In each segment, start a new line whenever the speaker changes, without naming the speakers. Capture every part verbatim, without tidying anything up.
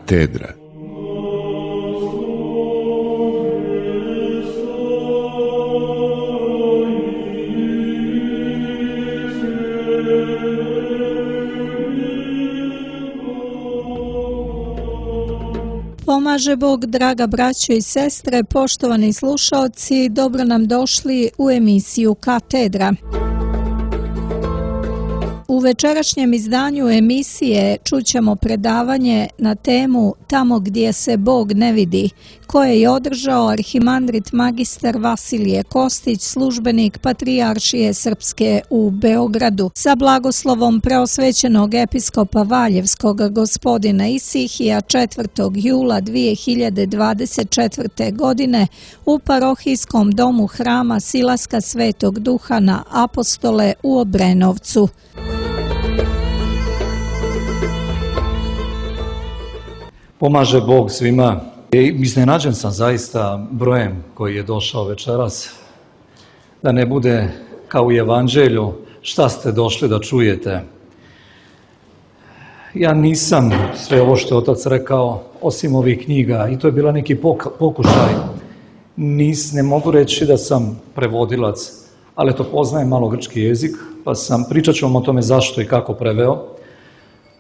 Katedra.
Pomaže Bog, draga braćo i sestre, poštovani slušaoci, dobro nam došli u emisiju Katedra. U večerašnjem izdanju emisije čućemo predavanje na temu Tamo gdje se Bog ne vidi, koje je održao arhimandrit magistar Vasilije Kostić, službenik Patrijaršije Srpske u Beogradu, sa blagoslovom preosvećenog episkopa Valjevskog gospodina Isihija četvrtog jula dvije hiljade dvadeset četvrte. godine u parohijskom domu hrama Silaska Svetog Duha na Apostole u Obrenovcu.
Pomaže Bog svima. Iznenađen sam zaista brojem koji je došao večeras. Da ne bude kao u Evanđelju, šta ste došli da čujete. Ja nisam sve ovo što je otac rekao, osim ovih knjiga, i to je bila neki pokušaj. Nis, ne mogu reći da sam prevodilac, ali to poznajem malo grčki jezik, pa sam, pričat ću vam o tome zašto i kako preveo.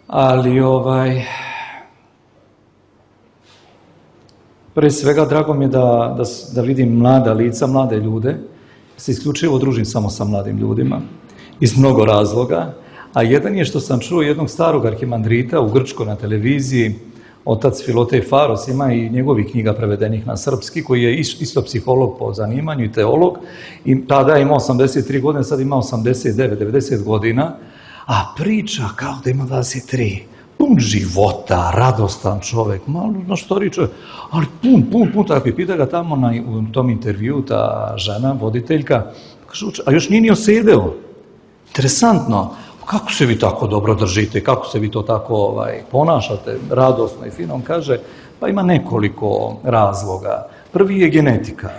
Ali ovaj... Pre svega, drago mi je da, da, da vidim mlada lica, mlade ljude. Se isključivo družim samo sa mladim ljudima, iz mnogo razloga. A jedan je što sam čuo jednog starog arhimandrita u Grčkoj na televiziji, otac Filotej Faros, ima i njegovih knjiga prevedenih na srpski, koji je isto psiholog po zanimanju i teolog. I tada je imao osamdeset tri godine, sad ima osamdeset devet devedeset godina, a priča kao da ima dvadeset tri. Pun života, radostan čovjek, malo na što riče, ali pun, pun, pun, tako i pita ga tamo na, u tom intervju ta žena, voditeljka, kaže, a još nije ni osedeo. Interesantno, kako se vi tako dobro držite, kako se vi to tako ovaj, ponašate, radosno i fino. On kaže, pa ima nekoliko razloga. Prvi je genetika.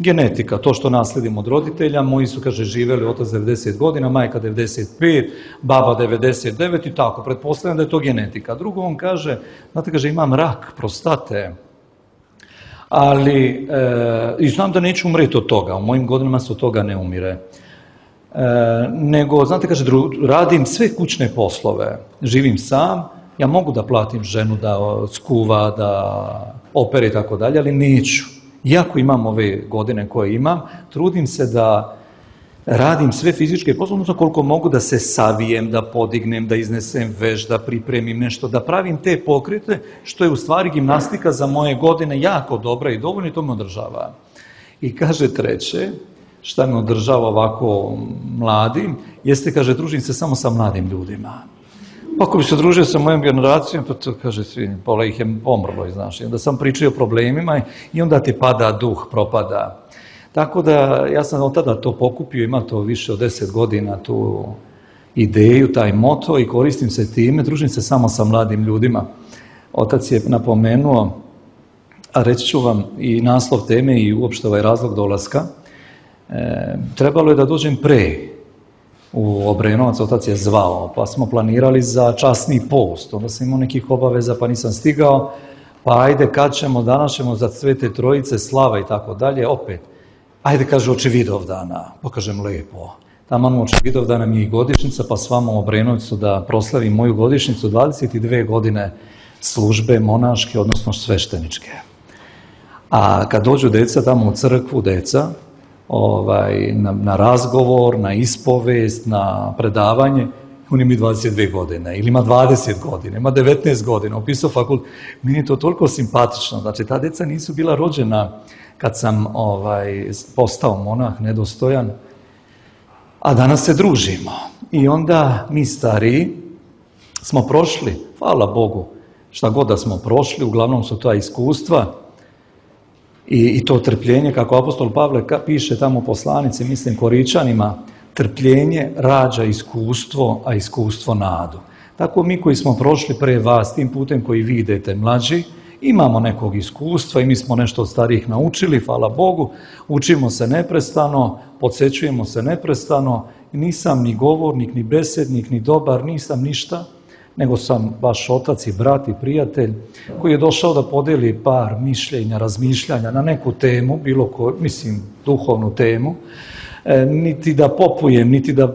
Genetika, to što nasledimo od roditelja, moji su, kaže, živjeli otac devedeset godina, majka devedeset pet, baba devedeset devet i tako, pretpostavljam da je to genetika. Drugo, on kaže, znate, kaže, imam rak prostate, ali, e, i znam da neću umreti od toga, u mojim godinama se od toga ne umire. E, nego, znate, kaže, dru, radim sve kućne poslove, živim sam, ja mogu da platim ženu da skuva, da opere i tako dalje, ali neću. Iako imam ove godine koje imam, trudim se da radim sve fizičke poslove, odnosno koliko mogu da se savijem, da podignem, da iznesem veš, da pripremim nešto, da pravim te pokrete, što je u stvari gimnastika za moje godine jako dobra i dovoljno i to me održava. I kaže treće, šta me održava ovako mladim, jeste, kaže, družim se samo sa mladim ljudima. Ako bi se družio sa mojom generacijom, pa to, kaže, svi, pola ih je pomrlo, znaš, i onda sam pričao o problemima i onda ti pada duh, propada. Tako da, ja sam od tada to pokupio, ima to više od deset godina, tu ideju, taj moto, i koristim se time, družim se samo sa mladim ljudima. Otac je napomenuo, a reći ću vam i naslov teme i uopšte ovaj razlog dolaska, e, trebalo je da dođem pre u Obrenovac, otac je zvao, pa smo planirali za časni post, onda sam imao nekih obaveza pa nisam stigao, pa ajde kad ćemo, danas ćemo za Svete Trojice, slava i tako dalje, opet, ajde, kaže, oči Vidovdana, pa kažem, lepo, taman oči Vidovdana mi je i godišnjica, pa s vama u Obrenovcu da proslavim moju godišnjicu, dvadeset dve godine službe monaške, odnosno svešteničke. A kad dođu deca tamo u crkvu, deca, Ovaj, na, na razgovor, na ispovest, na predavanje, on ima dvadeset dve godine, ili ima dvadeset godina, ima devetnaest godina, upisao fakult. Meni je to toliko simpatično, znači ta deca nisu bila rođena kad sam ovaj, postao monah, nedostojan, a danas se družimo. I onda mi stariji smo prošli, hvala Bogu, šta god da smo prošli, uglavnom su ta iskustva, I, i to trpljenje, kako apostol Pavle piše tamo u poslanici, mislim Koričanima, trpljenje rađa iskustvo, a iskustvo nadu. Tako mi koji smo prošli pre vas, tim putem koji vi idete mlađi, imamo nekog iskustva i mi smo nešto od starijih naučili, hvala Bogu, učimo se neprestano, podsjećujemo se neprestano, nisam ni govornik, ni besednik, ni dobar, nisam ništa, nego sam vaš otac i brat i prijatelj koji je došao da podeli par mišljenja, razmišljanja na neku temu, bilo ko, mislim, duhovnu temu, e, niti da popujem, niti da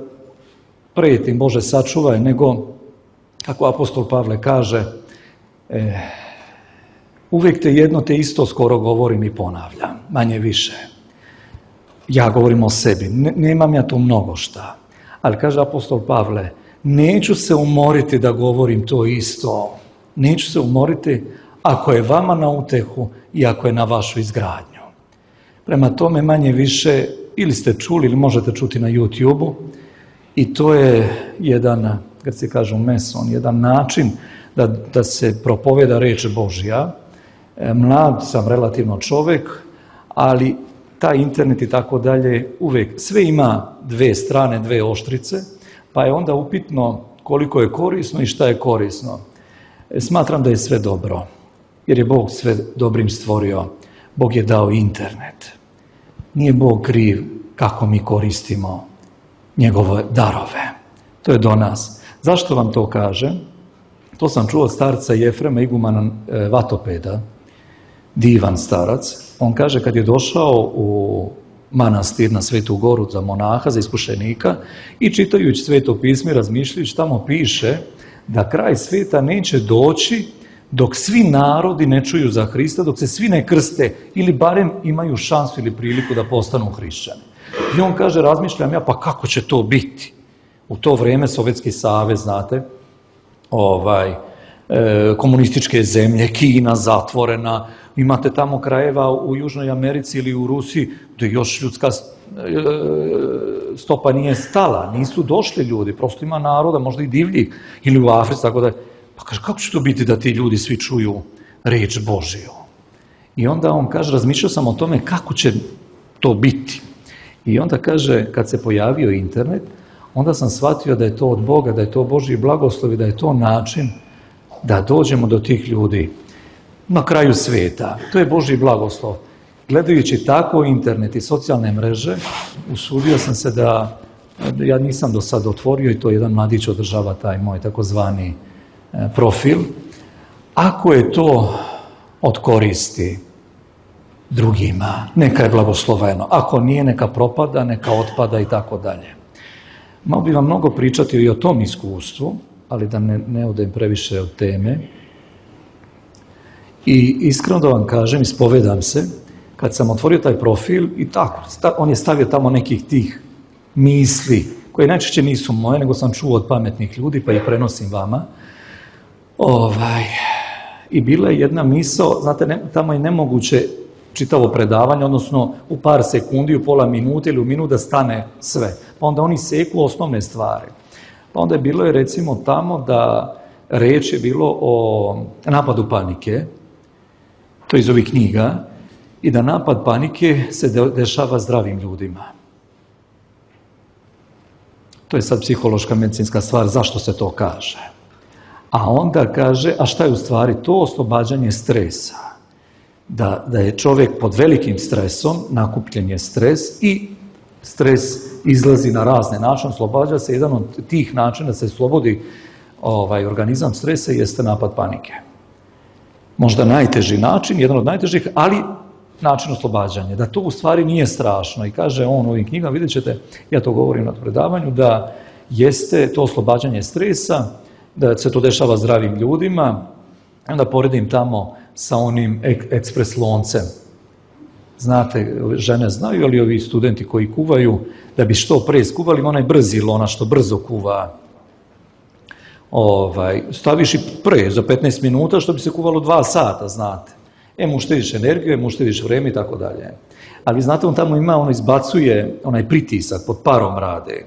pretim, Bože sačuvaj, nego, kako apostol Pavle kaže, e, uvijek te jedno te isto skoro govorim i ponavljam, manje više. Ja govorim o sebi, ne, nemam ja tu mnogo šta. Ali kaže apostol Pavle, neću se umoriti da govorim to isto. Neću se umoriti ako je vama na utehu i ako je na vašu izgradnju. Prema tome manje više, ili ste čuli ili možete čuti na YouTube-u, i to je jedan, kad se kažu meson, jedan način da, da se propoveda reč Božja. Mlad sam relativno čovjek, ali taj internet i tako dalje uvijek, sve ima dve strane, dve oštrice, pa je onda upitno koliko je korisno i šta je korisno. Smatram da je sve dobro, jer je Bog sve dobrim stvorio. Bog je dao internet. Nije Bog kriv kako mi koristimo njegove darove. To je do nas. Zašto vam to kažem? To sam čuo od starca Jefrema igumana Vatopeda, divan starac. On kaže kad je došao u manastir na Svetu Goru za monaha, za iskušenika i čitajući Sveto pismo i razmišljajući, tamo piše da kraj svijeta neće doći dok svi narodi ne čuju za Hrista, dok se svi ne krste ili barem imaju šansu ili priliku da postanu hrišćani. I on kaže, razmišljam ja, pa kako će to biti? U to vrijeme Sovjetski savez, znate, ovaj, e, komunističke zemlje, Kina zatvorena, imate tamo krajeva u Južnoj Americi ili u Rusiji gdje još ljudska stopa nije stala, nisu došli ljudi, prosto ima naroda, možda i divljih, ili u Africi, tako da, pa kaže, kako će to biti da ti ljudi svi čuju reč Božiju? I onda on kaže, razmišljao sam o tome kako će to biti. I onda kaže, kad se pojavio internet, onda sam shvatio da je to od Boga, da je to Božji blagoslov i da je to način da dođemo do tih ljudi na kraju svijeta. To je Božji blagoslov. Gledajući tako internet i socijalne mreže, usudio sam se da, ja nisam do sad otvorio i to jedan mladić održava taj moj takozvani profil. Ako je to od koristi drugima, neka je blagosloveno. Ako nije, neka propada, neka otpada i tako dalje. Malo bi vam mnogo pričati i o tom iskustvu, ali da ne, ne odem previše od teme. I iskreno da vam kažem, ispovedam se, kad sam otvorio taj profil i tako, on je stavio tamo nekih tih misli, koje najčešće nisu moje, nego sam čuo od pametnih ljudi, pa ih prenosim vama. Ovaj, I bila je jedna misao, znate, ne, tamo je nemoguće čitavo predavanje, odnosno u par sekundi, u pola minute ili u minut da stane sve. Pa onda oni seku osnovne stvari. Pa onda je bilo je recimo tamo da reč je bilo o napadu panike, to je iz ovih knjiga, i da napad panike se de- dešava zdravim ljudima. To je sad psihološka medicinska stvar, zašto se to kaže. A onda kaže, a šta je u stvari to? Oslobađanje stresa. Da, da je čovjek pod velikim stresom, nakupljen je stres i stres izlazi na razne načine, oslobađa se. Jedan od tih načina da se slobodi ovaj, organizam stresa jeste napad panike. Možda najteži način, jedan od najtežih, ali način oslobađanja. Da to u stvari nije strašno. I kaže on u ovim knjigama, vidjet ćete, ja to govorim na predavanju, da jeste to oslobađanje stresa, da se to dešava zdravim ljudima. Onda poredim tamo sa onim ek- ekspres loncem. Znate, žene znaju, ali ovi studenti koji kuvaju, da bi što pre skuvali, onaj brzi lona što brzo kuva. Ovaj, staviš i pre, za petnaest minuta, što bi se kuvalo dva sata, znate. Em uštediš energiju, em uštediš vreme i tako dalje. Ali znate, on tamo ima, ono izbacuje onaj pritisak, pod parom rade.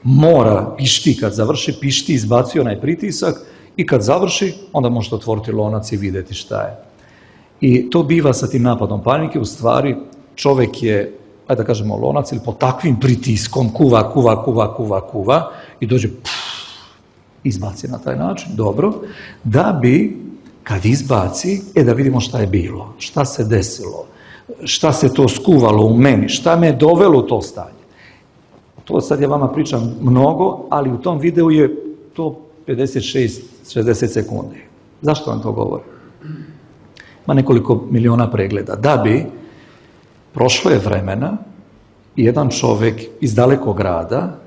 Mora, pišti, kad završi, pišti, izbacuje onaj pritisak i kad završi, onda možete otvoriti lonac i vidjeti šta je. I to biva sa tim napadom panike, u stvari čovjek je, ajde da kažemo lonac, ili pod takvim pritiskom kuva, kuva, kuva, kuva, kuva i dođe, pff, izbaci na taj način, dobro, da bi, kad izbaci, e da vidimo šta je bilo, šta se desilo, šta se to skuvalo u meni, šta me je dovelo u to stanje. To sad ja vama pričam mnogo, ali u tom videu je to pedeset šest do šezdeset sekundi. Zašto vam to govorim? Ima nekoliko miliona pregleda. Da bi prošlo je vremena i jedan čovjek iz dalekog grada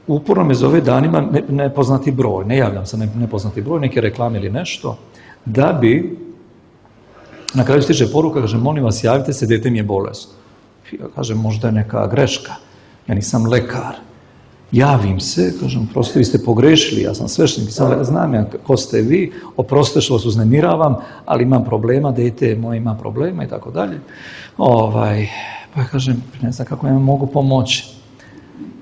uporno me zove danima ne, nepoznati broj, ne javljam se ne, nepoznati broj, neke reklame ili nešto, da bi na kraju stiže poruka, kaže, molim vas, javite se, dete mi je bolesno. Ja kažem, možda je neka greška, ja nisam lekar. Javim se, kažem, prosto vi ste pogrešili, ja sam sveštenik, znam ja ko ste vi, oprostite što vas uznemiravam, ali imam problema, dete moje ima problema i tako dalje. Ovaj, pa ja kažem, ne znam kako ja mogu pomoći.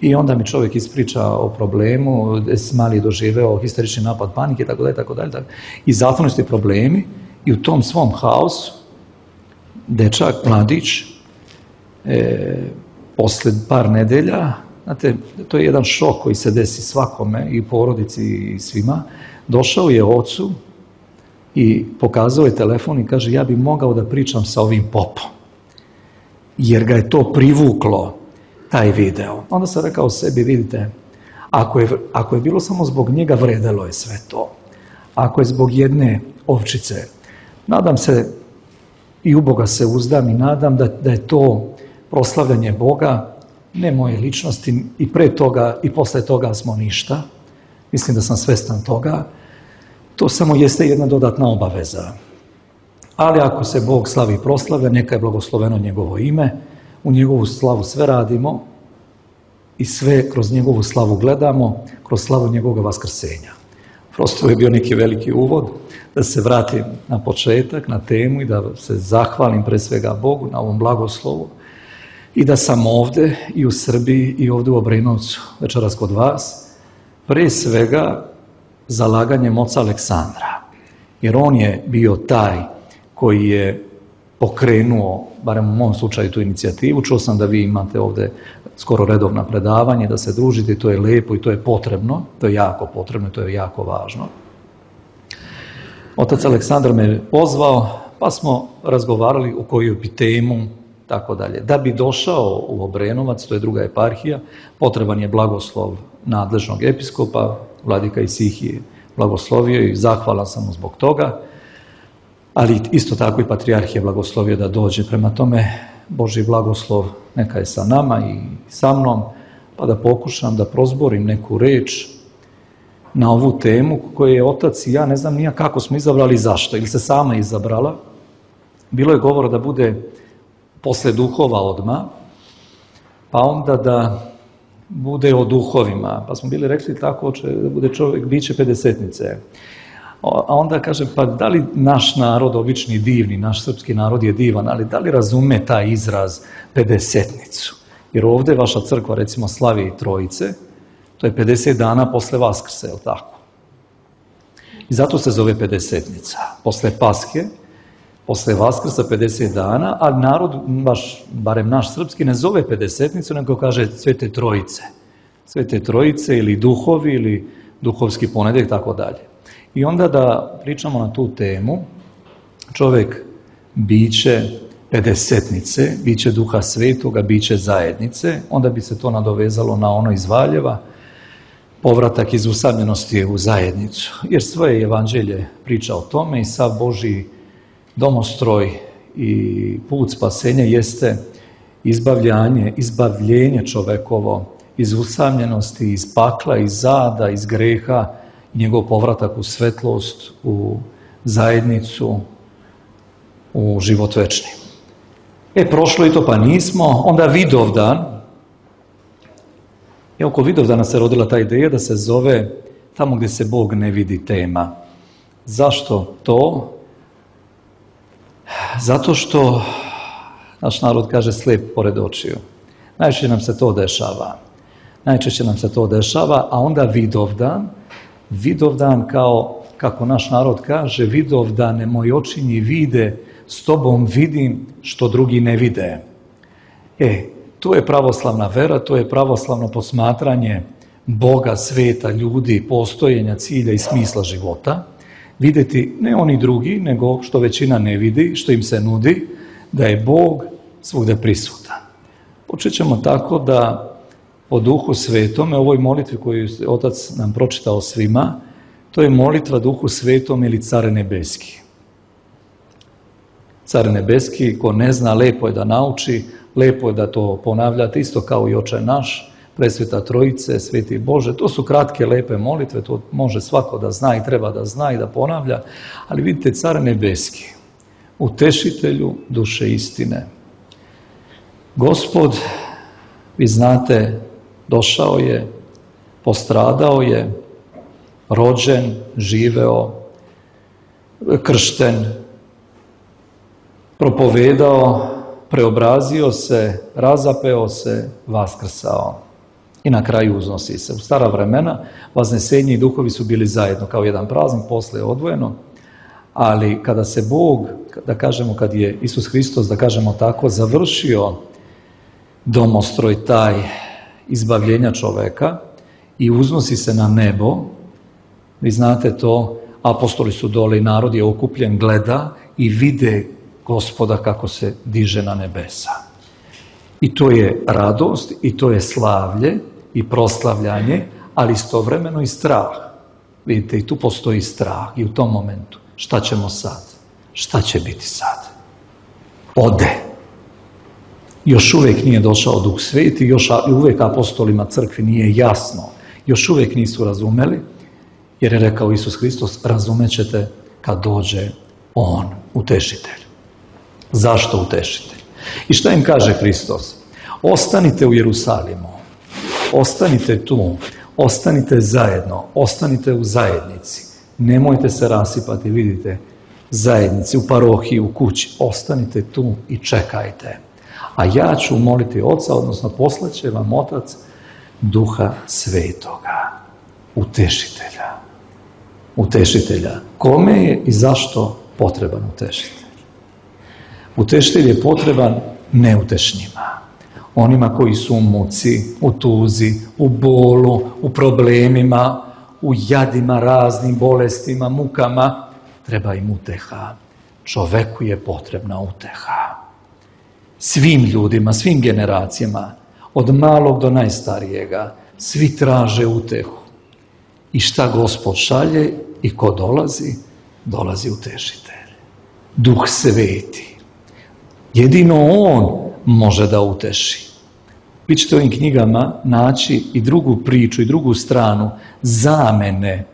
I onda mi čovjek ispriča o problemu, mali je doživeo histerični napad panike i tako dalje, tako dalje. I zatvoreni su ti problemi i u tom svom haosu dečak, mladić, e, posle par nedelja, znate, to je jedan šok koji se desi svakome i porodici i svima, došao je ocu i pokazao je telefon i kaže, ja bi mogao da pričam sa ovim popom, jer ga je to privuklo, taj video. Onda sam rekao sebi, vidite, ako je, ako je bilo samo zbog njega, vredelo je sve to. Ako je zbog jedne ovčice, nadam se i u Boga se uzdam i nadam da, da je to proslavljanje Boga, ne moje ličnosti, i pre toga i posle toga smo ništa. Mislim da sam svestan toga. To samo jeste jedna dodatna obaveza. Ali ako se Bog slavi i proslavlja, neka je blagosloveno njegovo ime, u njegovu slavu sve radimo i sve kroz njegovu slavu gledamo, kroz slavu njegovog vaskrsenja. Prosto je bio neki veliki uvod, da se vratim na početak, na temu i da se zahvalim pre svega Bogu na ovom blagoslovu i da sam ovde i u Srbiji i ovde u Obrenovcu večeras kod vas, pre svega zalaganjem oca Aleksandra, jer on je bio taj koji je pokrenuo, barem u mom slučaju, tu inicijativu. Čuo sam da vi imate ovde skoro redovna predavanje, da se družite, i to je lepo i to je potrebno, to je jako potrebno i to je jako važno. Otac Aleksandar me pozvao, pa smo razgovarali o koju bi temu, tako dalje. Da bi došao u Obrenovac, to je druga eparhija, potreban je blagoslov nadležnog episkopa, vladika Isihije blagoslovio i zahvalan sam mu zbog toga, ali isto tako i patrijarh je blagoslovio da dođe. Prema tome, Božji blagoslov neka je sa nama i sa mnom, pa da pokušam da prozborim neku reč na ovu temu koju je otac i ja ne znam nija kako smo izabrali i zašto, ili se sama izabrala. Bilo je govora da bude posle duhova odmah, pa onda da bude o duhovima, pa smo bili rekli tako da bude čovjek biće pedesetnice. A onda kaže, pa da li naš narod, obični divni, naš srpski narod je divan, ali da li razume taj izraz pedesetnicu? Jer ovde vaša crkva, recimo, slavi Trojice, to je pedeset dana posle Vaskrsa, je li tako? I zato se zove pedesetnica. Posle Paske, posle Vaskrsa pedeset dana, a narod, baš, barem naš srpski, ne zove pedesetnicu, nego kaže Svete Trojice. Svete Trojice ili duhovi ili duhovski ponedeljak, tako dalje. I onda da pričamo na tu temu, čovjek biće pedesetnice, biće Duha Svetoga, biće zajednice, onda bi se to nadovezalo na ono iz Valjeva, povratak iz usamljenosti u zajednicu. Jer svoje evanđelje priča o tome i sav Božji domostroj i put spasenja jeste izbavljanje, izbavljenje čovekovo iz usamljenosti, iz pakla, iz zada, iz greha, njegov povratak u svetlost, u zajednicu, u život večni. E, prošlo i to pa nismo, onda Vidovdan, i oko Vidovdana se rodila ta ideja da se zove tamo gdje se Bog ne vidi tema. Zašto to? Zato što naš narod kaže slijep pored očiju. Najčešće nam se to dešava. Najčešće nam se to dešava, a onda Vidovdan, Vidovdan kao, kako naš narod kaže, Vidovdane moji očinji vide, s tobom vidim što drugi ne vide. E, to je pravoslavna vera, to je pravoslavno posmatranje Boga, sveta, ljudi, postojenja, cilja i smisla života. Vidjeti ne oni drugi, nego što većina ne vidi, što im se nudi, da je Bog svugde prisutan. Počet ćemo tako da po Duhu Svetome, ovoj molitvi koju je Otac nam pročitao svima, To je molitva Duhu Svetom ili Car Nebeski. Car Nebeski, ko ne zna, lepo je da nauči, lepo je da to ponavljate, isto kao i Oče naš, Presveta Trojice, Sveti Bože. To su kratke, lepe molitve, to može svako da zna i treba da zna i da ponavlja. Ali vidite, Car Nebeski, utešitelju duše istine. Gospod, vi znate, došao je, postradao je, rođen, živeo, kršten, propovedao, preobrazio se, razapeo se, vaskrsao i na kraju uznosi se. U stara vremena vaznesenje i duhovi su bili zajedno kao jedan praznik, posle je odvojeno, ali kada se Bog, da kažemo kad je Isus Hristos, da kažemo tako, završio domostroj taj izbavljenja čoveka i uznosi se na nebo, vi znate to, apostoli su dole i narod je okupljen, gleda i vide Gospoda kako se diže na nebesa. I to je radost, i to je slavlje i proslavljanje, ali istovremeno i strah. Vidite, i tu postoji strah i u tom momentu. Šta ćemo sad? Šta će biti sad? Ode. Još uvijek nije došao Duh Sveti, još uvijek apostolima crkvi nije jasno. Još uvijek nisu razumeli, jer je rekao Isus Hristos, razumećete kad dođe On, utešitelj. Zašto utešitelj? I šta im kaže Hristos? Ostanite u Jerusalimu, ostanite tu, ostanite zajedno, ostanite u zajednici. Nemojte se rasipati, vidite, zajednici, u parohiji, u kući. Ostanite tu i čekajte. A ja ću moliti Oca, odnosno poslaće vam Otac Duha Svetoga, utešitelja. Utešitelja. Kome je i zašto potreban utešitelj? Utešitelj je potreban neutešnjima. Onima koji su u muci, u tuzi, u bolu, u problemima, u jadima, raznim bolestima, mukama, treba im uteha. Čoveku je potrebna uteha. Svim ljudima, svim generacijama, od malog do najstarijega, svi traže utehu. I šta Gospod šalje i ko dolazi? Dolazi utešitelj. Duh Sveti. Jedino On može da uteši. Vi ćete u ovim knjigama naći i drugu priču i drugu stranu zamene,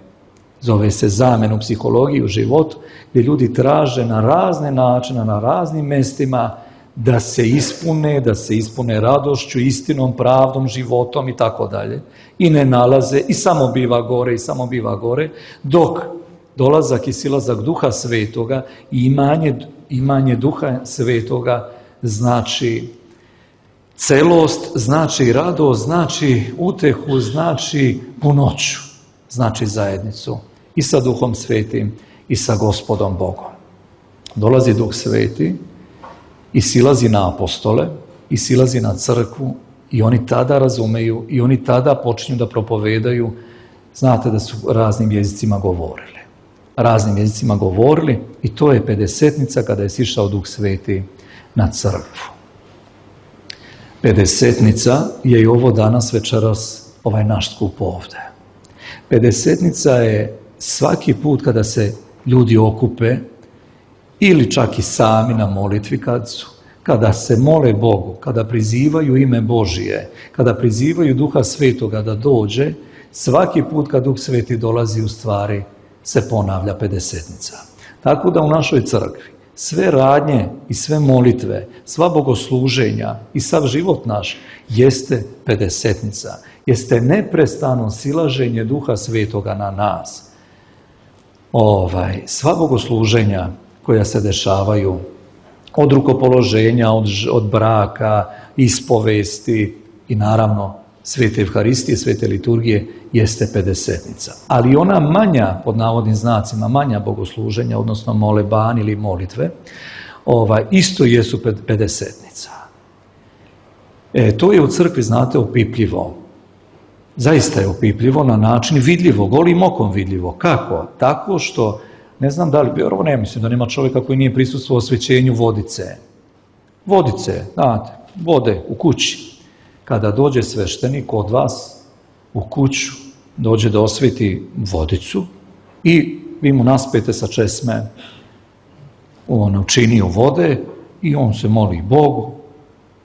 zove se zamenu psihologiji u životu, gdje ljudi traže na razne načine, na raznim mestima da se ispune, da se ispune radošću, istinom, pravdom, životom i tako dalje. I ne nalaze, i samo biva gore, i samo biva gore, dok dolazak i silazak Duha Svetoga i imanje, imanje Duha Svetoga znači celost, znači radost, znači utehu, znači punoću, znači zajednicu i sa Duhom Svetim i sa Gospodom Bogom. Dolazi Duh Sveti i silazi na apostole i silazi na crkvu i oni tada razumeju i oni tada počinju da propovedaju. Znate da su raznim jezicima govorili. Raznim jezicima govorili i to je pedesetnica kada je sišao Duh Sveti na crkvu. Pedesetnica je i ovo danas večeras ovaj naš skup ovde. Pedesetnica je svaki put kada se ljudi okupe ili čak i sami na molitvi kad su, kada se mole Bogu, kada prizivaju ime Božije, kada prizivaju Duha Svetoga da dođe, svaki put kad Duh Sveti dolazi u stvari se ponavlja pedesetnica. Tako da u našoj crkvi sve radnje i sve molitve, sva bogosluženja i sav život naš jeste pedesetnica. Jeste neprestano silaženje Duha Svetoga na nas. Ovaj, sva bogosluženja koja se dešavaju od rukopoloženja, od, od braka, ispovesti i naravno Svete Evharistije, Svete liturgije jeste pedesetnica. Ali ona manja, pod navodnim znacima, manja bogosluženja, odnosno moleban ili molitve, ovaj, isto jesu pedesetnica. E, to je u crkvi, znate, opipljivo. Zaista je opipljivo na način vidljivo, golim okom vidljivo. Kako? Tako što, ne znam da li, vjerovo ne mislim da nema čovjeka koji nije prisustvovao osvećenju vodice. Vodice, znate, vode u kući. Kada dođe sveštenik od vas u kuću, dođe da osveti vodicu, I vi mu naspete sa česme on učinio vode i on se moli Bogu,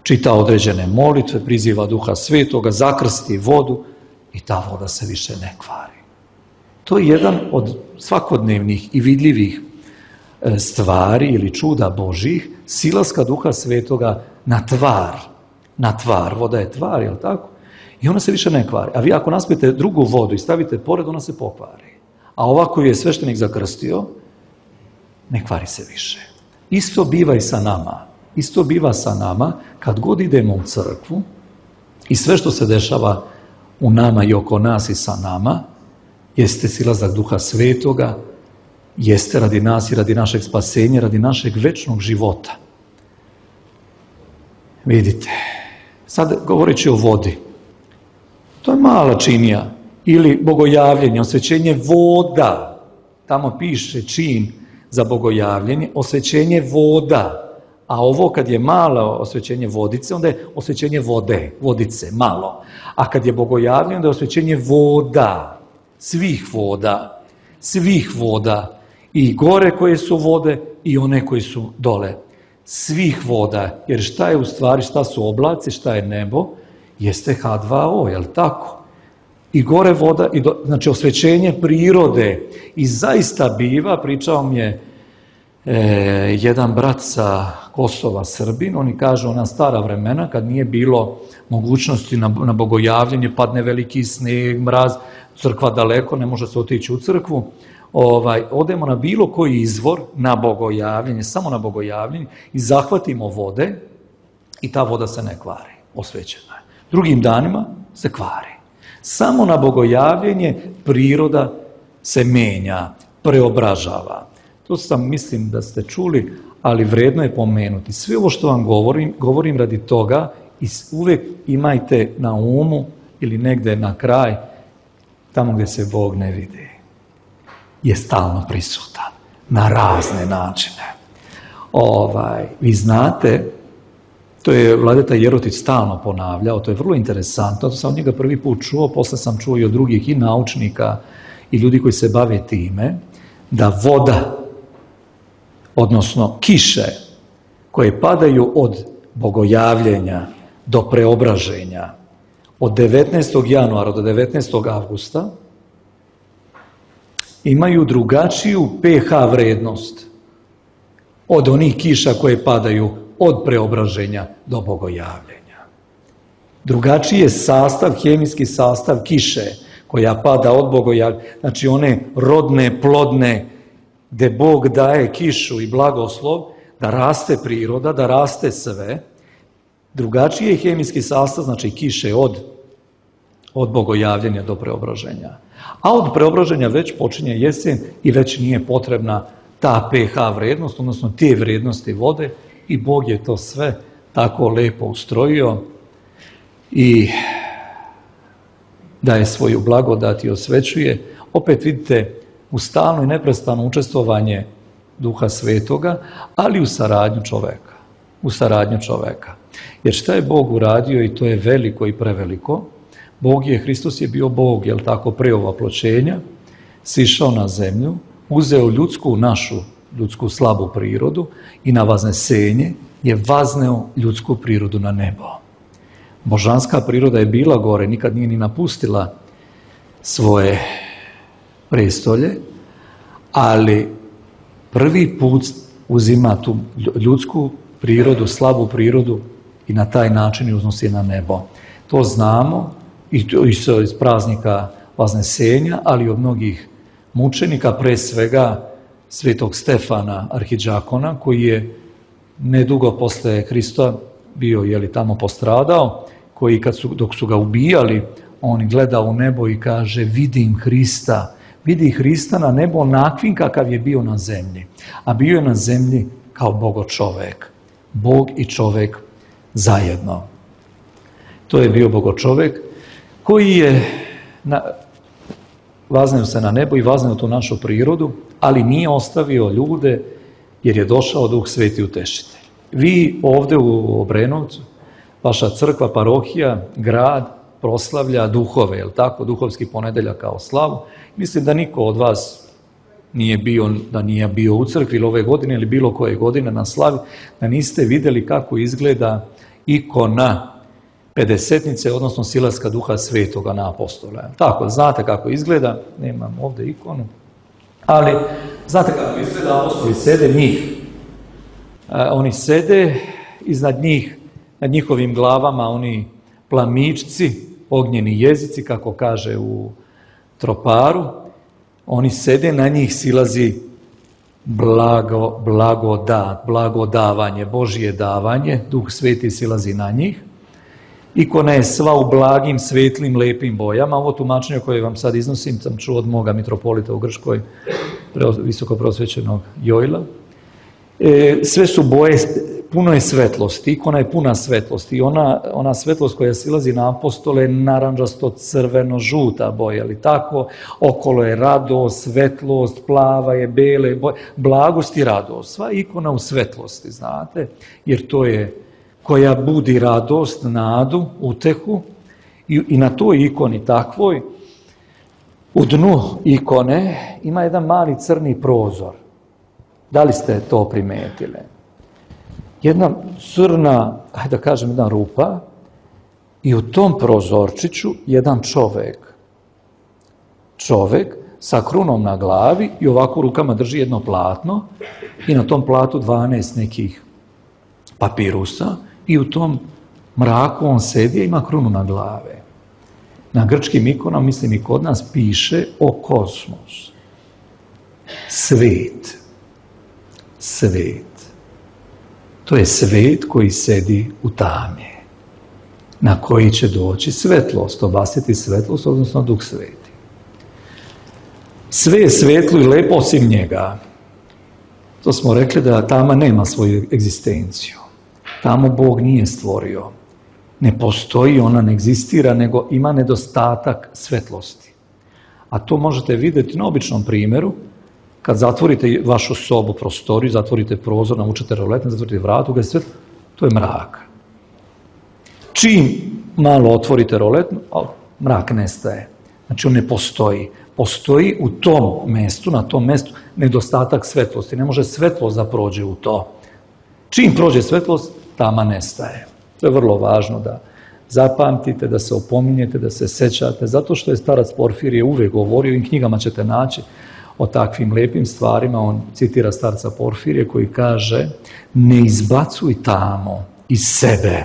čita određene molitve, priziva Duha Svetoga, zakrsti vodu i ta voda se više ne kvari. To je jedan od svakodnevnih i vidljivih stvari ili čuda Božih, silaska Duha Svetoga na tvar. Na tvar, voda je tvar, je li tako? I ona se više ne kvari. A vi ako naspijete drugu vodu i stavite pored, ona se pokvari. A ovako je sveštenik zakrstio, ne kvari se više. Isto biva i sa nama. Isto biva sa nama kad god idemo u crkvu i sve što se dešava u nama i oko nas i sa nama, jeste silazak Duha Svetoga, jeste radi nas i radi našeg spasenja, radi našeg večnog života. Vidite, sad govoreći o vodi, to je mala činija ili bogojavljenje, osvećenje voda. Tamo piše čin za bogojavljenje, osvećenje voda. A ovo kad je malo osvećenje vodice, onda je osvećenje vode, vodice, malo. A kad je bogojavljenje, onda je osvećenje voda, svih voda, svih voda. I gore koje su vode i one koje su dole. Svih voda. Jer šta je u stvari, šta su oblaci, šta je nebo? Jeste ha dva o, je li tako? I gore voda, i do, znači osvećenje prirode. I zaista biva, pričao mi je e, jedan brat sa Kosova, Srbin, oni kažu ona stara vremena, kad nije bilo mogućnosti na, na bogojavljenje, padne veliki sneg, mraz, crkva daleko, ne može se otići u crkvu, ovaj, odemo na bilo koji izvor, na bogojavljenje, samo na bogojavljenje i zahvatimo vode i ta voda se ne kvari, osvećena je. Drugim danima se kvari. Samo na bogojavljenje priroda se menja, preobražava. To sam, mislim da ste čuli, ali vredno je pomenuti. Sve ovo što vam govorim, govorim radi toga i uvek imajte na umu ili negde na kraj, tamo gdje se Bog ne vidi, je stalno prisutan na razne načine. Ovaj, vi znate, to je Vladeta Jerotić stalno ponavljao, to je vrlo interesantno, to sam od njega prvi put čuo, posle sam čuo i od drugih i naučnika i ljudi koji se bave time, da voda, odnosno kiše koje padaju od bogojavljenja do preobraženja, od devetnaestog januara do devetnaestog avgusta, imaju drugačiju pH vrednost od onih kiša koje padaju od preobraženja do bogojavljenja. Drugačiji je sastav, hemijski sastav kiše koja pada od bogojavljenja, znači one rodne, plodne, gde Bog daje kišu i blagoslov, da raste priroda, da raste sve. Drugačiji je hemijski sastav, znači kiše od, od bogojavljenja do preobraženja. A od preobraženja već počinje jesen i već nije potrebna ta pH vrednost, odnosno te vrednosti vode, i Bog je to sve tako lepo ustrojio i daje svoju blagodat i osvećuje. Opet vidite, u stalno i neprestano učestvovanje Duha Svetoga, ali u saradnju čoveka. U saradnju čoveka. Jer šta je Bog uradio, i to je veliko i preveliko, Bog je, Hristos je bio Bog, jel tako, pre ovaploćenja, sišao na zemlju, uzeo ljudsku, našu ljudsku slabu prirodu i na vaznesenje je vazneo ljudsku prirodu na nebo. Božanska priroda je bila gore, nikad nije ni napustila svoje prestolje, ali prvi put uzima tu ljudsku prirodu, slabu prirodu i na taj način uznosi na nebo. To znamo i iz praznika Vaznesenja, ali od mnogih mučenika, pre svega svetog Stefana, arhidžakona, koji je nedugo posle Hrista bio, jeli, tamo postradao, koji kad su, dok su ga ubijali, on gleda u nebo i kaže: vidim Hrista, vidi Hrista na nebo onakvim kakav je bio na zemlji. A bio je na zemlji kao Bogo čovek. Bog i čovek zajedno. To je bio Bogo čovek koji je na, vazneo se na nebo i vazneo tu našu prirodu, ali nije ostavio ljude, jer je došao Duh Sveti Utešitelj. Vi ovde u Obrenovcu, vaša crkva, parohija, grad proslavlja duhove, je li tako, duhovski ponedeljak kao slavu. Mislim da niko od vas nije bio, da nije bio u crkvi ili ove godine ili bilo koje godine na slavi, da niste vidjeli kako izgleda ikona pedesetnice, odnosno silaska Duha Svetoga na apostola. Tako, znate kako izgleda, nemam ovdje ikonu, ali znate kako izgleda, apostoli sede njih. Oni sede, iznad njih, nad njihovim glavama, oni plamičci, ognjeni jezici, kako kaže u Troparu, oni sede, na njih silazi blago, blagodat, blagodavanje, Božje davanje, Duh Sveti silazi na njih. Ikona je sva u blagim, svetlim, lepim bojama. Ovo tumačenje koje vam sad iznosim sam čuo od moga mitropolita u Grčkoj, visoko prosvećenog Jojla. E, sve su boje, puno je svetlosti, ikona je puna svetlosti i ona, ona svetlost koja silazi na apostole je naranđasto, crveno, žuta boja, ali tako, okolo je radost, svetlost, plava je, bele boje, blagost i radost, sva ikona u svetlosti, znate, jer to je koja budi radost, nadu, utehu i, i na toj ikoni takvoj, u dnu ikone ima jedan mali crni prozor. Da li ste to primetili? Jedna crna, hajde da kažem, jedna rupa i u tom prozorčiću jedan čovek. Čovek sa krunom na glavi i ovako rukama drži jedno platno i na tom platu dvanaest nekih papirusa i u tom mraku on sedi i ima krunu na glave. Na grčkim ikonama, mislim i kod nas, piše o kosmos. Svet. Svet. To je svet koji sedi u tami, na koji će doći svetlost, obasiti svetlost, odnosno Duh Sveti. Sve je svetlo i lepo osim njega. To smo rekli da tama nema svoju egzistenciju. Tamo Bog nije stvorio. Ne postoji, ona ne egzistira, nego ima nedostatak svetlosti. A to možete vidjeti na običnom primjeru. Kad zatvorite vašu sobu, prostoriju, zatvorite prozor, navučete roletne, zatvorite vratu, ga je svetlo, to je mrak. Čim malo otvorite roletnu, mrak nestaje. Znači on ne postoji. Postoji u tom mestu, na tom mestu, nedostatak svetlosti. Ne može svetlost da prođe u to. Čim prođe svetlost, tama nestaje. To je vrlo važno da zapamtite, da se opominjete, da se sećate, zato što je starac Porfirije uvijek govorio, i knjigama ćete naći o takvim lepim stvarima. On citira starca Porfirije koji kaže: ne izbacuj tamo iz sebe.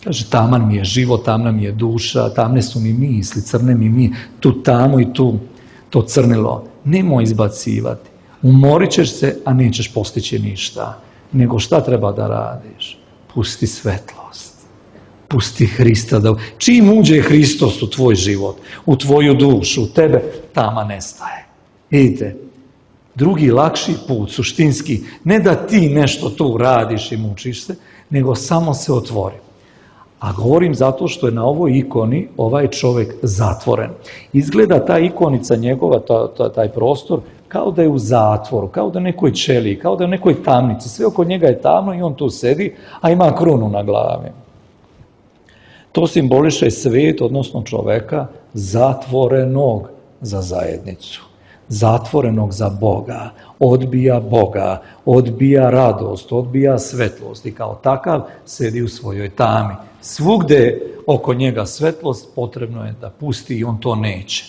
Kaže, taman mi je život, tamna mi je duša, tamne su mi misli, crne mi mi, tu tamo i tu to crnilo. Nemoj izbacivati. Umorit ćeš se, a nećeš postići ništa. Nego šta treba da radiš? Pusti svetlost. Pusti Hrista. Da... Čim uđe Hristos u tvoj život, u tvoju dušu, u tebe, tama nestaje. Vidite, drugi lakši put, suštinski, ne da ti nešto tu radiš i mučiš se, nego samo se otvori. A govorim zato što je na ovoj ikoni ovaj čovjek zatvoren. Izgleda ta ikonica njegova, ta, ta, taj prostor, kao da je u zatvoru, kao da je u nekoj ćeliji, kao da je u nekoj tamnici. Sve oko njega je tamno i on tu sedi, a ima krunu na glavi. To simboliše svet, odnosno čoveka, zatvorenog za zajednicu. Zatvorenog za Boga, odbija Boga, odbija radost, odbija svetlost i kao takav sedi u svojoj tami. Svugde oko njega svetlost, potrebno je da pusti i on to neće.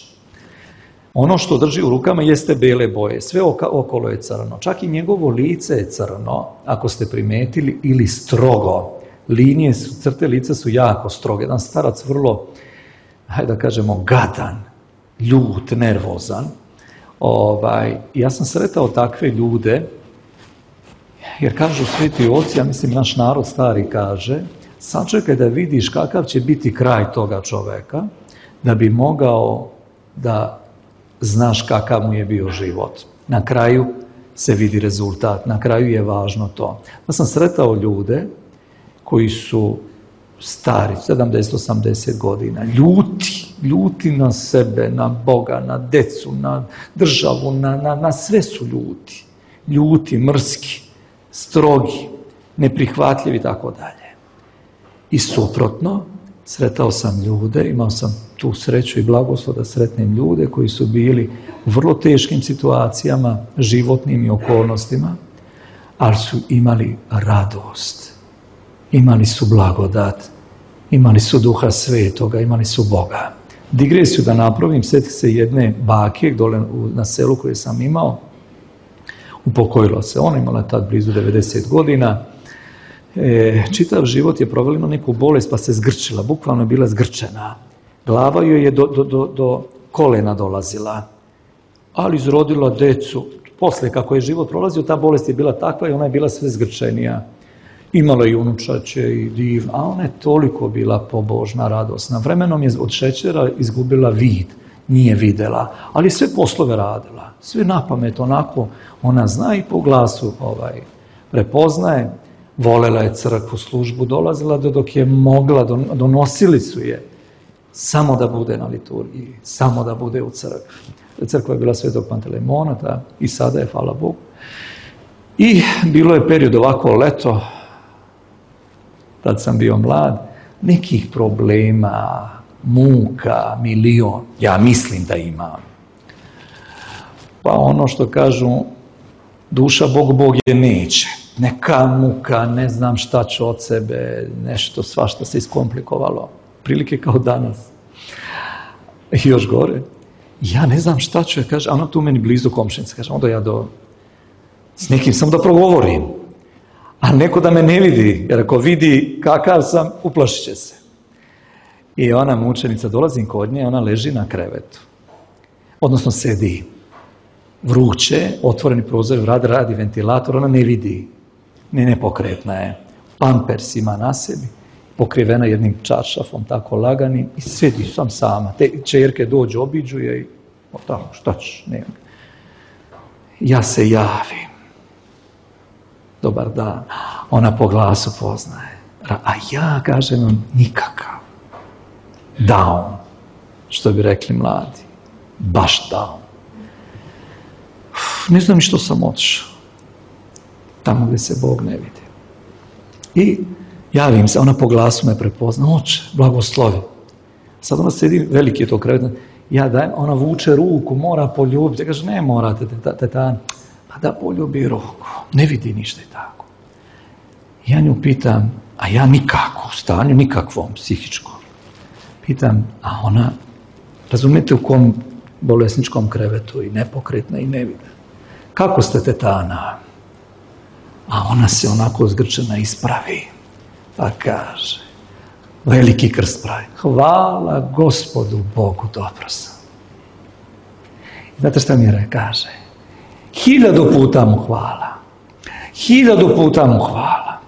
Ono što drži u rukama jeste bele boje, sve okolo je crno, čak i njegovo lice je crno, ako ste primetili, ili strogo. Linije su, crte lica su jako stroge. Jedan starac vrlo, hajde da kažemo, gadan, ljut, nervozan. Ovaj, ja sam sretao takve ljude, jer kažu sveti oci, ja mislim naš narod stari kaže, sačekaj da vidiš kakav će biti kraj toga čoveka, da bi mogao da znaš kakav mu je bio život. Na kraju se vidi rezultat, na kraju je važno to. Ja sam sretao ljude koji su stari, sedamdeset osamdeset godina, ljuti, ljuti na sebe, na Boga, na decu, na državu, na, na, na sve su ljuti. Ljuti, mrski, strogi, neprihvatljivi i tako dalje. I suprotno, Sretao sam ljude, imao sam tu sreću i blagoslov da sretnem ljude koji su bili u vrlo teškim situacijama, životnim i okolnostima, ali su imali radost, imali su blagodat, imali su Duha Svetoga, imali su Boga. Digresiju da napravim, sjeti se jedne bake dole na selu koje sam imao, upokojila se, ona imala tad blizu devedeset godina, e, čitav život je provela, ima neku bolest pa se zgrčila, bukvalno je bila zgrčena. Glava joj je do, do, do, do kolena dolazila, ali izrodila decu. Posle, kako je život prolazio, ta bolest je bila takva i ona je bila sve zgrčenija. Imala i unučače i divna, a ona je toliko bila pobožna, radosna. Vremenom je od šećera izgubila vid, nije videla, ali sve poslove radila. Sve na pamet, onako, ona zna i po glasu ovaj, prepoznaje. Volela je crkvu, službu, dolazila do dok je mogla, donosili su je samo da bude na liturgiji, samo da bude u crkvi. Crkva je bila Svetog Panteleimona i sada je, hvala Bogu. I bilo je period ovako leto, tad sam bio mlad, nekih problema, muka, milion, ja mislim da imam. Pa ono što kažu, duša Bog, Bog je neće. Neka muka, ne znam šta ću od sebe, nešto, svašta se iskomplikovalo. Prilike kao danas. I još gore. Ja ne znam šta ću, kaže, a ona tu meni blizu komšinica, kaže, onda ja do, s nekim sam da progovorim. A neko da me ne vidi, jer ako vidi kakav sam, uplašit će se. I ona mučenica, dolazim kod nje, ona leži na krevetu. Odnosno sedi. Vruće, otvoreni prozor, radi, radi ventilator, ona ne vidi. Ne, nepokretna je. Pampers ima na sebi, pokrivena jednim čaršafom, tako laganim, i sedi sam sama. Te čerke dođu, obiđu je i o tako, šta ćeš, nema. Ja se javim. Dobar dan. Ona po glasu poznaje. A ja, kažem vam, nikakav. Down. Što bi rekli mladi. Baš down. Uf, ne znam ni što sam otišao. Tamo gdje se Bog ne vidi. I javim se, ona po glasu me prepozna. Oče, blagoslovi. Sad ona sedi, veliki je to krevet. Ja dajem, ona vuče ruku, mora poljubiti. Ja kaže, ne morate, tetan. Pa da poljubi ruku. Ne vidi ništa i tako. Ja nju pitam, a ja nikako, u stanju nikakvom, psihičkom. Pitam, a ona, razumijete u kom bolesničkom krevetu i nepokretna i ne vide. Kako ste, tetana? A ona se onako zgrčena ispravi, pa kaže, veliki krst pravi, hvala Gospodu Bogu, dobro sam. Znate šta mi je kaže? Hiljadu puta mu hvala. Hiljadu puta mu hvala.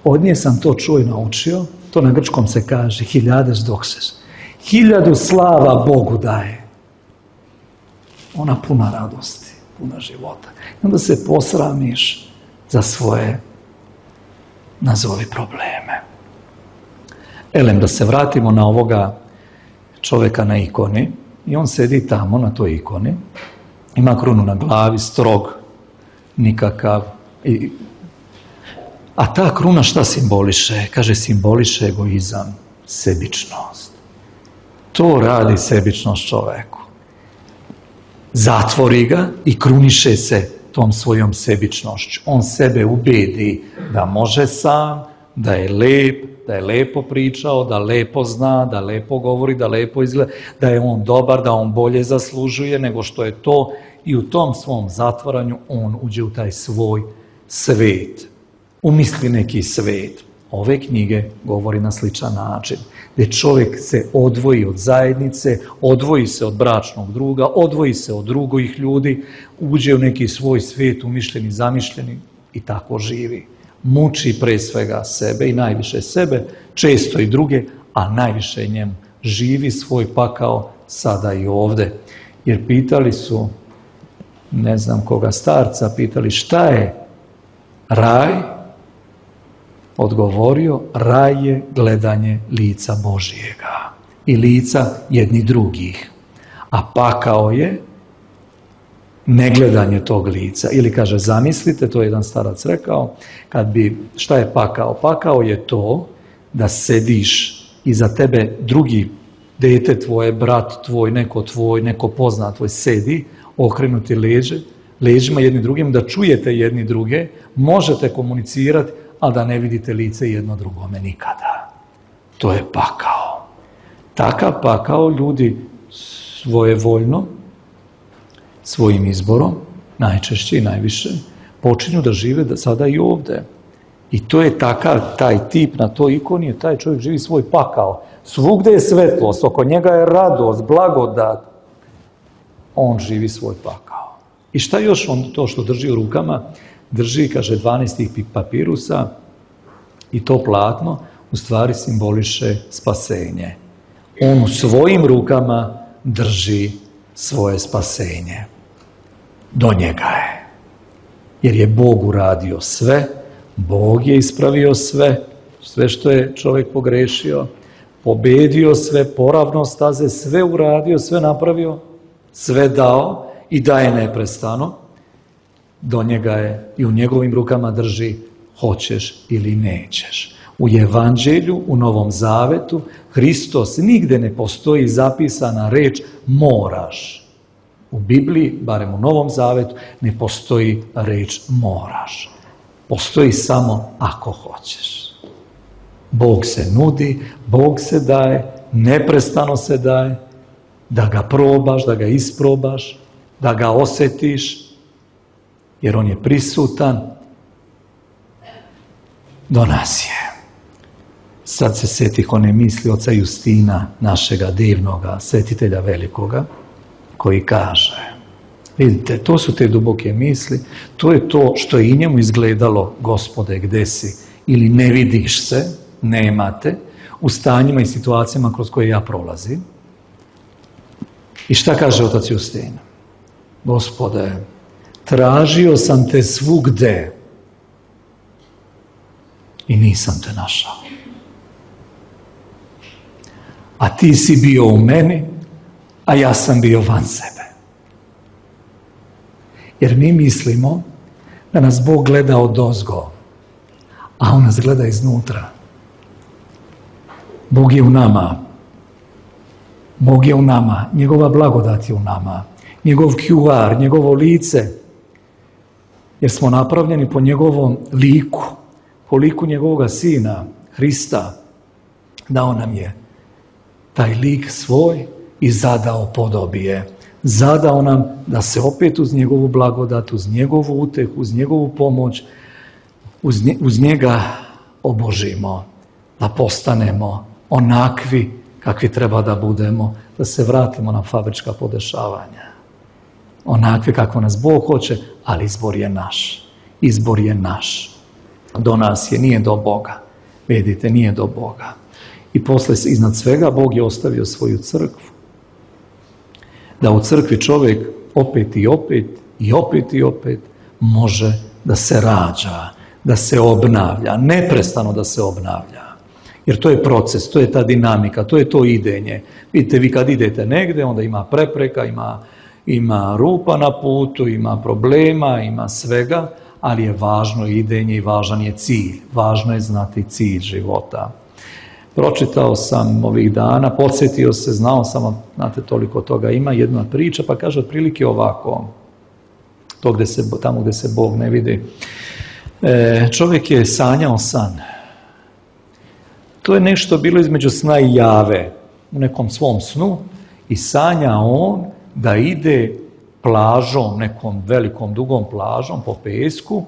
Od nje sam to čuo i naučio, to na grčkom se kaže, hiljades dokseš. Hiljadu slava Bogu daje. Ona puna radosti, puna života. I onda se posramiš za svoje, nazovi, probleme. Elem, da se vratimo na ovoga čovjeka na ikoni. I on sedi tamo na toj ikoni. Ima krunu na glavi, strog, nikakav. I, a ta kruna šta simboliše? Kaže, simboliše egoizam, sebičnost. To radi sebičnost čoveku. Zatvori ga i kruniše se tom svojom sebičnošću. On sebe ubedi da može sam, da je lep, da je lepo pričao, da lepo zna, da lepo govori, da lepo izgleda, da je on dobar, da on bolje zaslužuje nego što je to, i u tom svom zatvaranju on uđe u taj svoj svet. Umisli neki svet. Ove knjige govori na sličan način, gdje čovjek se odvoji od zajednice, odvoji se od bračnog druga, odvoji se od drugih ljudi, uđe u neki svoj svijet, umišljeni, zamišljeni, i tako živi. Muči pre svega sebe i najviše sebe, često i druge, a najviše njemu. Živi svoj pakao sada i ovdje. Jer pitali su, ne znam koga starca, pitali šta je raj? Odgovorio, raj je gledanje lica Božijega i lica jedni drugih. A pakao je negledanje tog lica. Ili kaže, zamislite, to je jedan starac rekao, kad bi, šta je pakao? Pakao je to da sediš i za tebe drugi dete tvoje, brat tvoj, neko tvoj, neko poznat tvoj sedi, okrenuti leđe, leđima jedni drugim, da čujete jedni druge, možete komunicirati, a da ne vidite lice jedno drugome nikada. To je pakao. Takav pakao ljudi svojevoljno, svojim izborom, najčešće i najviše, počinju da žive da sada i ovde. I to je takav, taj tip na toj ikoni, taj čovjek živi svoj pakao. Svugde je svetlost, oko njega je radost, blagodat. On živi svoj pakao. I šta još on to što drži u rukama? Drži, kaže, dvanaest tih papirusa i to platno u stvari simboliše spasenje. On u svojim rukama drži svoje spasenje. Do njega je. Jer je Bog uradio sve, Bog je ispravio sve, sve što je čovjek pogrešio, pobedio sve, poravno staze, sve uradio, sve napravio, sve dao i daje neprestano. Do njega je i u njegovim rukama drži hoćeš ili nećeš. U Evanđelju, u Novom Zavetu, Hristos nigde ne postoji zapisana reč moraš. U Bibliji, barem u Novom Zavetu, ne postoji reč moraš. Postoji samo ako hoćeš. Bog se nudi, Bog se daje, neprestano se daje, da ga probaš, da ga isprobaš, da ga osjetiš, jer on je prisutan. Do nas je. Sad se setih one misli oca Justina, našega divnoga svetitelja velikoga, koji kaže, vidite, to su te duboke misli, to je to što je i njemu izgledalo, Gospode, gde si, ili ne vidiš se, nemate, u stanjima i situacijama kroz koje ja prolazim. I šta kaže otac Justin? Gospode, tražio sam te svugde i nisam te našao. A ti si bio u meni, a ja sam bio van sebe. Jer mi mislimo da nas Bog gleda odozgo, a on nas gleda iznutra. Bog je u nama. Bog je u nama. Njegova blagodat je u nama. Njegov Q R, njegovo lice. Jer smo napravljeni po njegovom liku, po liku njegovoga sina, Hrista. Dao nam je taj lik svoj i zadao podobije. Zadao nam da se opet uz njegovu blagodat, uz njegovu utehu, uz njegovu pomoć, uz, nje, uz njega obožimo, da postanemo onakvi kakvi treba da budemo, da se vratimo na fabrička podešavanja. Onakvi kako nas Bog hoće, ali izbor je naš. Izbor je naš. Do nas je, nije do Boga. Vidite, nije do Boga. I posle, iznad svega, Bog je ostavio svoju crkvu. Da u crkvi čovjek opet i opet, i opet i opet, može da se rađa, da se obnavlja, neprestano da se obnavlja. Jer to je proces, to je ta dinamika, to je to idenje. Vidite, vi kad idete negde, onda ima prepreka, ima, ima rupa na putu, ima problema, ima svega, ali je važno idenje i važan je cilj. Važno je znati cilj života. Pročitao sam ovih dana, podsjetio se, znao sam, znate, toliko toga ima, jedna priča, pa kaže otprilike ovako, to gde se, tamo gde se Bog ne vidi. E, čovjek je sanjao san. To je nešto bilo između sna i jave, u nekom svom snu, i sanja on da ide plažom, nekom velikom, dugom plažom po pesku,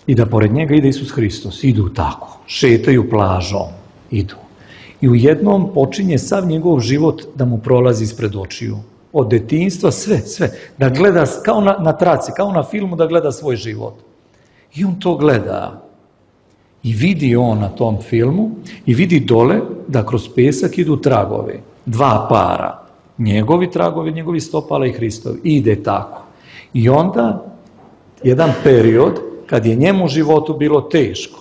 i da pored njega ide Isus Hristos. Idu tako, šetaju plažom, idu. I u jednom počinje sav njegov život da mu prolazi ispred očiju. Od detinjstva, sve, sve. Da gleda, kao na, na traci, kao na filmu, da gleda svoj život. I on to gleda. I vidi on na tom filmu, i vidi dole da kroz pesak idu tragovi. Dva para. Njegovi tragovi, njegovi stopala i Hristovi. I ide tako. I onda, jedan period, kad je njemu u životu bilo teško,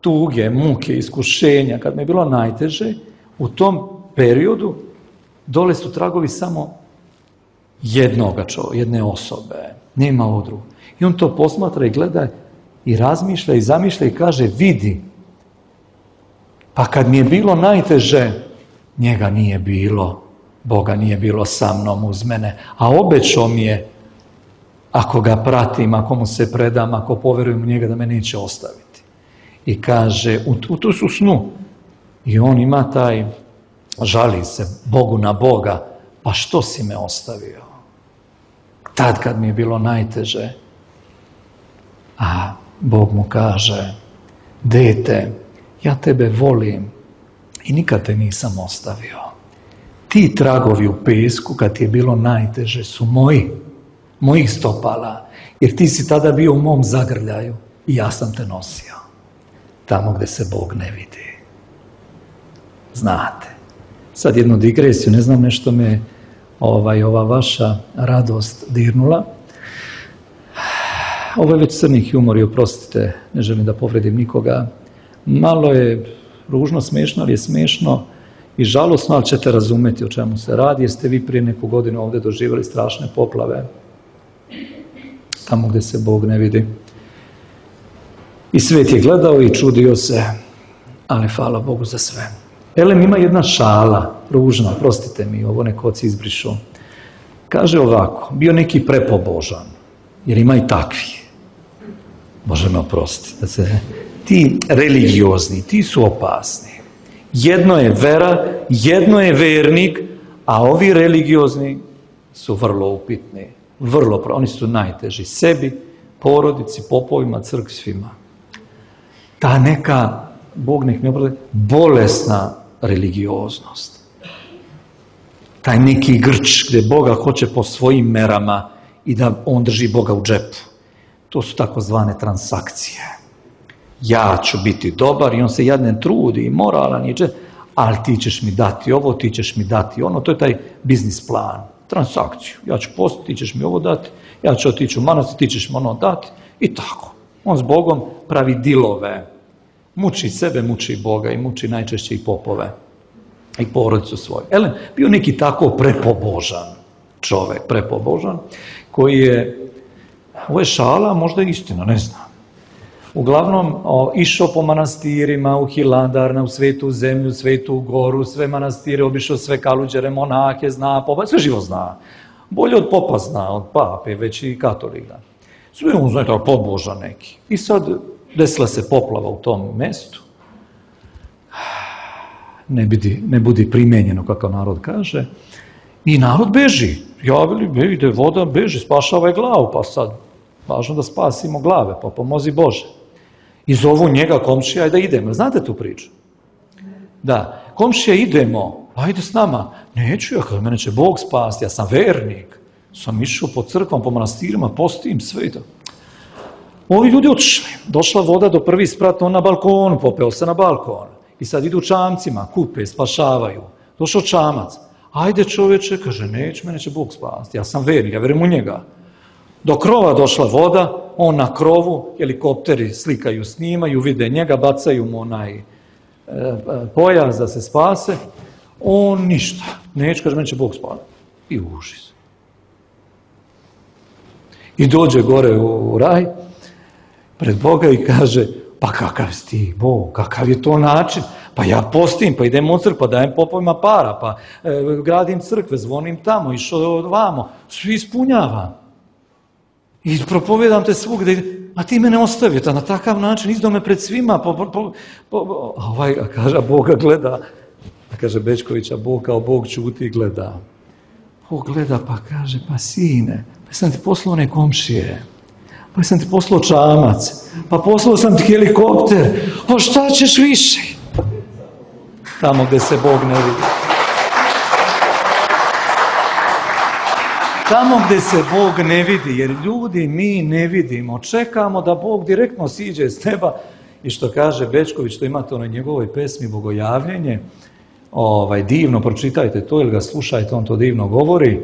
tuge, muke, iskušenja, kad mi je bilo najteže, u tom periodu dole su tragovi samo jednoga čovjeka, jedne osobe, nema ovo drugo. I on to posmatra i gleda i razmišlja i zamišlja i kaže, vidi, Pa kad mi je bilo najteže, njega nije bilo, Boga nije bilo sa mnom uz mene, a obećao mi je, ako ga pratim, ako mu se predam, ako poverujem u njega, da me neće ostaviti. I kaže, u, u tu su snu, i on ima taj, žali se Bogu na Boga, pa što si me ostavio? Tad kad mi je bilo najteže, a Bog mu kaže, dete, ja tebe volim i nikad te nisam ostavio. Ti tragovi u pesku, kad ti je bilo najteže, su moji, mojih stopala, jer ti si tada bio u mom zagrljaju i ja sam te nosio. Tamo gdje se Bog ne vidi. Znate. Sad jednu digresiju, ne znam, nešto me ovaj, ova vaša radost dirnula. Ovo je već crni humor i oprostite, ne želim da povredim nikoga. Malo je ružno, smiješno, ali je smiješno i žalosno, ali ćete razumjeti o čemu se radi, jer ste vi prije neku godinu ovdje doživjeli strašne poplave, tamo gdje se Bog ne vidi. I svijet je gledao i čudio se, ali hvala Bogu za sve. Elem, ima jedna šala, ružna, prostite mi, ovo neko oci izbrišu. Kaže ovako, bio neki prepobožan, jer ima i takvi. Bože me oprostiti. Da se, ti religiozni, ti su opasni. Jedno je vera, jedno je vernik, a ovi religiozni su vrlo upitni. Vrlo, oni su najteži sebi, porodici, popovima, crkvi, svima. Ta neka, Bog nek ne obrade, bolesna religioznost. Taj neki grč gdje Boga hoće po svojim merama i da on drži Boga u džepu. To su takozvane transakcije. Ja ću biti dobar i on se jadne trudi i moralan i ali ti ćeš mi dati ovo, ti ćeš mi dati ono. To je taj biznis plan, transakciju. Ja ću postati, ti ćeš mi ovo dati, ja ću otići u manastir, ti ćeš mi ono dati i tako. On s Bogom pravi dilove. Muči sebe, muči Boga i muči najčešće i popove i porodicu svoju. Elem, bio neki tako prepobožan čovjek, prepobožan, koji je, ovo je šala, možda je istina, ne znam. Uglavnom, o, išao po manastirima, u Hilandar, u Svetu zemlju, Svetu goru, sve manastire, obišao sve kaluđere, monahe, zna, popa, sve živo zna. Bolje od popa zna, od pape, već i katolik da. Sve on zna, tako pobožan neki. I sad desila se poplava u tom mestu. Ne budi, ne budi primenjeno, kako narod kaže. I narod beži. Javili, ide voda, beži, spašavaj glavu, pa sad, važno da spasimo glave, pa pomozi Bože. I zovu njega komšija, da idemo. Znate tu priču? Da, komšija, idemo, ajde s nama. Neću ja, kada mene će Bog spasti, ja sam vernik. Sam išao po crkvam, po manastirima, postim, sve i to. Ovi ljudi otišli. Došla voda do prvi sprat, on na balkonu, popeo se na balkon. I sad idu čamcima, kupe, spašavaju. Došao čamac. Ajde čoveče, kaže, neću, mene će Bog spasti. Ja sam vernik, ja verujem u njega. Do krova došla voda, on na krovu, helikopteri slikaju, snimaju, vide njega, bacaju mu onaj e, pojas da se spase. On ništa. Neću, kaže, mene će Bog spasti. I užis. I dođe gore u, u raj, pred Boga i kaže, pa kakav si ti, Bog, kakav je to način? Pa ja postim, pa idem u crkvu, pa dajem popovima para, pa e, gradim crkve, zvonim tamo, išao vamo, svi ispunjavam. I propovedam te svugde, a ti mene ostavio, na takav način, izdao me pred svima, po, po, po, po, a ovaj, a kaže, a Boga gleda, a kaže Bečkovića, Bog kao Bog ćuti i gleda. Bog gleda, pa kaže, pa sine, pa sam ti poslao one komšije, pa sam ti poslao čamac, pa poslao sam ti helikopter, a šta ćeš više? Tamo gdje se Bog ne vidi. Tamo gdje se Bog ne vidi, jer ljudi mi ne vidimo, čekamo da Bog direktno siđe s neba i što kaže Bečković, što imate onoj njegovoj pesmi Bogojavljenje, ovaj, divno, pročitajte to ili ga slušajte, on to divno govori,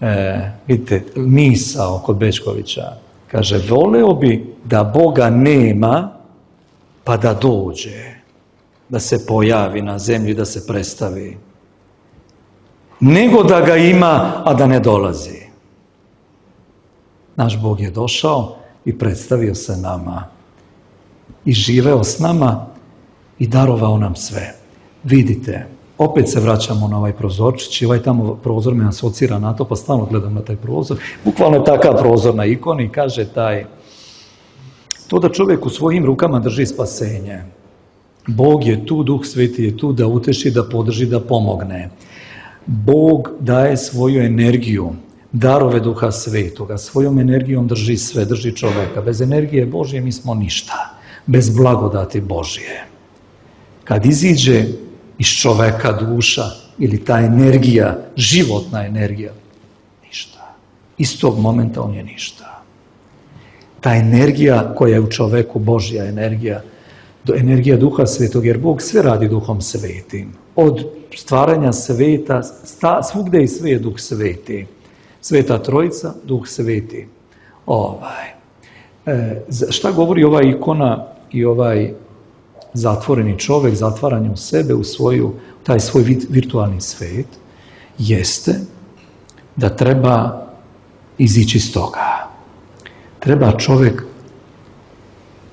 e, vidite, misao kod Bečkovića, kaže, voleo bi da Boga nema, pa da dođe, da se pojavi na zemlji, da se predstavi. Nego da ga ima, a da ne dolazi. Naš Bog je došao i predstavio se nama. I živeo s nama i darovao nam sve. Vidite, opet se vraćamo na ovaj prozorčić i ovaj tamo prozor me asocira na to, pa stalno gledam na taj prozor. Bukvalno je takav prozor na ikoni, kaže taj, to da čovjek u svojim rukama drži spasenje. Bog je tu, Duh Sveti je tu da uteši, da podrži, da pomogne. Bog daje svoju energiju, darove Duha Svetoga, svojom energijom drži sve, drži čovjeka. Bez energije Božje mi smo ništa, bez blagodati Božje. Kad iziđe iz čoveka duša ili ta energija, životna energija, ništa. Iz tog momenta on je ništa. Ta energija koja je u čoveku, Božja energija, energija Duha Svetog, jer Bog sve radi Duhom Svetim. Od stvaranja sveta, sta, svugde i sve je Duh Sveti. Sveta Trojica, Duh Sveti. Ovaj. E, šta govori ova ikona i ovaj zatvoreni čovjek, zatvaranje u sebe, u svoju, taj svoj virtualni svet, jeste da treba izići iz toga. Treba čovjek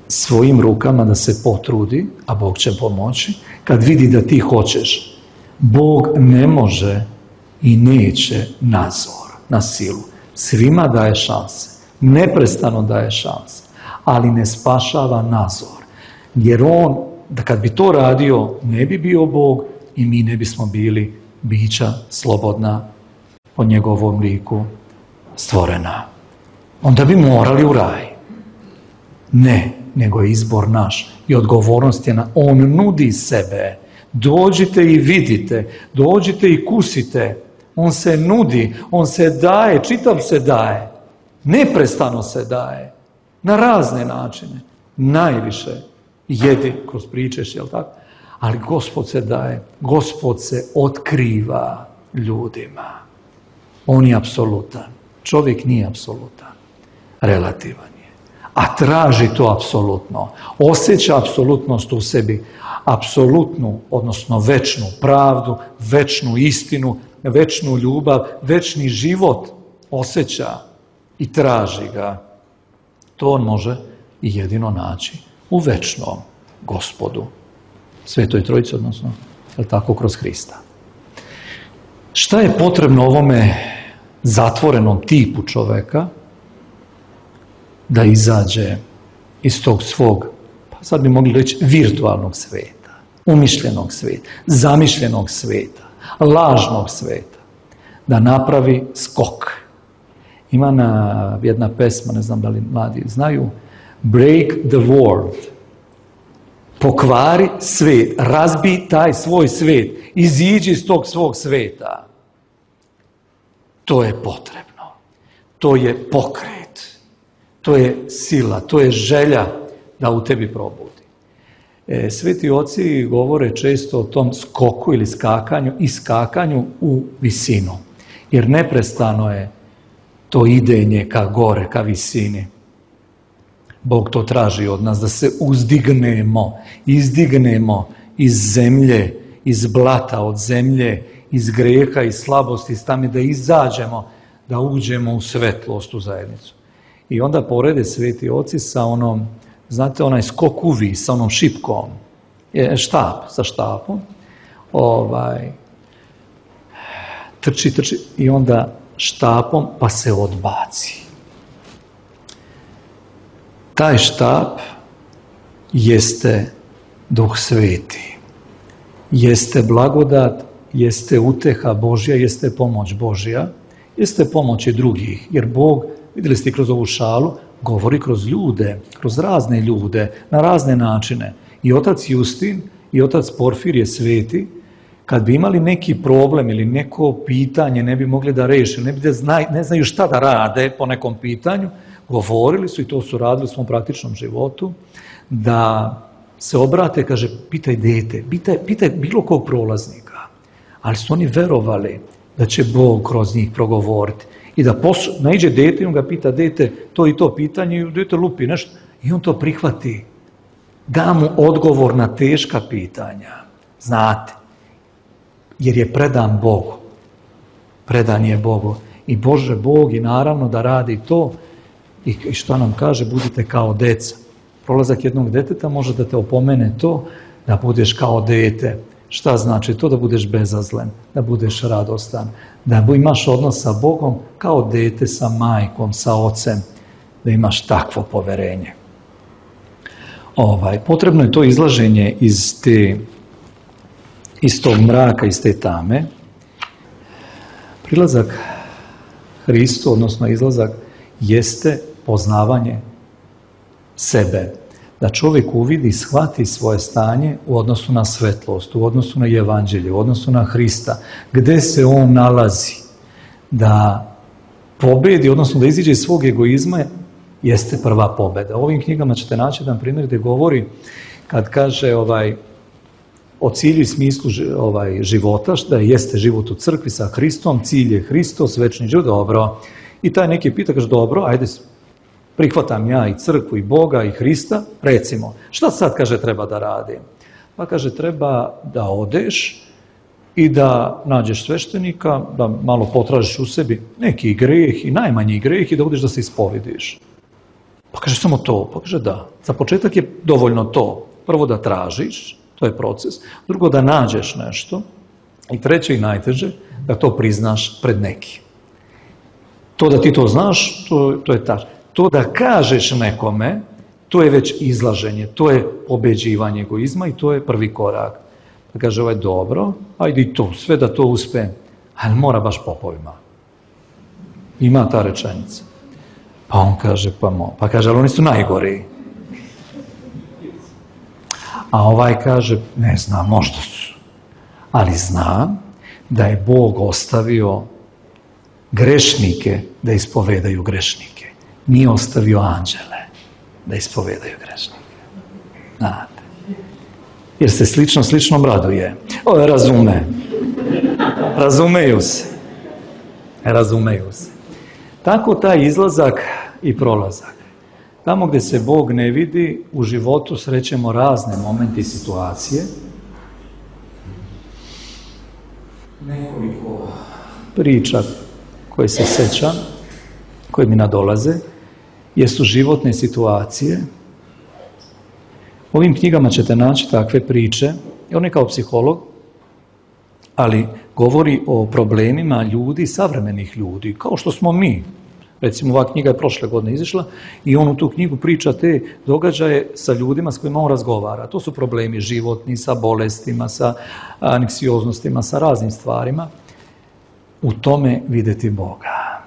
svojim rukama da se potrudi, a Bog će pomoći, kad vidi da ti hoćeš. Bog ne može i neće nazor, na silu. Svima daje šanse, neprestano daje šanse, ali ne spašava nazor. Jer on, da kad bi to radio, ne bi bio Bog i mi ne bismo bili bića slobodna po njegovom liku stvorena. Onda bi morali u raj. Ne, nego je izbor naš i odgovornost je na, on nudi sebe. Dođite i vidite, dođite i kusite. On se nudi, on se daje, čitav se daje. Neprestano se daje. Na razne načine. Najviše jedi kroz pričeš, jel tako? Ali Gospod se daje, Gospod se otkriva ljudima. On je apsolutan. Čovjek nije apsolutan. Relativan je. A traži to apsolutno. Osjeća apsolutnost u sebi. Apsolutnu, odnosno večnu pravdu, večnu istinu, večnu ljubav, večni život osjeća i traži ga. To on može i jedino naći u večnom Gospodu. Svetoj Trojici, odnosno, je tako, kroz Hrista. Šta je potrebno ovome zatvorenom tipu čoveka da izađe iz tog svog, pa sad bi mogli reći, virtualnog sveta, umišljenog sveta, zamišljenog sveta, lažnog sveta, da napravi skok. Ima na, jedna pesma, ne znam da li mladi znaju, Break the world. Pokvari svet, razbi taj svoj svet, iziđi iz tog svog sveta. To je potrebno. To je pokret. To je sila, to je želja da u tebi probudi. E, sveti oci govore često o tom skoku ili skakanju i skakanju u visinu. Jer neprestano je to idenje ka gore, ka visini. Bog to traži od nas, da se uzdignemo, izdignemo iz zemlje, iz blata od zemlje, iz greha, iz slabosti, iz tame, da izađemo, da uđemo u svetlost, u zajednicu. I onda porede sveti oci sa onom, znate, onaj skok uvis, sa onom šipkom, je štap, sa štapom, ovaj, trči, trči, i onda štapom pa se odbaci. Taj štap jeste Duh Sveti, jeste blagodat, jeste uteha Božja, jeste pomoć Božja, jeste pomoć i drugih, jer Bog, vidjeli ste kroz ovu šalu, govori kroz ljude, kroz razne ljude, na razne načine. I otac Justin i otac Porfirije Sveti, kad bi imali neki problem ili neko pitanje, ne bi mogli da reše, ne bi da znaju, ne znaju šta da rade po nekom pitanju, govorili su, i to su radili u svom praktičnom životu, da se obrate, kaže, pitaj dete, pitaj, pitaj bilo kog prolaznika. Ali su oni verovali da će Bog kroz njih progovoriti. I da poslu, naiđe dete i on ga pita, dete, to i to pitanje, i dete lupi nešto. I on to prihvati. Da mu odgovor na teška pitanja. Znate, jer je predan Bogu. Predan je Bogu. I Bože, Bog je naravno da radi to. I što nam kaže, budite kao deca. Prolazak jednog deteta može da te opomene to, da budeš kao dete. Šta znači to? Da budeš bezazlen, da budeš radostan, da imaš odnos sa Bogom kao dete sa majkom, sa ocem, da imaš takvo poverenje. Ovaj, potrebno je to izlaženje iz, te, iz tog mraka, iz te tame. Prilazak Hristu, odnosno izlazak, jeste poznavanje sebe. Da čovjek uvidi i shvati svoje stanje u odnosu na svetlost, u odnosu na evanđelje, u odnosu na Hrista, gde se on nalazi. Da pobedi, odnosno da iziđe iz svog egoizma, jeste prva pobeda. U ovim knjigama ćete naći jedan primjer gdje govori, kad kaže ovaj, o cilju i smislu ovaj, života, da jeste život u crkvi sa Hristom, cilj je Hristos, večni život, dobro. I taj neki pita, kaže, dobro, ajde, prihvatam ja i crkvu i Boga i Hrista, recimo, šta sad, kaže, treba da radim? Pa kaže, treba da odeš i da nađeš sveštenika, da malo potražiš u sebi neki greh i najmanji greh i da odeš da se ispovediš. Pa kaže, samo to? Pa kaže, da. Za početak je dovoljno to. Prvo da tražiš, to je proces. Drugo, da nađeš nešto. I treće i najteže, da to priznaš pred nekim. To da ti to znaš, to, to je tačno. To da kažeš nekome, to je već izlaženje, to je pobeđivanje egoizma i to je prvi korak. Pa kaže, ovaj, dobro, ajde i to, sve da to uspe, ali mora baš popovima. Ima ta rečenica. Pa on kaže, pa mo, pa kaže, ali oni su najgori. A ovaj kaže, ne znam, možda su. Ali znam da je Bog ostavio grešnike da ispovedaju grešnike. Nije ostavio anđele da ispovedaju grešnike. Znate. Jer se slično sličnom raduje. O, razume. Razumeju se. Razumeju se. Tako taj izlazak i prolazak. Tamo gdje se Bog ne vidi, u životu srećemo razne momente i situacije. Nekoliko priča koje se sećam, koje mi nadolaze, jesu životne situacije. U ovim knjigama ćete naći takve priče, i on je kao psiholog, ali govori o problemima ljudi, savremenih ljudi, kao što smo mi. Recimo, ova knjiga je prošle godine izišla i on u tu knjigu priča te događaje sa ljudima s kojima on razgovara. To su problemi životni, sa bolestima, sa anksioznostima, sa raznim stvarima. U tome vidjeti Boga.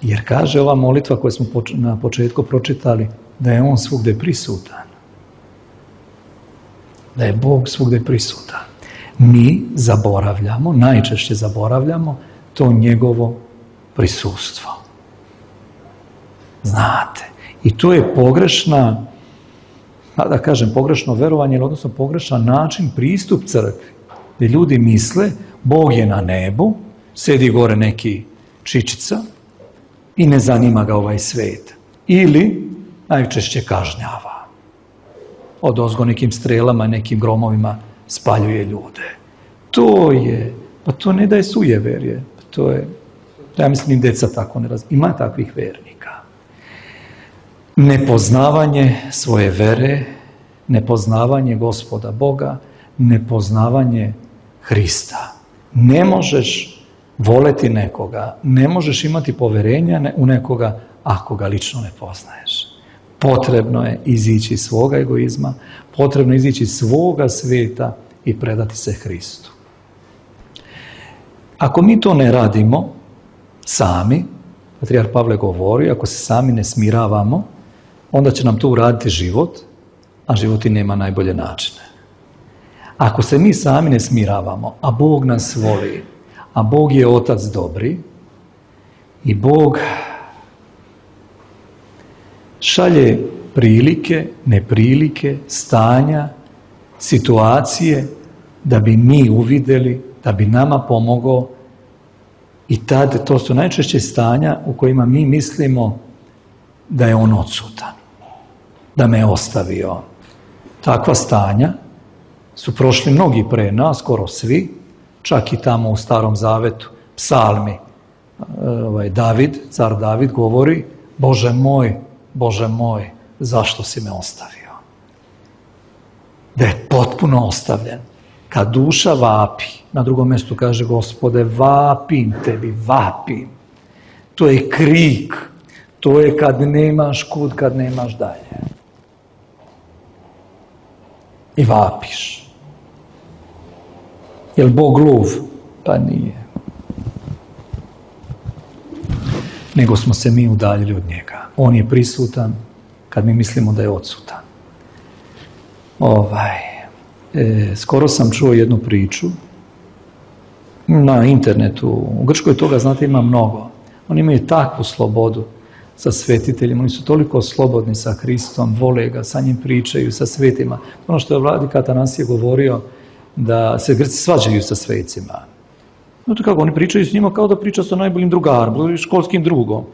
Jer kaže ova molitva koju smo na početku pročitali, da je on svugdje prisutan. Da je Bog svugdje prisutan. Mi zaboravljamo, najčešće zaboravljamo to njegovo prisustvo. Znate, i to je pogrešna, da kažem pogrešno verovanje, odnosno pogrešan način pristup crkvi, gdje ljudi misle Bog je na nebu, sedi gore neki čičica i ne zanima ga ovaj svet. Ili najčešće kažnjava. Odozgo nekim strelama, nekim gromovima spaljuje ljude. To je, pa to ne da je sujeverje, to je, ja mislim, deca tako ne razumiju. Ima takvih vernika. Nepoznavanje svoje vere, nepoznavanje Gospoda Boga, nepoznavanje Hrista. Ne možeš voleti nekoga, ne možeš imati poverenja u nekoga ako ga lično ne poznaješ. Potrebno je izići iz svoga egoizma, potrebno je izići iz svoga svijeta i predati se Hristu. Ako mi to ne radimo sami, patrijarh Pavle govori, ako se sami ne smiravamo, onda će nam to uraditi život, a život i nema najbolje načine. Ako se mi sami ne smiravamo, a Bog nas voli, a Bog je Otac dobri i Bog šalje prilike, neprilike, stanja, situacije da bi mi uvidjeli, da bi nama pomogao. I tad, to su najčešće stanja u kojima mi mislimo da je on odsutan, da me je ostavio. Takva stanja su prošli mnogi pre nas, skoro svi, čak i tamo u Starom Zavetu, psalmi, ovaj, David, car David govori, Bože moj, Bože moj, zašto si me ostavio? da je potpuno ostavljen. Kad duša vapi, na drugom mjestu kaže Gospode, vapim tebi, vapim. To je krik, to je kad nemaš kud, kad nemaš dalje. I vapiš. Jel Bog lud? Pa nije. Nego smo se mi udaljili od njega. On je prisutan kad mi mislimo da je odsutan. Ovaj, e, skoro sam čuo jednu priču na internetu. U Grčkoj toga, znate, ima mnogo. Oni imaju takvu slobodu sa svetiteljima. Oni su toliko slobodni sa Hristom, vole ga, sa njim pričaju, sa svetima. Ono što je vladika Atanasije govorio, da se Grci svađaju sa svecima. Znate kako, oni pričaju s njima kao da priča sa najboljim drugarom, školskim drugom.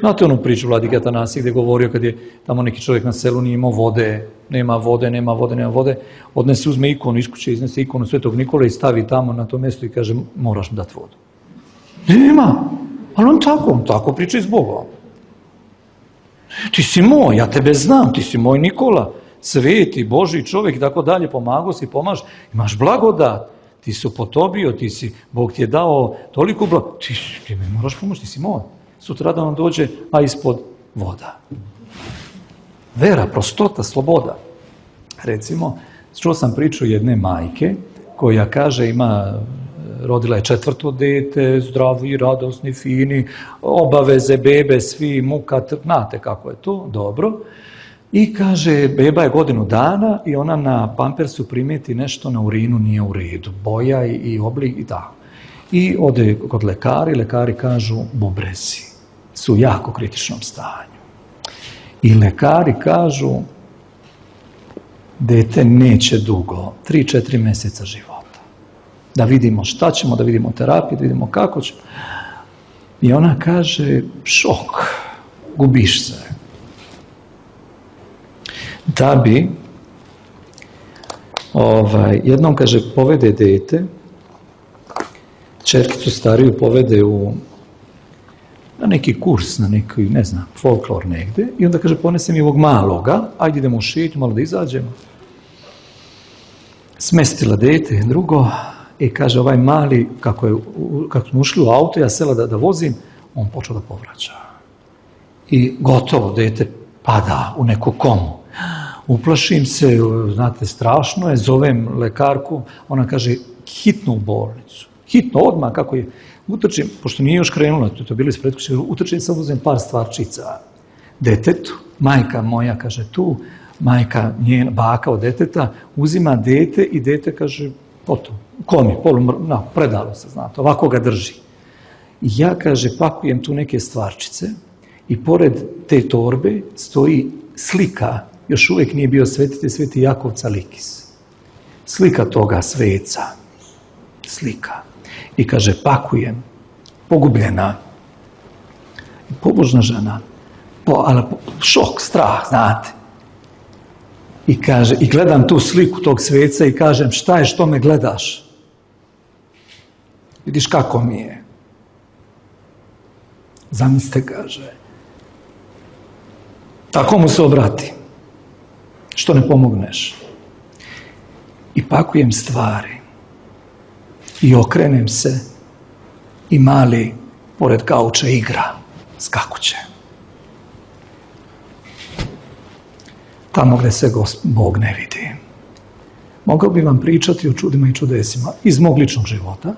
Znate onu priču vladike Atanasije gdje je govorio kad je tamo neki čovjek na selu nije imao vode, nema vode, nema vode, nema vode, odnese, uzme ikonu iz kuće, iznese ikonu Svetog Nikole i stavi tamo na to mjesto i kaže, moraš mi dati vodu. Nema, ali on tako, on tako priča s Bogom. Ti si moj, ja tebe znam, ti si moj Nikola, sveti, Božji čovjek i tako dalje, pomagao si, pomaž, imaš blagodat, ti si upotobio, ti si, Bog ti je dao toliko blagodat, ti, ti mi moraš pomoći, ti si moj. Sutra da on dođe, a ispod voda. Vera, prostota, sloboda. Recimo, čuo sam priču jedne majke koja kaže ima, rodila je četvrto dete, zdravi, radosni, fini, obaveze, bebe, svi, muka, znate kako je to, dobro. I kaže, beba je godinu dana i ona na pampersu primijeti nešto na urinu nije u redu, boja i, i oblik i tako. I ode kod lekari, lekari kažu bubrezi su u jako kritičnom stanju. I lekari kažu dete neće dugo, tri četiri mjeseca života. Da vidimo šta ćemo, da vidimo terapiju, da vidimo kako ćemo. I ona kaže šok, gubiš se. Da bi ovaj, jednom kaže povede dete, čerkicu stariju povede u na neki kurs, na neki, ne znam, folklor negde, i onda kaže, ponesem i ovog maloga, ajde idemo u šetnju, malo da izađemo. Smestila dete, drugo, i kaže, ovaj mali, kako, je, kako smo ušli u auto, ja sela da, da vozim, on počeo da povraća. I gotovo, dete pada u neku komu. Uplašim se, znate, strašno je, zovem lekarku, ona kaže, hitno u bolnicu. Hitno, odmah, kako je, utrčim, pošto nije još krenula, to je bilo ispred kuće, utrčim, sam uzem par stvarčica detetu, majka moja, kaže, tu, majka, njena, baka od deteta, uzima dete i dete, kaže, oto, komi, polumr, no, predalo se, znate, ovako ga drži. I ja, kaže, pakujem tu neke stvarčice i pored te torbe stoji slika, još uvijek nije bio svetitelj, Sveti Jakov Calikis. Slika toga sveca. Slika. I kaže, pakujem, pogubljena, pobožna žena, po, ali šok, strah, znate. I kaže, i gledam tu sliku tog sveca i kažem, šta je, što me gledaš? Vidiš kako mi je. Zamislite, kaže. Tako mu se obrati. Što ne pomogneš? I pakujem stvari. I okrenem se i mali pored kauča igra, skakuće. Tamo gdje se Bog ne vidi. Mogao bi vam pričati o čudima i čudesima iz mog ličnog života,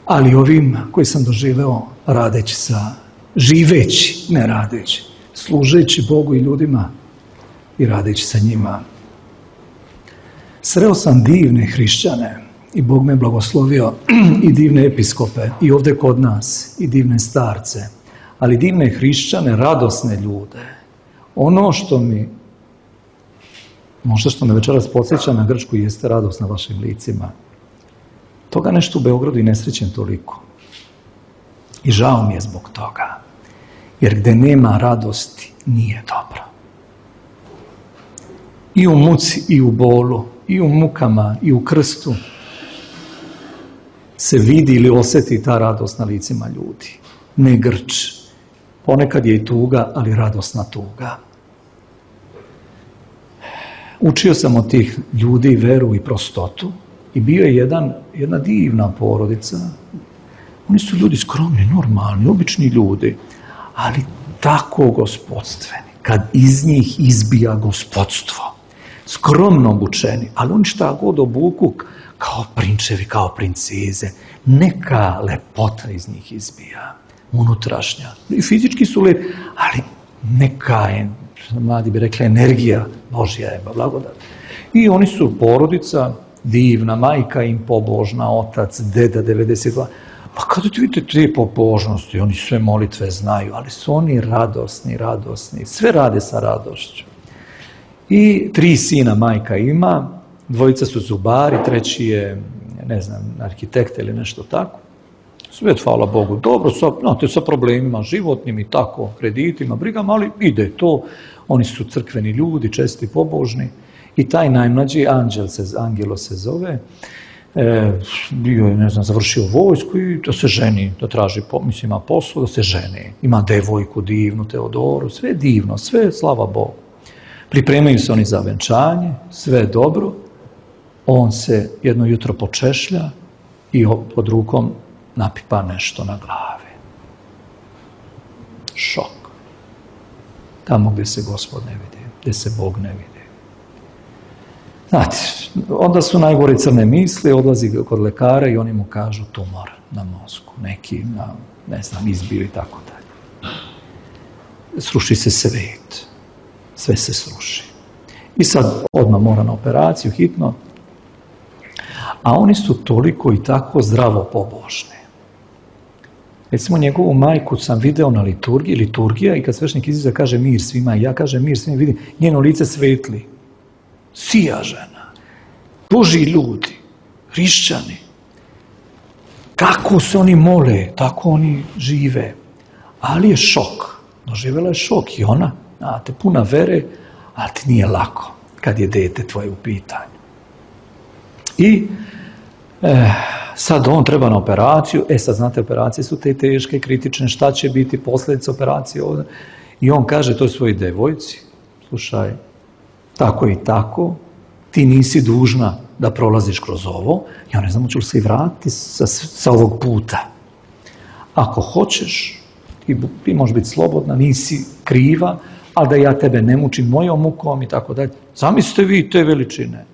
ali ovim koji sam doživeo radeći sa, živeći, ne radeći, služeći Bogu i ljudima i radeći sa njima. Sreo sam divne hrišćane i Bog me blagoslovio i divne episkope i ovdje kod nas i divne starce, ali divne hrišćane, radosne ljude. Ono što mi, možda što me večeras podsjeća na Grčku, jeste radost na vašim licima. Toga nešto u Beogradu i ne srećem toliko. I žao mi je zbog toga. Jer gdje nema radosti, nije dobro. I u muci, i u bolu, i u mukama, i u krstu se vidi ili osjeti ta radost na licima ljudi. Ne grč. Ponekad je i tuga, ali radosna tuga. učio sam od tih ljudi veru i prostotu i bio je jedan, jedna divna porodica. Oni su ljudi skromni, normalni, obični ljudi, ali tako gospodstveni. Kad iz njih izbija gospodstvo, skromno obučeni, ali oni šta god obuku kao prinčevi, kao princeze, neka lepota iz njih izbija, unutrašnja. I fizički su lepi, ali neka je, mladi bi rekli, energija Božja je, blagodat. I oni su porodica, divna, majka im pobožna, otac, deda, devedeset dva. Pa kada ti vidite te pobožnosti, oni sve molitve znaju, ali su oni radosni, radosni, sve rade sa radošću. I tri sina majka ima, dvojica su zubari, treći je, ne znam, arhitekt ili nešto tako. Sve, hvala Bogu, dobro, sa, znate, sa problemima životnim i tako, kreditima, brigama, ali ide to. Oni su crkveni ljudi, česti, pobožni. I taj najmlađi, Anđel se, Angelo se zove, e, bio je, ne znam, završio vojsku i da se ženi, da traži, mislim, ima posao, da se ženi. Ima devojku divnu, Teodoru, sve divno, sve, slava Bogu. Pripremaju se oni za venčanje, sve je dobro. On se jedno jutro počešlja i pod rukom napipa nešto na glavi. Šok. Tamo gdje se Gospod ne vidi, gdje se Bog ne vidi. Znate, onda su najgore crne misli, odlazi kod lekara i oni mu kažu tumor na mozgu, neki, na, ne znam, izbio i tako dalje. Sruši se svet. Sve se sruši. I sad odmah mora na operaciju, hitno. A oni su toliko i tako zdravo pobožni. Recimo, njegovu majku sam video na liturgiji, liturgija, i kad sveštenik izađe kaže mir svima, i ja kažem mir svima, vidim njeno lice svetli. Sija žena. Božji ljudi, hrišćani. Kako se oni mole, tako oni žive. Ali je šok. Doživjela je šok i ona. Znate, puna vere, ali ti nije lako kad je dete tvoje u pitanju. I e, sad on treba na operaciju, e sad znate, operacije su te teške, kritične, šta će biti posljedice operacije ovdje. I on kaže toj svojoj devojci, slušaj, tako i tako, ti nisi dužna da prolaziš kroz ovo, ja ne znam, hoću li se i vratiti sa, sa ovog puta. Ako hoćeš, ti, ti možeš biti slobodna, nisi kriva, ali da ja tebe ne mučim mojom mukom i tako dalje. Zamislite vi te veličine.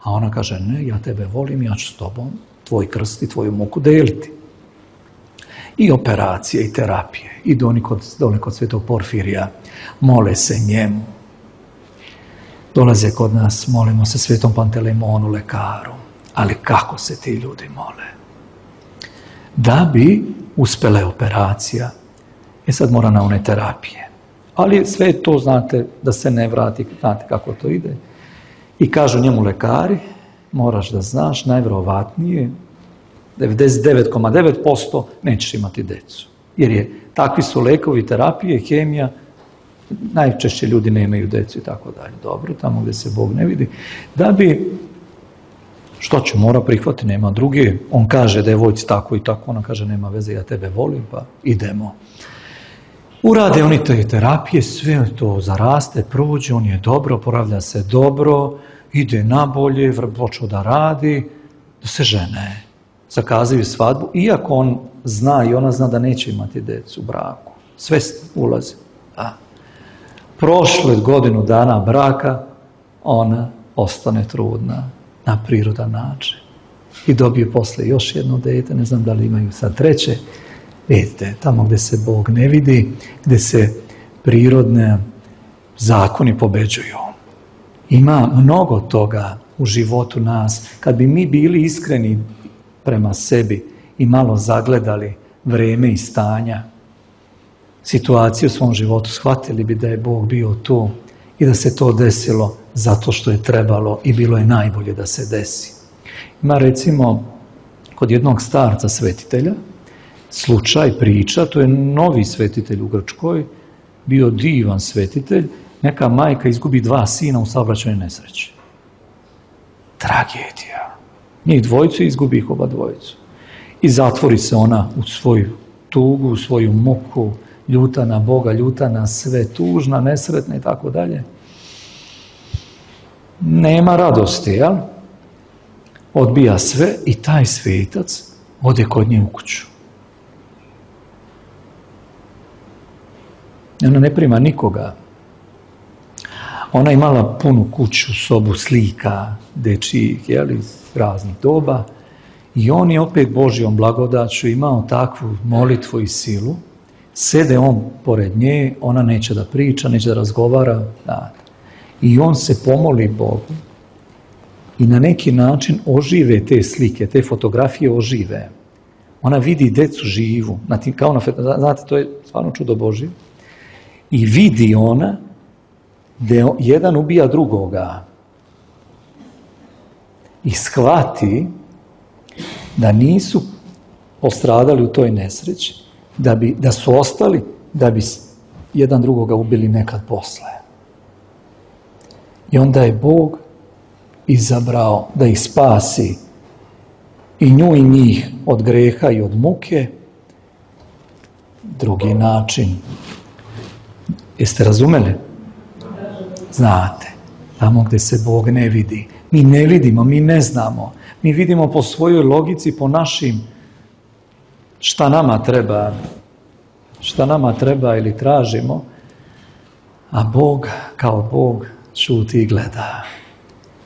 A ona kaže, ne, ja tebe volim, ja ću s tobom tvoj krst i tvoju muku deliti. I operacije, i terapije, i doni kod, dole kod svetog Porfirija, mole se njemu. Dolaze kod nas, molimo se svetom Pantelemonu, lekaru. Ali kako se ti ljudi mole? Da bi uspela operacija, e sad mora na one terapije. Ali sve to, znate, da se ne vrati, znate kako to ide. I kažu njemu lekari, moraš da znaš, najvjerovatnije, devedeset devet zarez devet posto nećeš imati decu. Jer je, takvi su lekovi, terapije, hemija, najčešće ljudi nemaju decu i tako dalje. Dobro, tamo gdje se Bog ne vidi. Da bi, što ću, mora prihvatiti, nema druge. On kaže devojci tako i tako, ona kaže nema veze, ja tebe volim, pa idemo. Urade oni te terapije, sve to zaraste, prođe, on je dobro, poravlja se dobro, ide nabolje, počeo da radi, da se žene, zakazaju svadbu, iako on zna i ona zna da neće imati decu u braku. Sve ulazi. A prošle godinu dana braka, ona ostane trudna na prirodan način. I dobije posle još jedno dete, ne znam da li imaju sad treće. Vidite, tamo gdje se Bog ne vidi, gdje se prirodne zakoni pobeđuju. Ima mnogo toga u životu nas. Kad bi mi bili iskreni prema sebi i malo zagledali vreme i stanja, situacije u svom životu, shvatili bi da je Bog bio tu i da se to desilo zato što je trebalo i bilo je najbolje da se desi. Ima recimo kod jednog starca svetitelja, slučaj, priča, to je novi svetitelj u Grčkoj, bio divan svetitelj, neka majka izgubi dva sina u saobraćajnoj nesreći. Tragedija. Njih dvojicu izgubi ih oba dvojicu. I zatvori se ona u svoju tugu, u svoju muku, ljuta na Boga, ljuta na sve, tužna, nesretna i tako dalje. nema radosti, jel? Odbija sve i taj svetac ode kod nje u kuću. Ona ne prima nikoga. Ona imala punu kuću, sobu slika, dečijih, jel, iz raznih doba. I on je opet Božjom blagodaću imao takvu molitvu i silu. Sede on pored nje, ona neće da priča, neće da razgovara. Da. I on se pomoli Bogu i na neki način ožive te slike, te fotografije ožive. Ona vidi decu živu, kao na, znate, to je stvarno čudo Božje. I vidi ona da jedan ubija drugoga. I shvati da nisu postradali u toj nesreći, da, bi, da su ostali, da bi jedan drugoga ubili nekad posle. I onda je Bog izabrao da ih spasi i nju i njih od greha i od muke. Drugi način. Jeste razumeli? Znate, tamo gdje se Bog ne vidi. Mi ne vidimo, mi ne znamo. Mi vidimo po svojoj logici, po našim šta nama treba, šta nama treba ili tražimo, a Bog kao Bog šuti i gleda.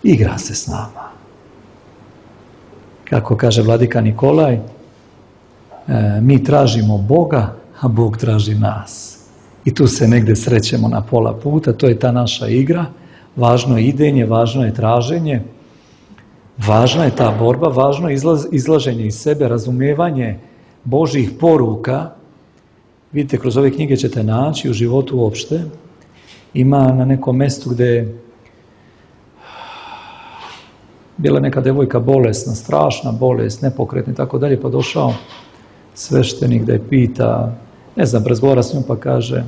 Igra se s nama. Kako kaže vladika Nikolaj, e, mi tražimo Boga, a Bog traži nas. I tu se negdje srećemo na pola puta, to je ta naša igra. Važno je idenje, važno je traženje, važna je ta borba, važno je izlaz, izlaženje iz sebe, razumijevanje Božjih poruka. Vidite, kroz ove knjige ćete naći u životu uopšte. Ima na nekom mjestu gdje je bila neka devojka bolesna, strašna bolest, nepokretna i tako dalje, pa došao sveštenik da je pita, ne znam, razgovara s njom pa kaže,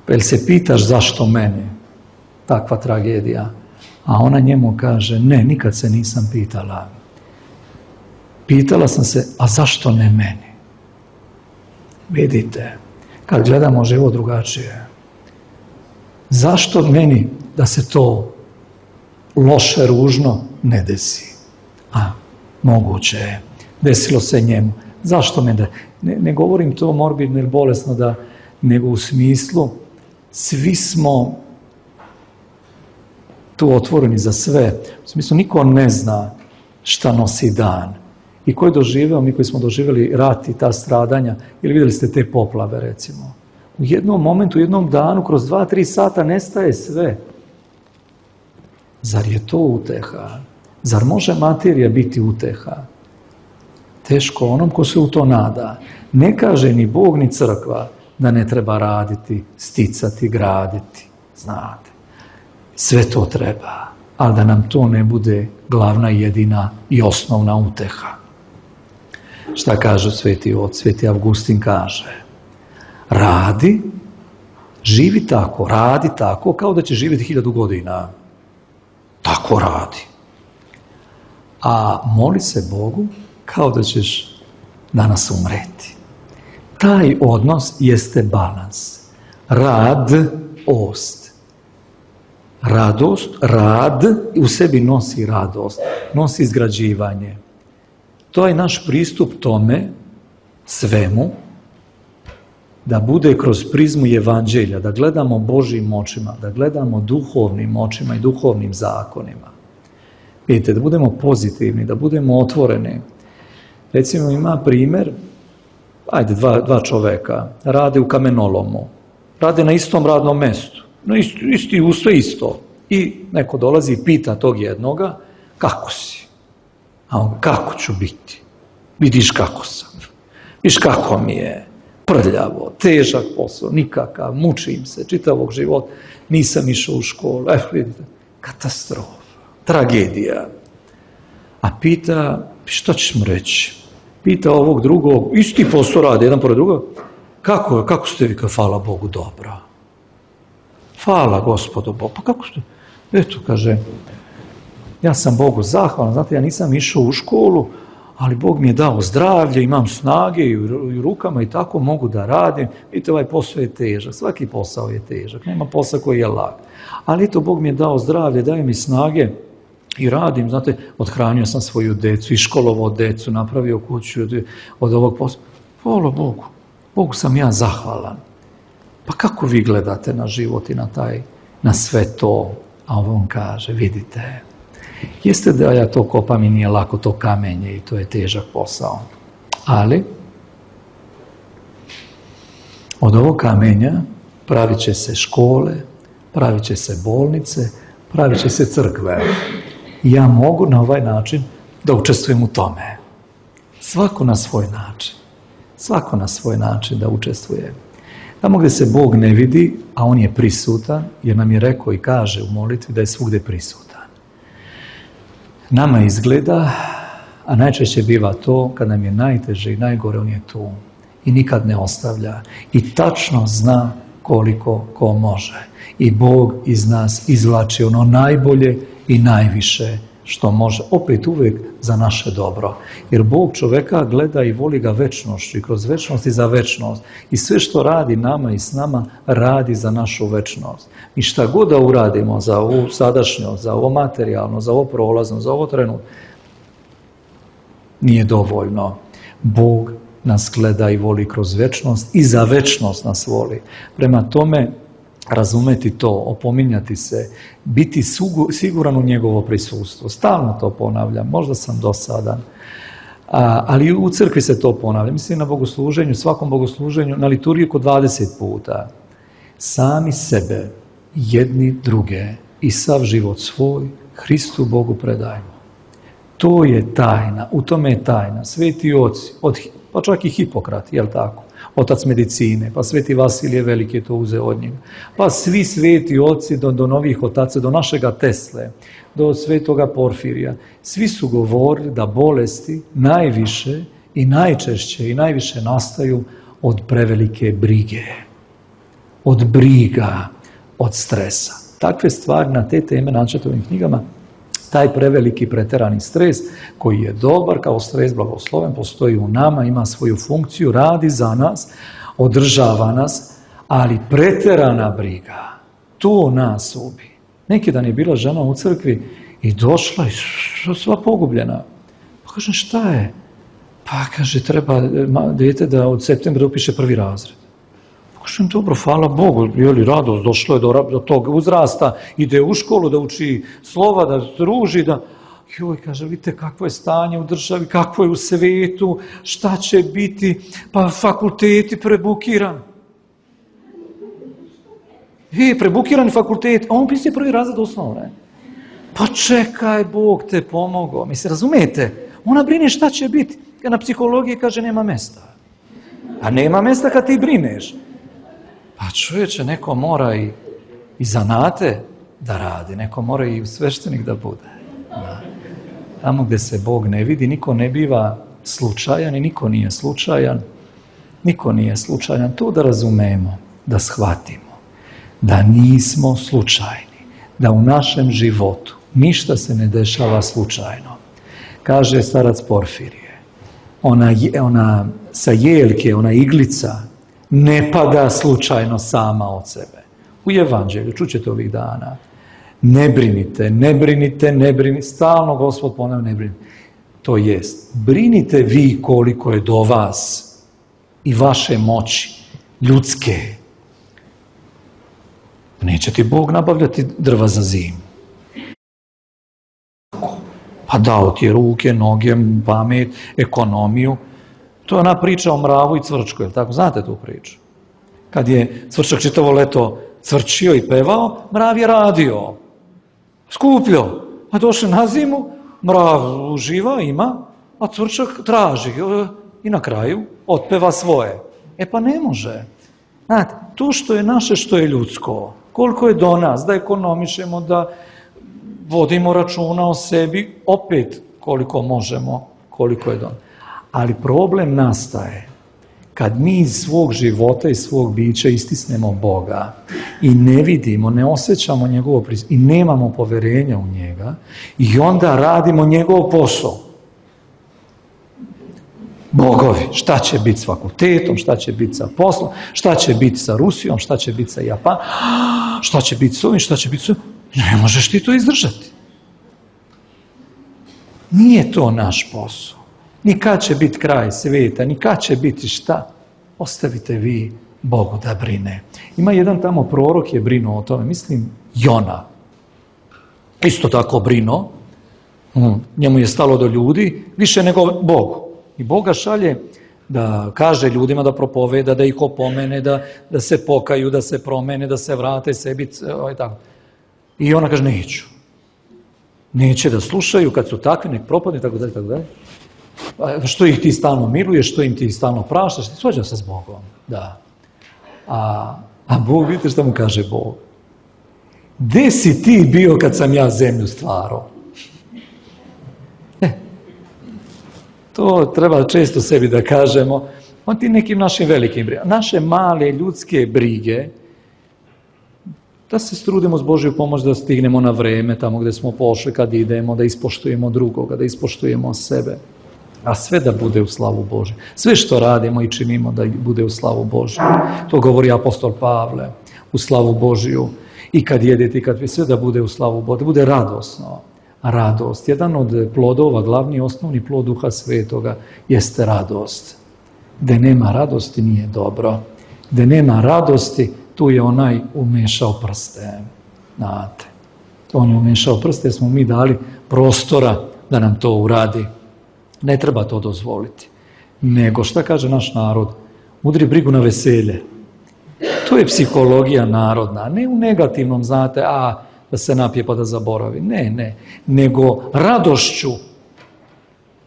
pa jel se pitaš zašto mene? Takva tragedija. A ona njemu kaže, ne, nikad se nisam pitala. Pitala sam se, a zašto ne meni? Vidite, kad gledamo život drugačije, zašto meni da se to loše, ružno ne desi? A, moguće je. Desilo se njemu. Zašto me da... Ne, ne govorim to morbidno ili bolesno, da, nego u smislu, svi smo tu otvoreni za sve. U smislu, niko ne zna šta nosi dan. I ko je doživeo, mi koji smo doživjeli rat i ta stradanja, ili vidjeli ste te poplave, recimo. U jednom momentu, u jednom danu, kroz dva, tri sata nestaje sve. Zar je to uteha? Zar može materija biti uteha? Teško onom ko se u to nada. Ne kaže ni Bog ni crkva da ne treba raditi, sticati, graditi. Znate, sve to treba, ali da nam to ne bude glavna, jedina i osnovna uteha. Šta kaže Sveti Otac? Sveti Avgustin kaže, radi, živi tako, radi tako kao da će živjeti hiljadu godina. Tako radi. A moli se Bogu kao da ćeš danas umreti. Taj odnos jeste balans. Rad, ost. Radost, rad u sebi nosi radost, nosi izgrađivanje. To je naš pristup tome, svemu, da bude kroz prizmu evanđelja, da gledamo Božjim očima, da gledamo duhovnim očima i duhovnim zakonima. Vidite, da budemo pozitivni, da budemo otvoreni. Recimo ima primjer, ajde, dva, dva čoveka, rade u kamenolomu, rade na istom radnom mjestu, no isti, isti u sve isto. I neko dolazi i pita tog jednoga, kako si? A on, kako ću biti? Vidiš kako sam. Viš kako mi je prljavo, težak posao, nikakav, mučim se, čitavog života, nisam išao u školu. Eh, vidite, katastrofa, tragedija. A pita, što ćeš mu reći? Pita ovog drugog, isti posao radi, jedan pored drugog, kako, kako ste vi, hvala Bogu, dobro? Hvala Gospodu Bogu, pa kako ste? Eto, kaže, ja sam Bogu zahvalan, znate, ja nisam išao u školu, ali Bog mi je dao zdravlje, imam snage i u rukama i tako mogu da radim. Vidite, ovaj posao je težak, svaki posao je težak, nema posla koji je lak. Ali eto, Bog mi je dao zdravlje, daje mi snage i radim, znate, othranio sam svoju decu, iškolovao decu, napravio kuću od, od ovog posla. Hvala Bogu, Bogu sam ja zahvalan. Pa kako vi gledate na život i na taj, na sve to? A on kaže, vidite, jeste da ja to kopam i nije lako to kamenje i to je težak posao. Ali od ovog kamenja pravit će se škole, pravit će se bolnice, pravit će se crkve. I ja mogu na ovaj način da učestvujem u tome. Svako na svoj način. Svako na svoj način da učestvuje. Tamo gdje se Bog ne vidi, a On je prisutan, jer nam je rekao i kaže u molitvi da je svugdje prisutan. Nama izgleda, a najčešće biva to, kad nam je najteže i najgore, On je tu. I nikad ne ostavlja. I tačno zna koliko ko može. I Bog iz nas izvlači ono najbolje i najviše što može. Opet uvijek za naše dobro. Jer Bog čoveka gleda i voli ga večnošću i kroz večnost i za večnost. I sve što radi nama i s nama, radi za našu večnost. I šta god da uradimo za ovu sadašnjost, za ovo materijalno, za ovo prolazno, za ovo trenutno, nije dovoljno. Bog nas gleda i voli kroz večnost i za večnost nas voli. Prema tome, razumeti to, opominjati se, biti siguran u njegovo prisustvo. Stalno to ponavljam, možda sam dosadan, a, ali u crkvi se to ponavlja. Mislim na bogosluženju, svakom bogosluženju, na liturgiji oko dvadeset puta. Sami sebe, jedni druge i sav život svoj Hristu Bogu predajmo. To je tajna, u tome je tajna. Sveti oci, od, pa čak i Hipokrat, jel tako? Otac medicine, pa sveti Vasilije Veliki je to uzeo od njega. Pa svi sveti oci do, do novih otaca, do našega Tesle, do svetoga Porfirija, svi su govorili da bolesti najviše i najčešće i najviše nastaju od prevelike brige. Od briga, od stresa. Takve stvari na te teme naćete u ovim knjigama. Taj preveliki preterani stres koji je dobar, kao stres blagosloven, postoji u nama, ima svoju funkciju, radi za nas, održava nas, ali preterana briga, to nas ubi. Neki dan je bila žena u crkvi i došla i sva pogubljena. Pa kaže, šta je? Pa kaže, treba dijete da od septembra upiše prvi razred. Kažem, dobro, hvala Bogu, je li radost, došlo je do, do tog uzrasta, ide u školu da uči slova, da druži, da... Joj, kaže, vidite kakvo je stanje u državi, kakvo je u svetu, šta će biti, pa fakulteti prebukiran. E, prebukiran fakultet, a on piše prvi razred osnovne. Pa čekaj, Bog te pomogao. Mislim, razumijete? Ona brine šta će biti. Na psihologiji kaže, nema mesta. A nema mesta kad ti brineš. Pa čovječe, neko mora i, i zanate da radi, neko mora i sveštenik da bude. Da. Tamo gdje se Bog ne vidi, niko ne biva slučajan i niko nije slučajan. Niko nije slučajan. To da razumemo, da shvatimo, da nismo slučajni, da u našem životu ništa se ne dešava slučajno. Kaže starac Porfirije, ona, ona sa jelke, ona iglica, ne pada slučajno sama od sebe. U Evanđelju, čućete ovih dana, ne brinite, ne brinite, ne brinite, stalno Gospod ponavlja, ne brinite. To jest, brinite vi koliko je do vas i vaše moći, ljudske. Neće ti Bog nabavljati drva za zimu. Pa dao ti je ruke, noge, pamet, ekonomiju. To je ona priča o mravu i cvrčku, je li tako? Znate tu priču? Kad je cvrčak čitavo leto cvrčio i pevao, mrav je radio. Skupljo. A došli na zimu, mrav uživa, ima, a cvrčak traži. I na kraju otpeva svoje. E pa ne može. Znate, to što je naše, što je ljudsko, koliko je do nas, da ekonomišemo, da vodimo računa o sebi, opet koliko možemo, koliko je do nas. Ali problem nastaje kad mi iz svog života i svog bića istisnemo Boga i ne vidimo, ne osjećamo njegovo prisustvo i nemamo poverenja u njega i onda radimo njegov posao. bogovi. Šta će biti s fakultetom, šta će biti sa poslom, šta će biti sa Rusijom, šta će biti sa Japanom, šta će biti s ovim, šta će biti s ovim. Ne možeš ti to izdržati. Nije to naš posao. Ni kad će biti kraj svijeta, ni kad će biti šta. Ostavite vi Bogu da brine. Ima jedan tamo prorok je brinuo o tome, mislim Jona. Isto tako brinuo. Njemu je stalo do ljudi, više nego Bogu. I Boga šalje da kaže ljudima da propoveda, da ih opomene, da, da se pokaju, da se promene, da se vrate sebi. Ovaj, tako. I ona kaže, neću. Neće da slušaju, kad su takvi, nek propadne, tako dalje, tako dalje. Što ih ti stalno miluješ, što im ti stalno praštaš, ti svađa se s Bogom. Da. A, a Bog, vidite šta mu kaže Bog? Gde si ti bio kad sam ja zemlju stvarao? E, to treba često sebi da kažemo. On ti nekim našim velikim brigama. Naše male ljudske brige, da se strudimo s Božju pomoć da stignemo na vreme tamo gde smo pošli kad idemo, da ispoštujemo drugoga, da ispoštujemo sebe. A sve da bude u slavu Božju. Sve što radimo i činimo da bude u slavu Božju. To govori apostol Pavle, u slavu Božju. I kad jedete, i kad vi, sve da bude u slavu Božju, da bude radosno. Radost. Jedan od plodova, glavni osnovni plod Duha Svetoga, jeste radost. Gde nema radosti nije dobro. Gde nema radosti, tu je onaj umešao prste. Znate. On je umešao prste jer smo mi dali prostora da nam to uradi. Ne treba to dozvoliti. Nego, šta kaže naš narod? Udri brigu na veselje. To je psihologija narodna. Ne u negativnom, znate, a da se napije pa da zaboravi. Ne, ne. Nego radošću.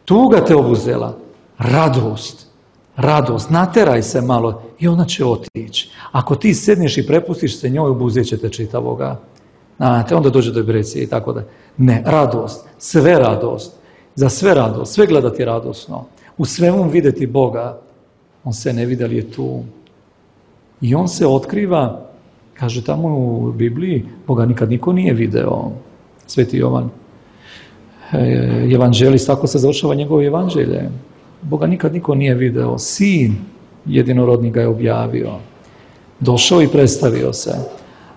Tuga te obuzela. Radost. Radost. Nateraj se malo i ona će otići. Ako ti sedneš i prepustiš se njoj, obuzet će te čitavoga. Znate, onda dođe do depresije i tako da. Ne, radost. Sve radost. Za sve radost, sve gledati radosno, u svemu vidjeti Boga, on se ne vidi, ali je tu. I on se otkriva, kaže tamo u Bibliji, Boga nikad niko nije video. Sveti Jovan, evanđelist, tako se završava njegovo evanđelje. Boga nikad niko nije video, sin jedinorodni ga je objavio. Došao i predstavio se,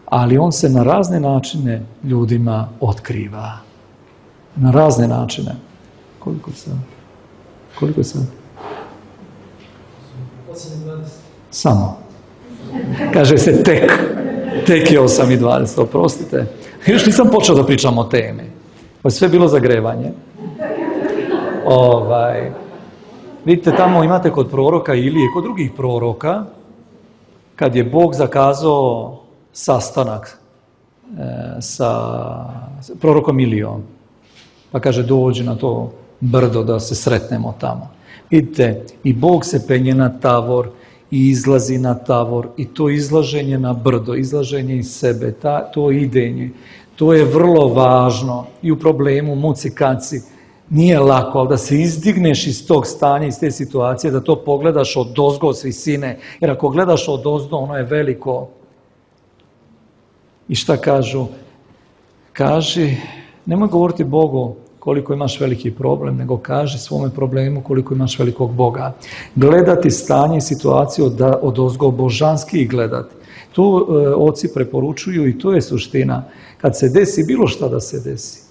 ali on se na razne načine ljudima otkriva. Na razne načine. Koliko sad? Koliko je sad? Samo. Kaže se tek. Tek je osam i dvadeset, oprostite. Još nisam počeo da pričam o temi. Ovo je sve bilo zagrevanje. Ovaj, vidite, tamo imate kod proroka Ilije, kod drugih proroka, kad je Bog zakazao sastanak e, sa prorokom Ilijom. Pa kaže, dođi na to brdo da se sretnemo tamo. Vidite, i Bog se penje na Tavor i izlazi na Tavor i to izlaženje na brdo, izlaženje iz sebe, ta, to idenje, to je vrlo važno i u problemu, muci, kaci, nije lako, ali da se izdigneš iz tog stanja, iz te situacije, da to pogledaš od ozgo s visine, jer ako gledaš od ozdo, ono je veliko. I šta kažu? Kaži, nemoj govoriti Bogu koliko imaš veliki problem, nego kaži svome problemu koliko imaš velikog Boga. Gledati stanje i situaciju od, od ozgo božanski gledati. To e, oci preporučuju i to je suština. Kad se desi bilo šta da se desi.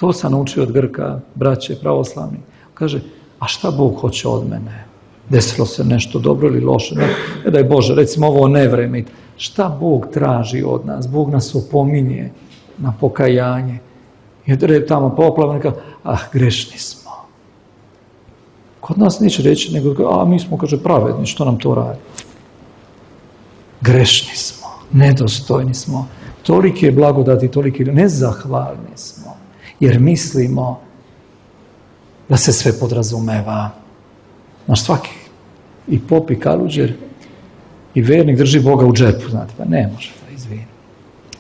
To sam naučio od Grka, braće pravoslavni. Kaže, a šta Bog hoće od mene? Desilo se nešto dobro ili loše? Ne, ne daj Bože, recimo ovo nevreme. Šta Bog traži od nas? Bog nas opominje na pokajanje. Jer tamo poplavno kaže, ah, grešni smo. Kod nas neće reći, nego, a mi smo, kaže, pravedni, što nam to radi? Grešni smo, nedostojni smo, tolike blagodati, tolike nezahvalni smo, jer mislimo da se sve podrazumeva. Naš svaki, i pop i kaluđer, i vernik drži Boga u džepu, znate, pa ne može da izvini.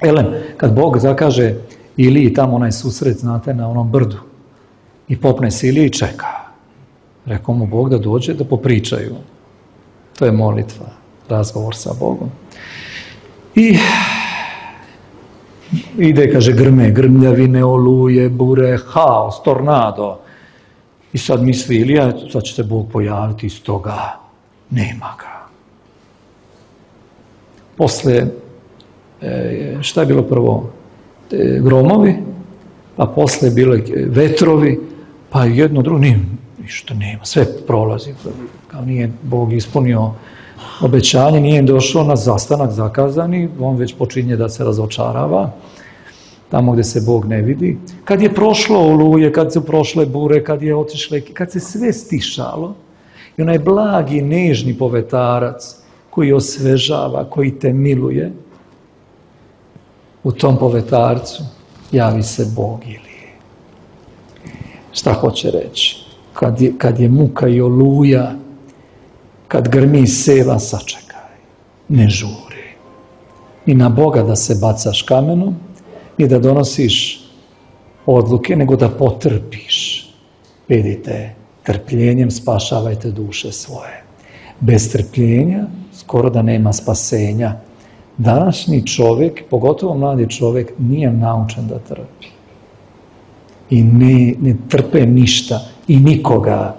Elem, kad Bog zakaže Iliji tamo onaj susret, znate, na onom brdu, i popne se Ilija i čeka. Rekao mu Bog da dođe, da popričaju. To je molitva, razgovor sa Bogom. I ide, kaže, grme, grmljavine, oluje, bure, haos, tornado. I sad misli Ilija, sad će se Bog pojaviti iz toga. Nema ga. Posle, šta je bilo prvo? Gromovi, pa posle bile vetrovi, pa jedno drugo, nije, ništa nema, sve prolazi. Kao nije Bog ispunio obećanje, nije došao na zastanak zakazani, on već počinje da se razočarava, tamo gdje se Bog ne vidi. Kad je prošlo oluje, kad su prošle bure, kad je otišle, kad se sve stišalo, i onaj blagi, nežni povetarac koji osvežava, koji te miluje, u tom povetarcu javi se Bog Ilije. Šta hoće reći? Kad je, kad je muka i oluja, kad grmi seva, sačekaj, ne žuri. Ni na Boga da se bacaš kamenom, ni da donosiš odluke, nego da potrpiš. Vidite, trpljenjem spašavajte duše svoje. Bez trpljenja skoro da nema spasenja. Današnji čovjek, pogotovo mladi čovjek, nije naučen da trpi. I ne, ne trpe ništa i nikoga.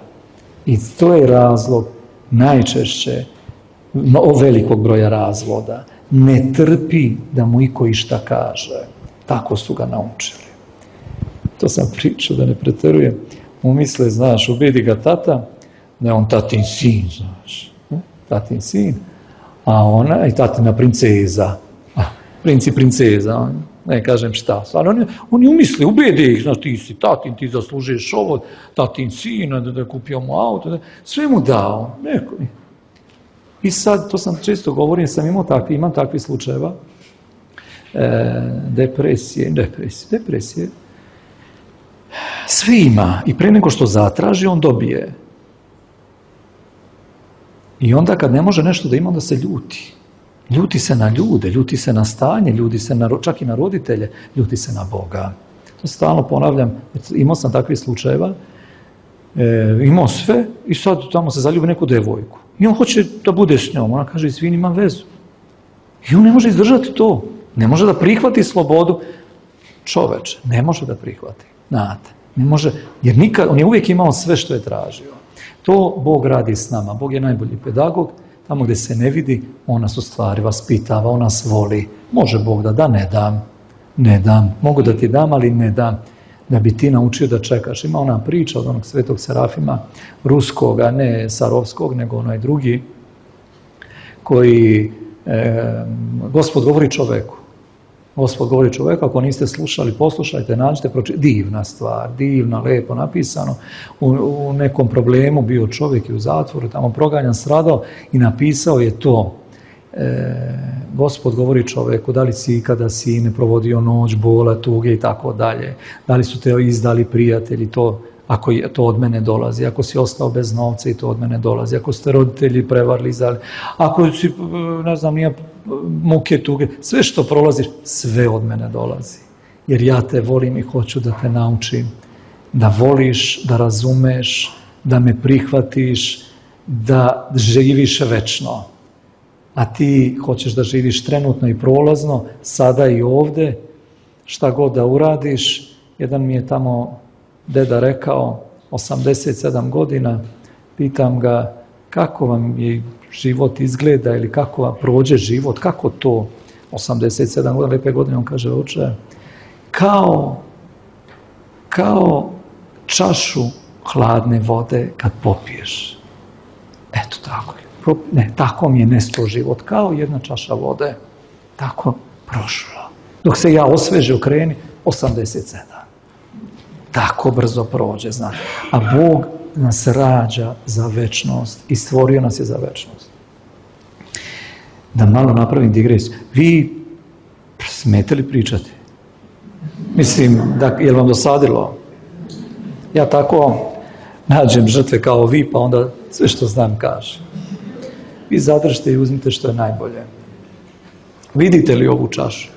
I to je razlog najčešće velikog broja razvoda. Ne trpi da mu iko išta kaže. Tako su ga naučili. To sam pričao, da ne preterujem. Umisle, znaš, ubedi ga tata, da je on tatin sin, znaš. Tatin sin. A ona i tatina princeza. Princ i princeza. Ne kažem šta. Ali on, on je umisli, ubedi ih, znaš, ti si tatin, ti zaslužuješ ovo, tatin sin, da je kupio mu auto, da, sve mu dao. Neko. I sad, to sam često govorim, sam imao takvi, imam takvi slučajeva. E, depresije, depresije, depresije. Sve ima i pre nego što zatraži, on dobije. I onda kad ne može nešto da ima, onda se ljuti. Ljuti se na ljude, ljuti se na stanje, ljuti se na, čak i na roditelje, ljuti se na Boga. To stalno ponavljam, imao sam takvih slučajeva, e, imao sve i sad tamo se zaljubi neku devojku. I on hoće da bude s njom, ona kaže, izvini, imam vezu. I on ne može izdržati to, ne može da prihvati slobodu. Čoveče, ne može da prihvati, znate, ne može, jer nikad, on je uvijek imao sve što je tražio. To Bog radi s nama. Bog je najbolji pedagog. Tamo gdje se ne vidi, on nas u stvari vaspitava, on nas voli. Može Bog da da, ne dam. Ne dam. Mogu da ti dam, ali ne dam. Da bi ti naučio da čekaš. Ima ona priča od onog svetog Serafima, ruskoga, ne Sarovskog, nego onaj drugi, koji, e, Gospod govori čoveku. Gospod govori čovjeku, ako niste slušali, poslušajte, nađite, pročite. Divna stvar, divna, lepo napisano. U, u nekom problemu bio čovjek i u zatvoru, tamo proganjan, stradao i napisao je to. E, Gospod govori čovjeku, da li si ikada sine provodio noć, bola, tuge i tako dalje. Da li su te izdali prijatelji, to, ako je, to od mene dolazi. Ako si ostao bez novca i to od mene dolazi. Ako ste roditelji prevarili, izdali. Ako si, ne znam, nije muke, tuge, sve što prolaziš, sve od mene dolazi. Jer ja te volim i hoću da te naučim da voliš, da razumeš, da me prihvatiš, da živiš večno. A ti hoćeš da živiš trenutno i prolazno, sada i ovdje, šta god da uradiš. Jedan mi je tamo deda rekao, osamdeset sedam godina, pitam ga kako vam je život izgleda ili kako vam prođe život, kako to, osamdeset sedam godina, lepe godine, on kaže, oče, kao, kao čašu hladne vode kad popiješ. Eto tako je. Ne, tako mi je nestao život, kao jedna čaša vode, tako prošlo. Dok se ja osveže okreni, osamdeset sedam. Tako brzo prođe, znači. A Bog nas rađa za večnost i stvorio nas je za večnost. Da malo napravim digresiju. Vi smete li pričati? Mislim, da, je li vam dosadilo? Ja tako nađem žrtve kao vi, pa onda sve što znam kažem. Vi zadržite i uzmite što je najbolje. Vidite li ovu čašu?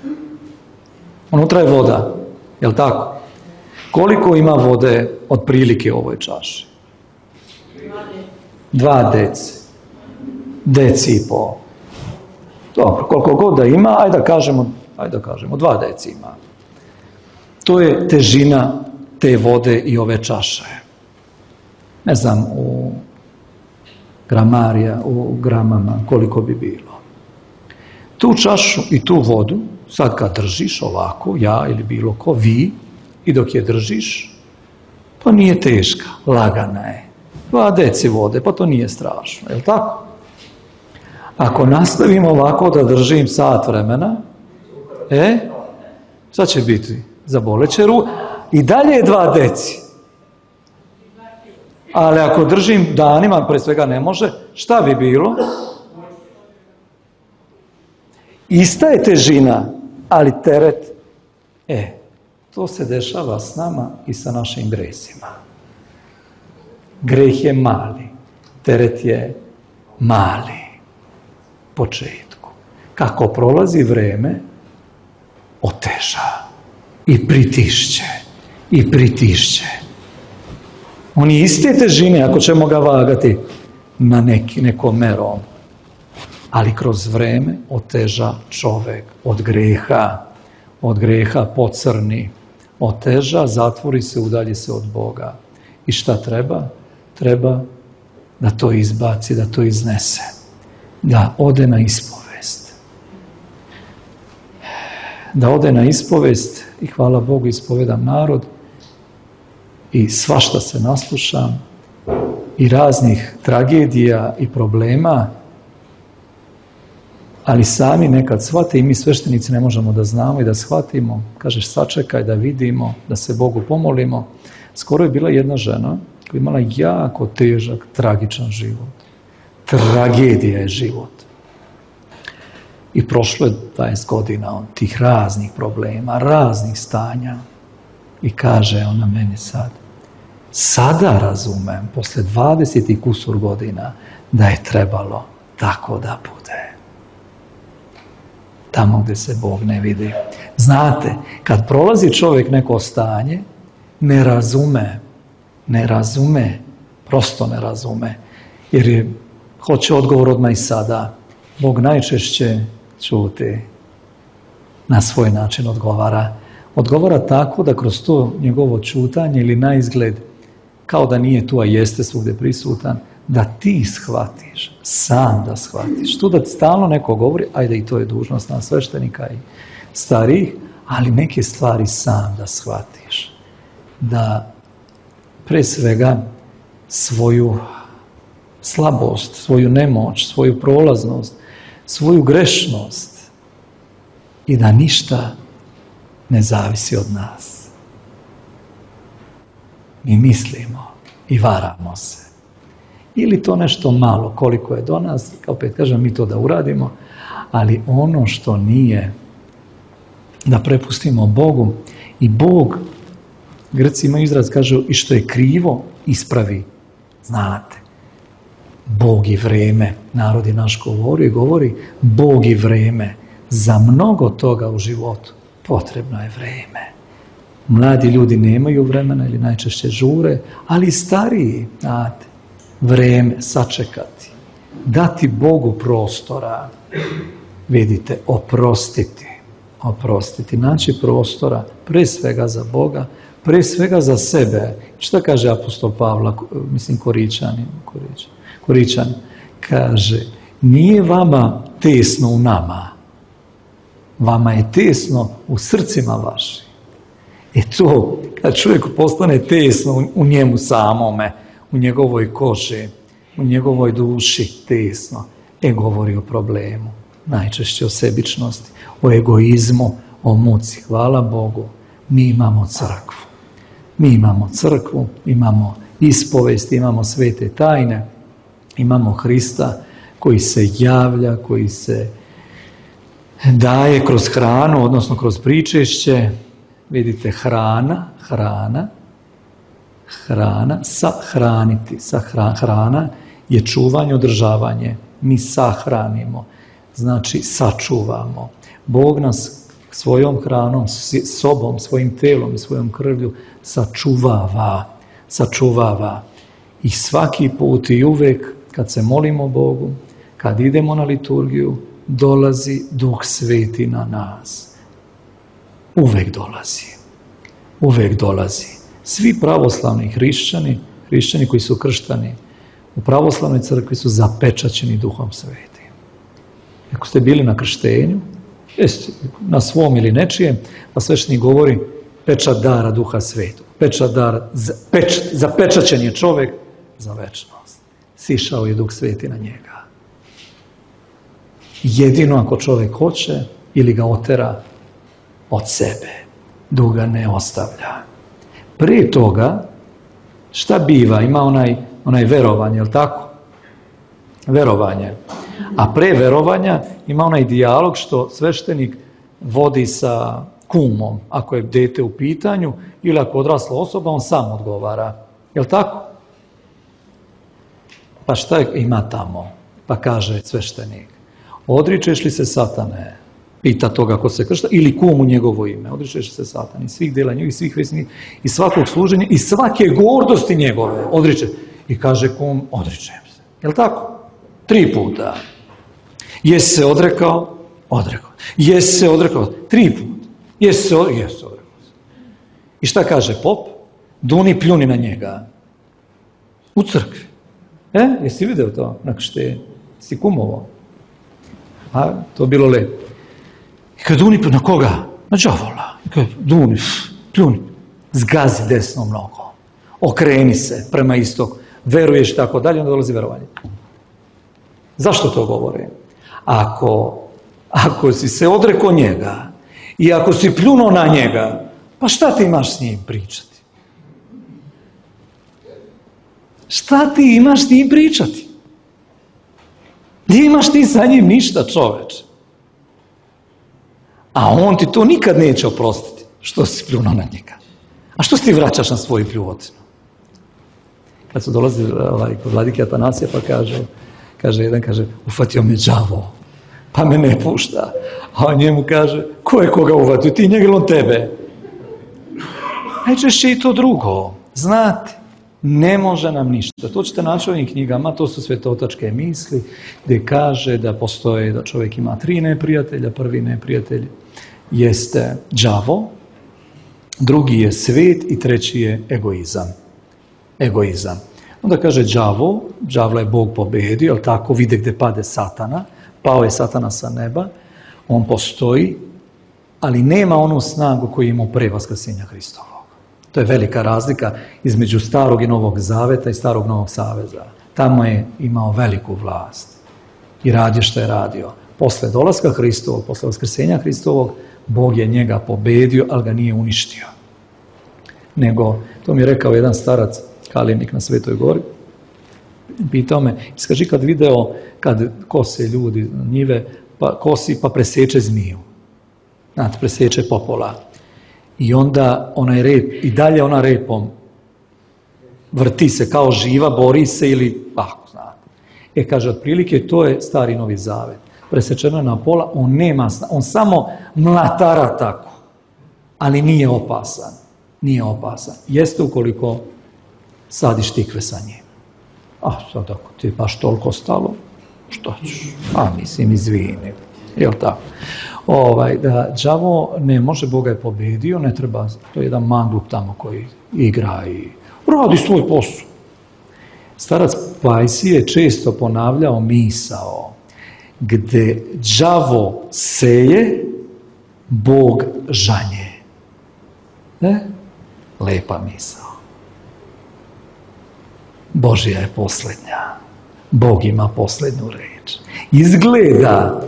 Unutra je voda, je li tako? Koliko ima vode od prilike u ovoj čaši? Dva deci. Deci i pol. Dobro, koliko god da ima, ajde da kažemo, ajde da kažemo, dva deci ima. To je težina te vode i ove čaše. ne znam, u gramarija, u gramama, koliko bi bilo. Tu čašu i tu vodu, sad kad držiš ovako, ja ili bilo ko, vi, i dok je držiš, pa nije teška, lagana je. Dva deci vode, pa to nije strašno, je li tako? Ako nastavimo ovako da držim sat vremena, e, šta će biti? Zaboleće ruku. I dalje je dva deci. Ali ako držim danima, pre svega ne može, šta bi bilo? Ista je težina, ali teret, e, to se dešava s nama i sa našim gresima. Greh je mali, teret je mali, početku. Kako prolazi vreme, oteža i pritišće, i pritišće. On je iste težine, ako ćemo ga vagati na neki, nekom merom, ali kroz vreme oteža čovek od greha, od greha pocrni, oteža, zatvori se, udalji se od Boga. I šta treba? Treba da to izbaci, da to iznese, da ode na ispovest. Da ode na ispovest i hvala Bogu ispovedam narod i svašta se naslušam i raznih tragedija i problema, ali sami nekad shvate i mi sveštenici ne možemo da znamo i da shvatimo. Kažeš sačekaj da vidimo, da se Bogu pomolimo. Skoro je bila jedna žena koja je imala jako težak, tragičan život. Tragedija je život. I prošlo je dvadeset godina od tih raznih problema, raznih stanja. I kaže ona meni sad, sada razumem, posle dvadeset i kusur godina, da je trebalo tako da bude. Tamo gde se Bog ne vidi. Znate, kad prolazi čovjek neko stanje, ne razume, ne razume, prosto ne razume, jer je, hoće odgovor odmah i sada. Bog najčešće čuti, na svoj način odgovara. Odgovara tako da kroz to njegovo čutanje ili na izgled, kao da nije tu, a jeste svugdje prisutan, da ti shvatiš, sam da shvatiš. Tu da ti stalno neko govori, ajde i to je dužnost nas sveštenika i starih, ali neke stvari sam da shvatiš. Da pre svega svoju slabost, svoju nemoć, svoju prolaznost, svoju grešnost i da ništa ne zavisi od nas. Mi mislimo i varamo se. Ili to nešto malo, koliko je do nas, opet kažem, mi to da uradimo, ali ono što nije, da prepustimo Bogu i Bog, Grci imaju izraz, kažu, i što je krivo, ispravi. Znate, Bog i vreme, narod je naš govori, govori, Bog i vreme, za mnogo toga u životu potrebno je vreme. Mladi ljudi nemaju vremena ili najčešće žure, ali stariji, znate, vreme, sačekati, dati Bogu prostora, vidite, oprostiti, oprostiti, naći prostora, pre svega za Boga, pre svega za sebe. Šta kaže apostol Pavla, mislim Koričani, Koričani, kaže, nije vama tesno u nama, vama je tesno u srcima vašim. E to, kad čovjek postane tesno u njemu samome, u njegovoj koži, u njegovoj duši tesno, e govori o problemu, najčešće o sebičnosti, o egoizmu, o muci. Hvala Bogu, mi imamo crkvu. Mi imamo crkvu, imamo ispovest, imamo svete tajne, imamo Hrista koji se javlja, koji se daje kroz hranu, odnosno kroz pričešće. Vidite, hrana, hrana, hrana, sahraniti, sahra, hrana je čuvanje, održavanje. Mi sahranimo, znači sačuvamo. Bog nas svojom hranom, sobom, svojim telom i svojom krvlju sačuvava, sačuvava. I svaki put i uvek kad se molimo Bogu, kad idemo na liturgiju, dolazi Duh Sveti na nas. Uvek dolazi. Uvek dolazi. Svi pravoslavni hrišćani, Hrišćani koji su krštani u pravoslavnoj crkvi su zapečaćeni Duhom Svetim. Ako ste bili na krštenju, jeste na svom ili nečijem, pa sveštenik govori pečat dara Duha Svetog. Pečat dara, pečat, zapečaćen je čovek za večnost. Sišao je Duh Sveti na njega. Jedino ako čovek hoće ili ga otera od sebe, Duh ga ne ostavlja. Prije toga, šta biva? Ima onaj, onaj verovanje, je li tako? Verovanje. A pre verovanja ima onaj dijalog što sveštenik vodi sa kumom, ako je dete u pitanju, ili ako odrasla osoba, on sam odgovara. Je li tako? Pa šta je, ima tamo? Pa kaže sveštenik, odričeš li se satane? Pita toga ko se kršta, ili kum u njegovo ime. Odričeš li se satane? I svih dela njegovih, svih vesnih, i svakog služenja, i svake gordosti njegove. Odriče. I kaže kum, odričem se. Je li tako? Tri puta. Jesi se odrekao? Odrekao. Jesi se odrekao? Tri puta. Jesi se odrekao? Jesi se odrekao. I šta kaže pop? Duni pljuni na njega. U crkvi. E, jesi vidio to? Na krštenju? Si kumovo? A, to bilo lepo. I kad duni na koga? Na đavola. I kad duni, pljuni. Zgazi desnom nogom. Okreni se prema istoku. Veruješ tako dalje, onda dolazi verovanje. Zašto to govorim? Ako, ako si se odrekao njega i ako si pljunuo na njega, pa šta ti imaš s njim pričati? Šta ti imaš s njim pričati? Gdje imaš ti sa njim ništa, čoveče? A on ti to nikad neće oprostiti, što si pljunuo na njega. A što si ti vraćaš na svoju pljuvotinu? Kad su dolazili ovaj, kod vladike Atanasija, pa kaže, kaže jedan, kaže, ufatio me đavo, pa me ne pušta. A on njemu kaže, ko je koga uvatio, ti njega ili on tebe? Najčešće i to drugo. Znate, ne može nam ništa. To ćete naći u ovim knjigama, to su svetotačke misli, gdje kaže da postoje, da čovjek ima tri neprijatelja. Prvi neprijatelj jeste đavo, drugi je svet i treći je egoizam. Egoizam. Onda kaže đavo, đavla je Bog pobedio, ali tako vide gdje pade satana, pao je satana sa neba, on postoji, ali nema onu snagu koju ima pre vaskrsenja Hristovog. To je velika razlika između starog i novog zaveta i starog novog saveza. Tamo je imao veliku vlast i radio što je radio. Posle dolaska Hristovog, posle vaskrsenja Hristovog, Bog je njega pobedio, ali ga nije uništio. Nego, to mi je rekao jedan starac, Kalinik na Svetoj gori, pitao me, iskaži kad video, kad kose ljudi njive, pa kosi pa preseče zmiju. Znate, preseče popola. I onda onaj rep, i dalje ona repom vrti se kao živa, bori se ili, ako znate. E, kaže, otprilike, to je stari novi zavet. Presečeno je na pola, on nema, on samo mlatara tako, ali nije opasan. Nije opasan. Jeste ukoliko sadiš tikve sa njim. A sad ako ti je baš toliko stalo, što ćeš? A mislim, izvini. Jel tako? Ovaj, da đavo ne može, Boga je pobedio, ne treba, to je jedan manglup tamo koji igra i radi svoj posao. Starac Pajsi je često ponavljao misao, gde đavo seje, Bog žanje. Ne? Lepa misao. Božja je posljednja. Bog ima posljednju reč. Izgleda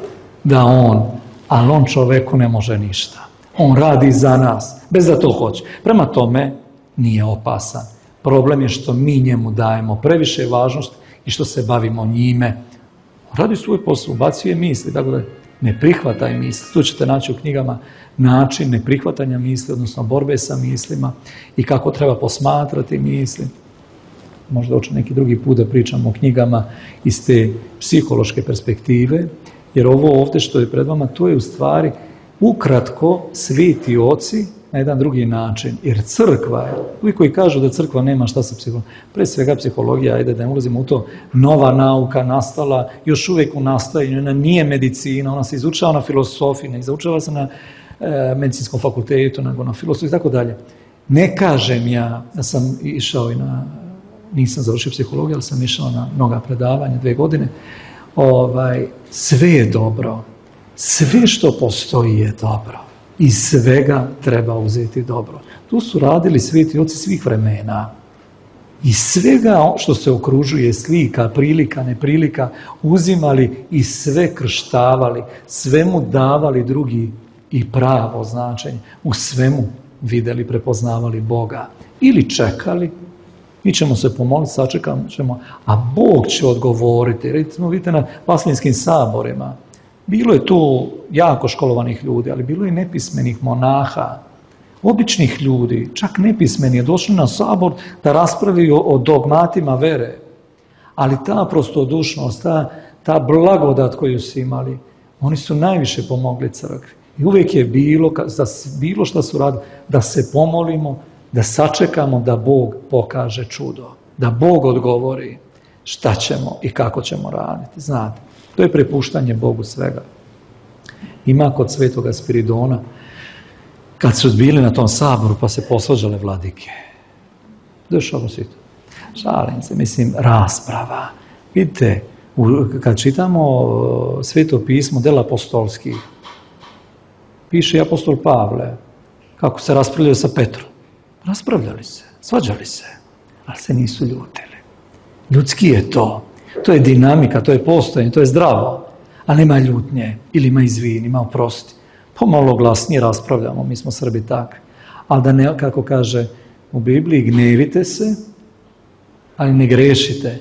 da on, ali on čoveku ne može ništa. On radi za nas, bez da to hoće. Prema tome, nije opasan. Problem je što mi njemu dajemo previše važnost i što se bavimo njime. Radi svoj posao, ubacuje misli, tako da ne prihvataj misli. Tu ćete naći u knjigama način neprihvatanja misli, odnosno borbe sa mislima i kako treba posmatrati misli. Možda hoće neki drugi put da pričamo o knjigama iz te psihološke perspektive, jer ovo ovdje što je pred vama, to je u stvari ukratko sveti oci na jedan drugi način. Jer crkva je, ovi koji kažu da crkva nema šta sa psihologijom, pre svega psihologija, ajde da ne ulazimo u to, nova nauka nastala, još uvijek u nastajanju, ona nije medicina, ona se izučava na filosofiji, ne izučava se na e, medicinskom fakultetu, nego na filosofiji i tako dalje. Ne kažem ja da sam išao i na nisam završio psihologiju, ali sam išao na mnoga predavanja, dve godine, ovaj, sve je dobro. Sve što postoji je dobro. Iz svega treba uzeti dobro. Tu su radili sveti oci svih vremena. I svega što se okružuje, slika, prilika, neprilika, uzimali i sve krštavali, svemu davali drugi i pravo značenje. U svemu vidjeli, prepoznavali Boga. Ili čekali, mi ćemo se pomoliti, sačekamo ćemo, a Bog će odgovoriti. Recimo, vidite na Vaslinskim saborima, bilo je tu jako školovanih ljudi, ali bilo je i nepismenih monaha, običnih ljudi, čak nepismeni, je došli na sabor da raspravljaju o dogmatima vere. Ali ta prostodušnost, ta, ta blagodat koju su imali, oni su najviše pomogli crkvi. I uvijek je bilo, da bilo što su radili, da se pomolimo, da sačekamo da Bog pokaže čudo, da Bog odgovori šta ćemo i kako ćemo raditi. Znate, to je prepuštanje Bogu svega. Ima kod svetoga Spiridona, kad su bili na tom saboru pa se posvađale vladike. Dešava se to. Šalim se, mislim, rasprava. Vidite, kad čitamo Sveto pismo del apostolskih, piše i apostol Pavle, kako se raspravljaju sa Petrom. Raspravljali se, svađali se, ali se nisu ljutili. Ljudski je to. To je dinamika, to je postojanje, to je zdravo. Ali nema ljutnje, ili ima izvini, ima oprosti. Pomalo glasnije raspravljamo, mi smo Srbi takvi. Ali da ne, kako kaže u Bibliji, gnevite se, ali ne grešite,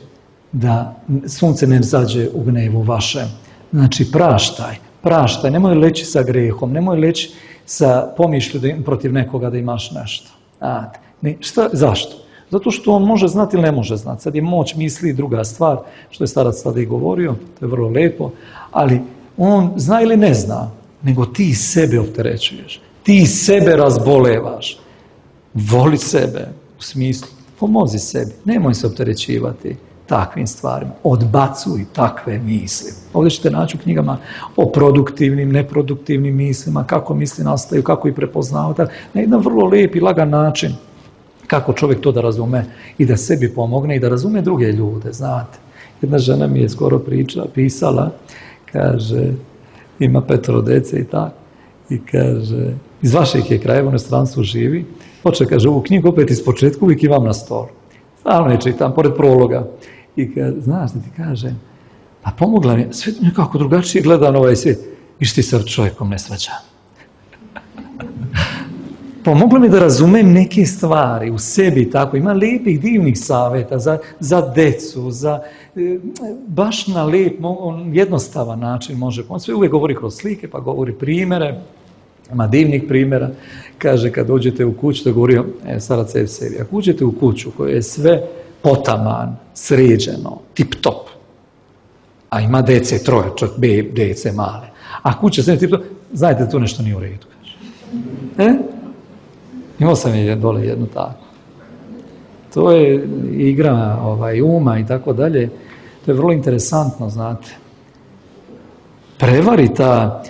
da sunce ne zađe u gnevu vašem. Znači, praštaj, praštaj, nemoj leći sa grehom, nemoj leći sa pomišlju da, protiv nekoga da imaš nešto. A, ne, šta, zašto? Zato što on može znati ili ne može znati. Sad je moć misli druga stvar, što je starac tada i govorio, to je vrlo lepo, ali on zna ili ne zna, nego ti sebe opterećuješ, ti sebe razbolevaš. Voli sebe, u smislu, pomozi sebi, nemoj se opterećivati takvim stvarima, odbacuj takve misli. Ovdje ćete naći u knjigama o produktivnim, neproduktivnim mislima, kako misli nastaju, kako ih prepoznavati, na jedan vrlo lijep i lagan način, kako čovjek to da razume i da sebi pomogne i da razume druge ljude, znate. Jedna žena mi je skoro pričala, pisala, kaže, ima petoro dece i tako, i kaže, iz vašeg je krajeva, u inostranstvu živi, hoće, kaže, ovu knjigu opet iz početka uvijek imam na stolu. Stalno je čitam, pored prologa. I kaže, znaš da ti kažem, pa pomogla mi, sve nekako drugačije gleda na ovaj svijet. Viš ti se čovjekom ne svađa. Pomogla mi da razumem neke stvari u sebi, tako, ima lijepih, divnih savjeta za, za decu, za, baš na lijep, jednostavan način može pomoći. Sve uvijek govori kroz slike, pa govori primjere, ima divnih primjera. Kaže, kad uđete u kuću, to je govorio e, starac Evsevije, ako uđete u kuću koja je sve potaman, sređeno, tip-top, a ima dece, troje, čak be, dece male, a kuća sve tip-top, znajte da tu nešto nije u redu, kaže. E? Imao sam je dole jednu tako. To je igra ovaj, uma i tako dalje. To je vrlo interesantno, znate. Prevari ta,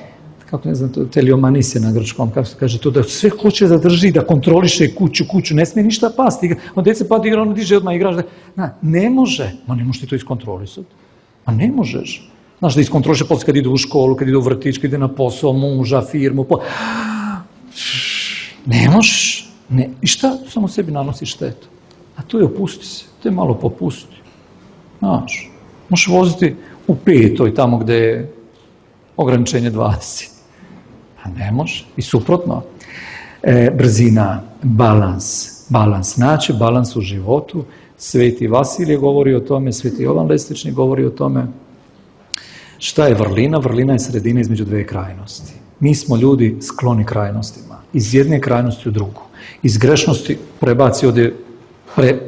kako ne znam, teliomanis je na grčkom, kako se kaže, to da sve hoće da drži, da kontroliše kuću, kuću, ne smije ništa pasti. On djece pati igra, ono diže odmah igraš. Da, na, ne može. Ma ne možeš ti to iskontrolisati. Ma ne možeš. Znaš da iskontroliše posle kad ide u školu, kad ide u vrtić, kad ide na posao, muža, firmu, po... Ne možeš. Ne. I šta? Samo sebi nanosi štetu. A to je opusti se. To je malo popusti. Znaš, možeš voziti u petoj, tamo gde je ograničenje dvadeset. Pa ne može. I suprotno. E, brzina, balans. Balans. Naći balans u životu. Sveti Vasilije govori o tome, Sveti Jovan Lestični govori o tome. Šta je vrlina? Vrlina je sredina između dve krajnosti. Mi smo ljudi skloni krajnostima. Iz jedne krajnosti u drugu. Iz grešnosti prebaci ovdje, pre,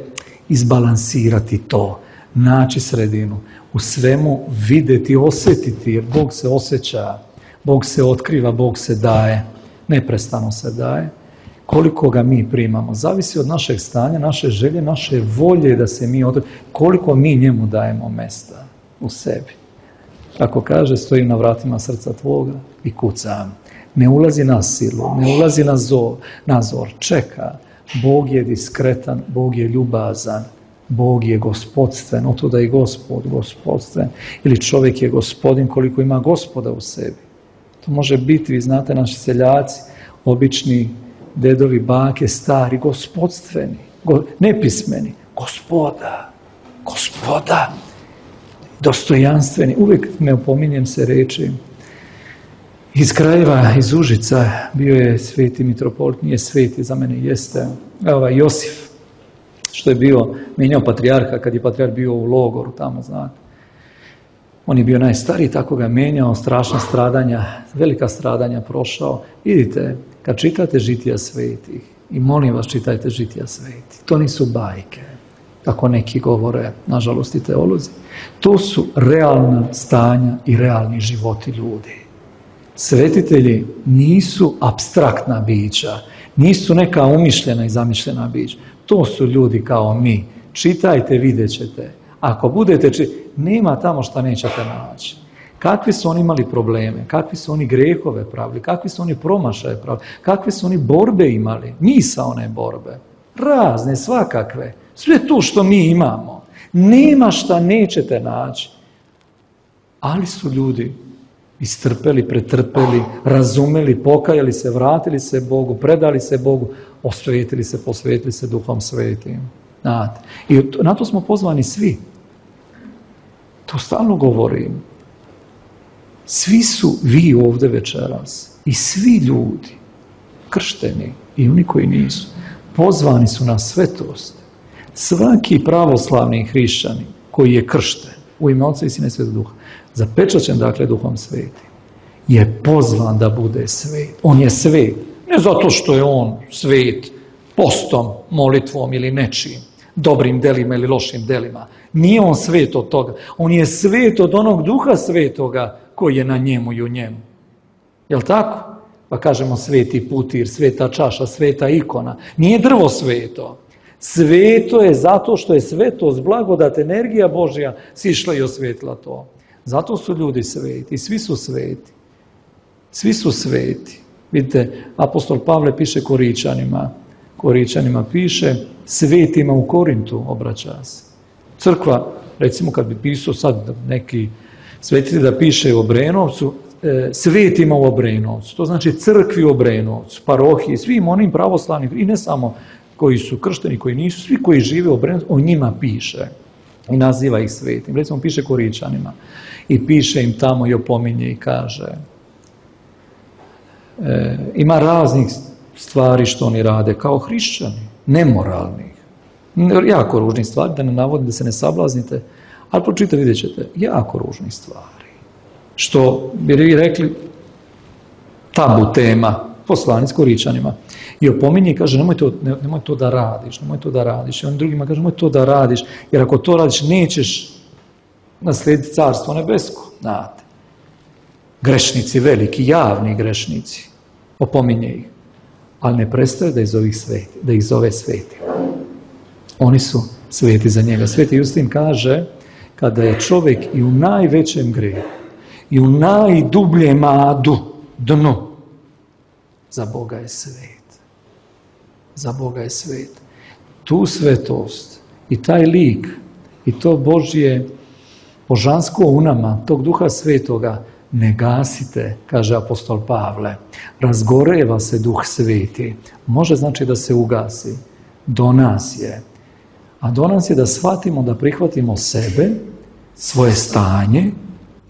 izbalansirati to. Naći sredinu. U svemu vidjeti, osjetiti, jer Bog se osjeća, Bog se otkriva, Bog se daje. Neprestano se daje. Koliko ga mi primamo, zavisi od našeg stanja, naše želje, naše volje da se mi otkriva. Koliko mi njemu dajemo mesta u sebi. Kako kaže, stojim na vratima srca tvoga i kucam. Ne ulazi na silu, ne ulazi na zor, na zor, čeka. Bog je diskretan, Bog je ljubazan. Bog je gospodstven, od tuda i gospod, gospodstven. Ili čovjek je gospodin koliko ima gospoda u sebi. To može biti, vi znate, naši seljaci, obični dedovi, bake, stari, gospodstveni, go, nepismeni. Gospoda, gospoda, dostojanstveni. Uvijek ne opominjem se reči. Iz krajeva, iz Užica, bio je sveti mitropolit, nije sveti, za mene jeste, evo, Josif, što je bio, mijenjao patrijarha, kad je patrijarh bio u logoru tamo, znate. On je bio najstariji, tako ga menjao, strašna stradanja, velika stradanja prošao. Vidite, kad čitate žitija svetih, i molim vas čitajte žitija svetih, to nisu bajke, kako neki govore, nažalost i teolozi. To su realna stanja i realni životi ljudi. Svetitelji nisu apstraktna bića, nisu neka umišljena i zamišljena bića. To su ljudi kao mi. Čitajte, vidjet ćete. Ako budete čitati, nema tamo šta nećete naći. Kakvi su oni imali probleme, kakvi su oni grehove pravili, kakvi su oni promašaje pravili, kakve su oni borbe imali, misaone borbe, razne, svakakve. Sve to što mi imamo. Nema šta nećete naći. Ali su ljudi istrpeli, pretrpeli, razumeli, pokajali se, vratili se Bogu, predali se Bogu, osvetili se, posvetili se Duhom Svetim. Znate. I na to smo pozvani svi. To stalno govorim. Svi su vi ovdje večeras i svi ljudi, kršteni i oni koji nisu, pozvani su na svetost. Svaki pravoslavni hrišćanin koji je kršten u ime Oca i Sina i Svetog Duha, zapečaćen dakle Duhom Svetim, je pozvan da bude svet. On je svet. Ne zato što je on svet postom, molitvom ili nečim, dobrim delima ili lošim delima. Nije on svet od toga. On je svet od onog Duha Svetoga koji je na njemu i u njemu. Jel' tako? Pa kažemo sveti putir, sveta čaša, sveta ikona. Nije drvo sveto. Sveto je zato što je svetost, blagodat, energija Božja sišla i osvetila to. Zato su ljudi sveti. Svi su sveti. Svi su sveti. Vidite, apostol Pavle piše Koričanima. Koričanima piše, svetima u Korintu obraća se. Crkva, recimo kad bi pisao sad neki svetitelj da piše u Obrenovcu, e, svetima u Obrenovcu, to znači crkvi u Obrenovcu, parohiji, svim onim pravoslavnim, i ne samo koji su kršteni, koji nisu, svi koji žive u Obrenovcu, o njima piše i naziva ih svetim. Recimo piše Koričanima i piše im tamo i opominje i kaže, e, ima raznih stvari što oni rade kao hrišćani, nemoralnih, jako ružnih stvari, da ne navodim, da se ne sablaznite, ali pročitajte, vidjet ćete, jako ružnih stvari. Što bi vi rekli tabu tema, poslanic Koričanima. I opominje i kaže, nemoj to, ne, nemoj to da radiš, nemoj to da radiš. I on drugima kaže, nemoj to da radiš, jer ako to radiš, nećeš naslijediti carstvo nebesko. Znate. Grešnici veliki, javni grešnici. Opominje ih. Ali ne prestaje da ih zove sveti, da ih zove sveti. Oni su sveti za njega. Sveti Justin kaže, kada je čovjek i u najvećem grehu, i u najdubljem adu, dnu, za Boga je svet. Za Boga je svet. Tu svetost i taj lik i to Božje božansko u nama, tog Duha Svetoga, ne gasite, kaže apostol Pavle. Razgoreva se Duh Sveti. Može znači da se ugasi. Do nas je. A do nas je da shvatimo, da prihvatimo sebe, svoje stanje,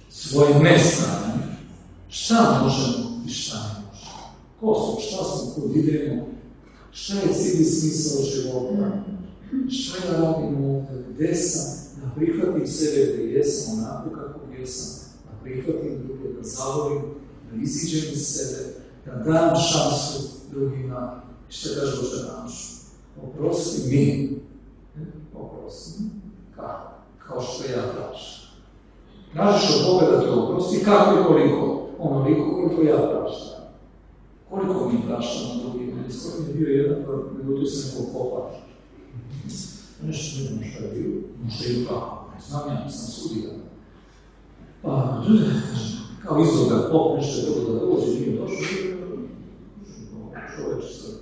svoje nestanje. Šta možemo i šta ne možemo? Ko su, šta smo, kod idemo? Šta je cilj i smisao života? Šta ja radim ovdje? Gde sam? Da prihvatim sebe gdje jesam, onako kako jesam. Da prihvatim druge, da zavolim, da iziđem iz sebe, da dam šansu drugima. Šta kaže Bože našu? Oprosti mi. Oprosti. Kako? Kao što ja prašam. Tražiš od Boga da te oprosti, kako i koliko? Onoliko koliko ja prašam. Koliko mi prašamo drugima? Skoro mi je bio jedan, pa nego tu se neko kopaš. Nešto ne znam šta je bilo. Možda je kako? Ne znam, ja nisam sudija. Pa, kao izgleda pop, nešto je dobro da dođe, nije došlo. Čovječe sad.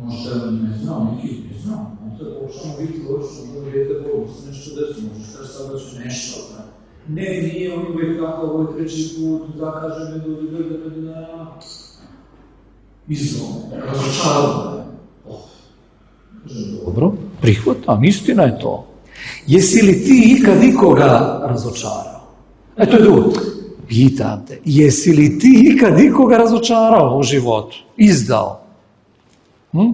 Možda ne znam, neki ne znam. On te počnemo vidjeti ločno, ono dijete Bogu, se nešto desno, možeš kaži sad da će nešto. Ne, nije, on uvijek tako, ovo je treći put, zakaže me, dođe, dođe, dođe, dođe, izvom, razočarano. Dobro, prihvatam, istina je to. Jesi li ti ikad ikoga razočarao? E, to je drugo. Pitam te, jesi li ti ikad ikoga razočarao u životu? Izdao? Hm?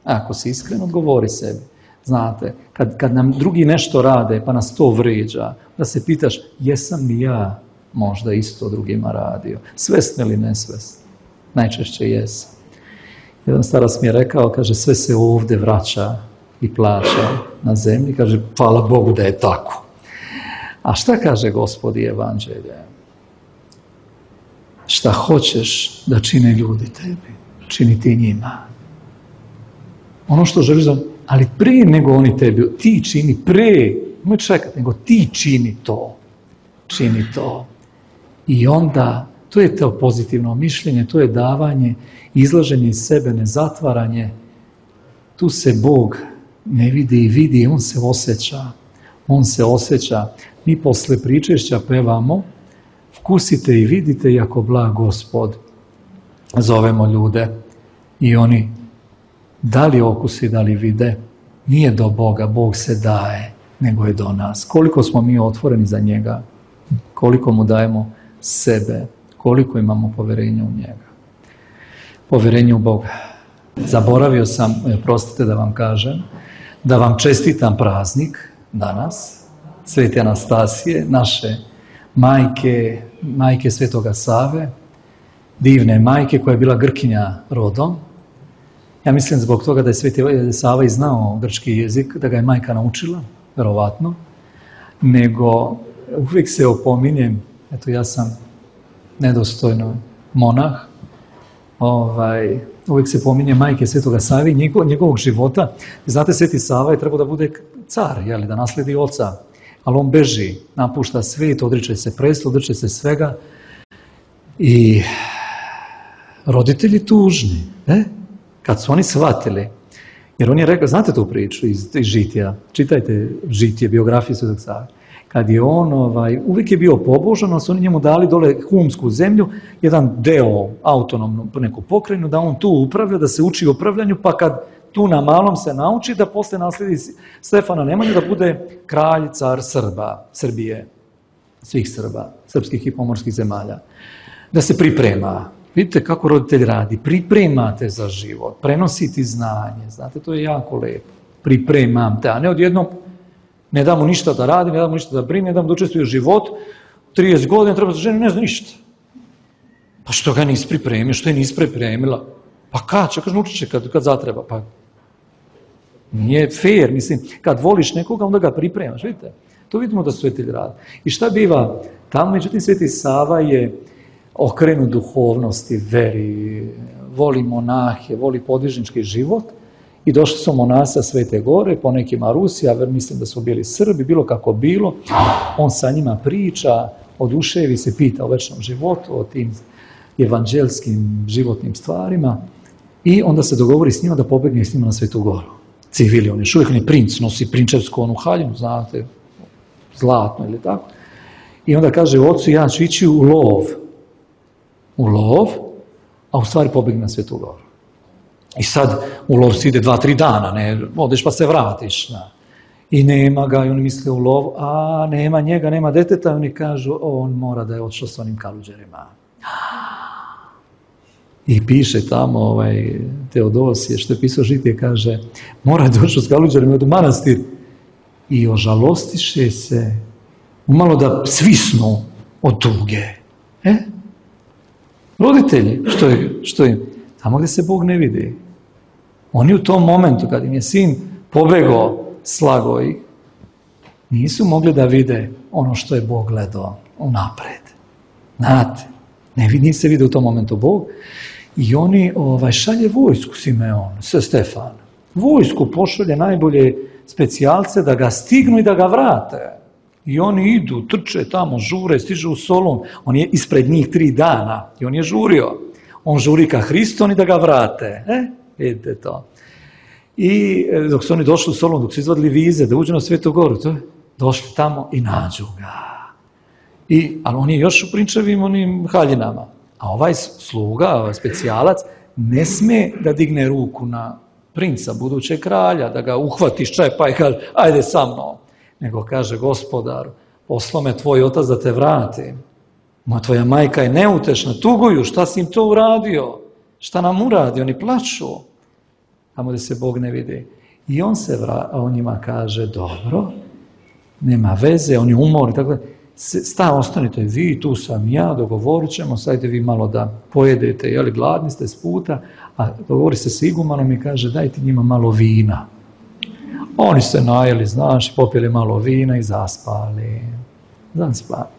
Ako si iskren, odgovori sebi. Znate, kad, kad nam drugi nešto rade, pa nas to vrijeđa, da se pitaš, jesam li ja možda isto drugima radio? Svesno ili nesvesno? Najčešće jesam. Jedan starac mi je rekao, kaže, sve se ovdje vraća i plaća na zemlji. Kaže, hvala Bogu da je tako. A šta kaže Gospod i Evanđelje? Šta hoćeš da čine ljudi tebi, čini ti njima. Ono što želiš da... Ali prije nego oni tebi, ti čini, prije, nemoj čekati, nego ti čini to. Čini to. I onda, to je to pozitivno mišljenje, to je davanje, izlaženje iz sebe, nezatvaranje. Tu se Bog ne vidi i vidi, on se osjeća. On se osjeća. Mi posle pričešća pevamo, vkusite i vidite, jako blag Gospod. Zovemo ljude i oni da li okusi, da li vide, nije do Boga, Bog se daje, nego je do nas. Koliko smo mi otvoreni za njega, koliko mu dajemo sebe, koliko imamo poverenja u njega. Poverenje u Boga. Zaboravio sam, prostite da vam kažem, da vam čestitam praznik danas, Svete Anastasije, naše majke, majke Svetoga Save, divne majke koja je bila Grkinja rodom. Ja mislim zbog toga da je Sveti Sava i znao grčki jezik, da ga je majka naučila, verovatno, nego uvijek se opominjem, eto ja sam nedostojno monah, ovaj, uvijek se pominje majke Svetoga Save i njegov, njegovog života. Znate, Sveti Sava je trebao da bude car, jeli, da nasledi oca, ali on beži, napušta svijet, odriče se prestola, odriče se svega i roditelji tužni, ne? Kad su oni shvatili, jer on je rekao, znate tu priču iz, iz Žitija, čitajte Žitije, biografiju Svetog Save, kad je on, ovaj, uvijek je bio pobožan, ali su oni njemu dali dole humsku zemlju, jedan deo autonomnu neku pokrajinu, da on tu upravlja, da se uči upravljanju, pa kad tu na malom se nauči, da posle nasledi Stefana Nemanju, da bude kralj, car Srba, Srbije, svih Srba, srpskih i pomorskih zemalja, da se priprema. Vidite kako roditelj radi, pripremate za život, prenositi znanje, znate, to je jako lepo, pripremam te, a ne odjednom ne dam mu ništa da radi, ne dam mu ništa da brine, ne dam mu da učestvuje u život, trideset godina treba da ženi, ne zna ništa. Pa što ga nisi pripremio, što je nisi pripremila? Pa kad će, kaže, naučit će kad, kad zatreba, pa nije fair, mislim, kad voliš nekoga, onda ga pripremaš, vidite, to vidimo da Svetelj radi. I šta biva? Tamo, međutim, Sveti Sava je okrenut duhovnosti, veri, voli monahe, voli podvižnički život i došli su monasa Svete Gore, po nekima Rusi, a mislim da su bili Srbi, bilo kako bilo, on sa njima priča, oduševi se, pita o večnom životu, o tim evanđelskim životnim stvarima i onda se dogovori s njima da pobegne s njima na Svetu Goru. Civili, on još uvijek on je princ, nosi prinčevsku onu haljinu, znate, zlatno ili tako. I onda kaže, ocu, ja ću ići u lov, u lov, a u stvari pobegne na Svetu Goru. I sad u lov si ide dva, tri dana, ne, odeš pa se vratiš. Da. I nema ga, i oni misle u lov, a nema njega, nema deteta, i oni kažu, on mora da je odšao s onim kaluđerima. I piše tamo, ovaj, Teodosije, što je pisao Žitije, kaže, mora da je odšao s kaluđerima od manastir. I ožalostiše se, umalo da svisnu od tuge. E? Roditelji, što je, što je, tamo gdje se Bog ne vidi. Oni u tom momentu, kad im je sin pobegao, slago ih, nisu mogli da vide ono što je Bog gledao unapred. Znate, ne vidi se vide u tom momentu Bog. I oni ovaj, šalje vojsku Simeon, sve Stefan. Vojsku pošalje najbolje specijalce da ga stignu i da ga vrate. I oni idu, trče tamo, žure, stižu u Solun. On je ispred njih tri dana i on je žurio. On žuri ka Hristu, oni da ga vrate. E? Vidite to. I dok su oni došli u Solun, dok su izvadili vize da uđu na Svetu Goru, to je, došli tamo i nađu ga. I, ali on je još u prinčevim onim haljinama. A ovaj sluga, ovaj specijalac, ne sme da digne ruku na princa, budućeg kralja, da ga uhvati ščepa i kaže, ajde sa mnom. Nego kaže, gospodaru, poslao me tvoj otac da te vratim. Moja tvoja majka je neutešna, tuguju, šta si im to uradio? Šta nam uradi? Oni plaču. Tamo gdje se Bog ne vidi. I on se vra, on njima kaže, dobro, nema veze, on je umor i tako da. Sta, ostanite vi, tu sam ja, dogovorit ćemo, sajte vi malo da pojedete, jeli, gladni ste s puta, a dogovori se s igumanom i kaže, dajte njima malo vina. Oni se najeli, znaš, popili malo vina i zaspali. Zaspali.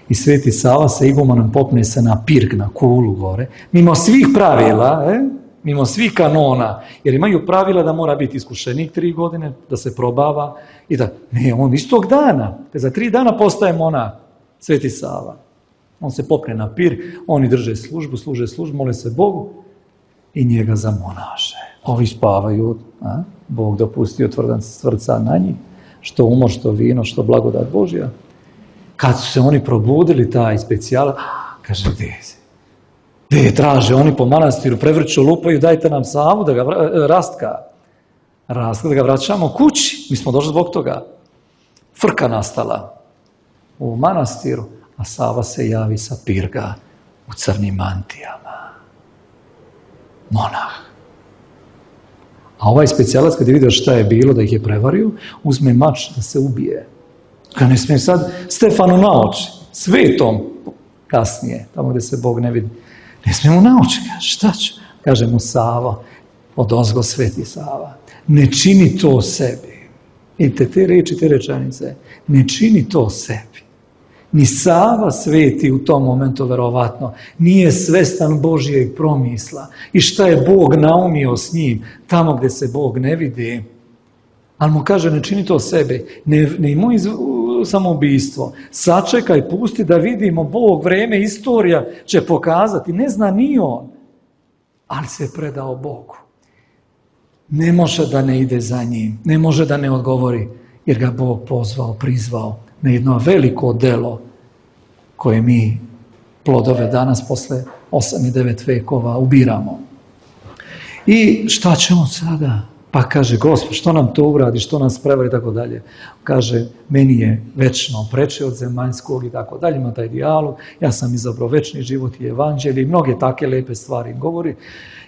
I Sveti Sava sa igumanom popne se na pirg, na kulu gore, mimo svih pravila, eh? mimo svih kanona, jer imaju pravila da mora biti iskušenik tri godine, da se probava i da, ne, on istog dana, te za tri dana postaje monah, Sveti Sava. On se popne na pir, oni drže službu, služe službu, mole se Bogu i njega zamonaše. Ovi spavaju, a? Bog dopustio tvrdan srca na njih, što umor, što vino, što blagodat Božja. Kad su se oni probudili, taj specijalac, kaže, gdje je? Gdje je? Traže oni po manastiru, prevrću, lupaju, dajte nam Savu da ga vra, rastka. Rastka, da ga vraćamo kući. Mi smo došli zbog toga. Frka nastala u manastiru, a Sava se javi sa pirga u crnim mantijama. Monah. A ovaj specijalac, kad je vidio šta je bilo, da ih je prevario, uzme mač da se ubije. Kad ne smije sad Stefanu na oči, svetom, kasnije, tamo gdje se Bog ne vidi. Ne smije mu na oči, kaže, šta ću? Kaže mu Sava, odozgo Sveti Sava, ne čini to sebi. Vidite, te reči, te rečenice, ne čini to sebi. Ni Sava sveti u tom momentu, verovatno, nije svestan Božijeg promisla i šta je Bog naumio s njim, tamo gdje se Bog ne vidi. Ali mu kaže, ne čini to sebi, ne, ne imoj samoubistvo, sačekaj, pusti da vidimo, Bog, vreme, istorija će pokazati, ne zna ni on, ali se predao Bogu. Ne može da ne ide za njim, ne može da ne odgovori, jer ga Bog pozvao, prizvao na jedno veliko delo koje mi plodove danas posle osam i devet vekova ubiramo. I šta ćemo sada? Pa kaže, Gospod, što nam to uradi, što nas prevari i tako dalje. Kaže, meni je večno preče od zemaljskog i tako dalje, ima taj dijalog, ja sam izabrao večni život i evanđelje i mnoge take lepe stvari govori,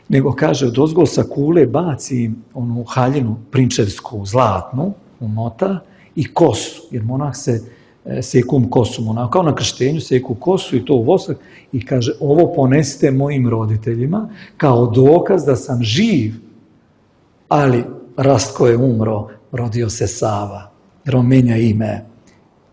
nego kaže, odozgo sa kule baci onu haljinu prinčevsku, zlatnu, umota i kosu, jer monah se sekum kosu, monah, kao na krštenju seku kosu i to u vosak i kaže, ovo ponesite mojim roditeljima kao dokaz da sam živ. Ali Rastko je umro, rodio se Sava, jer on menja ime.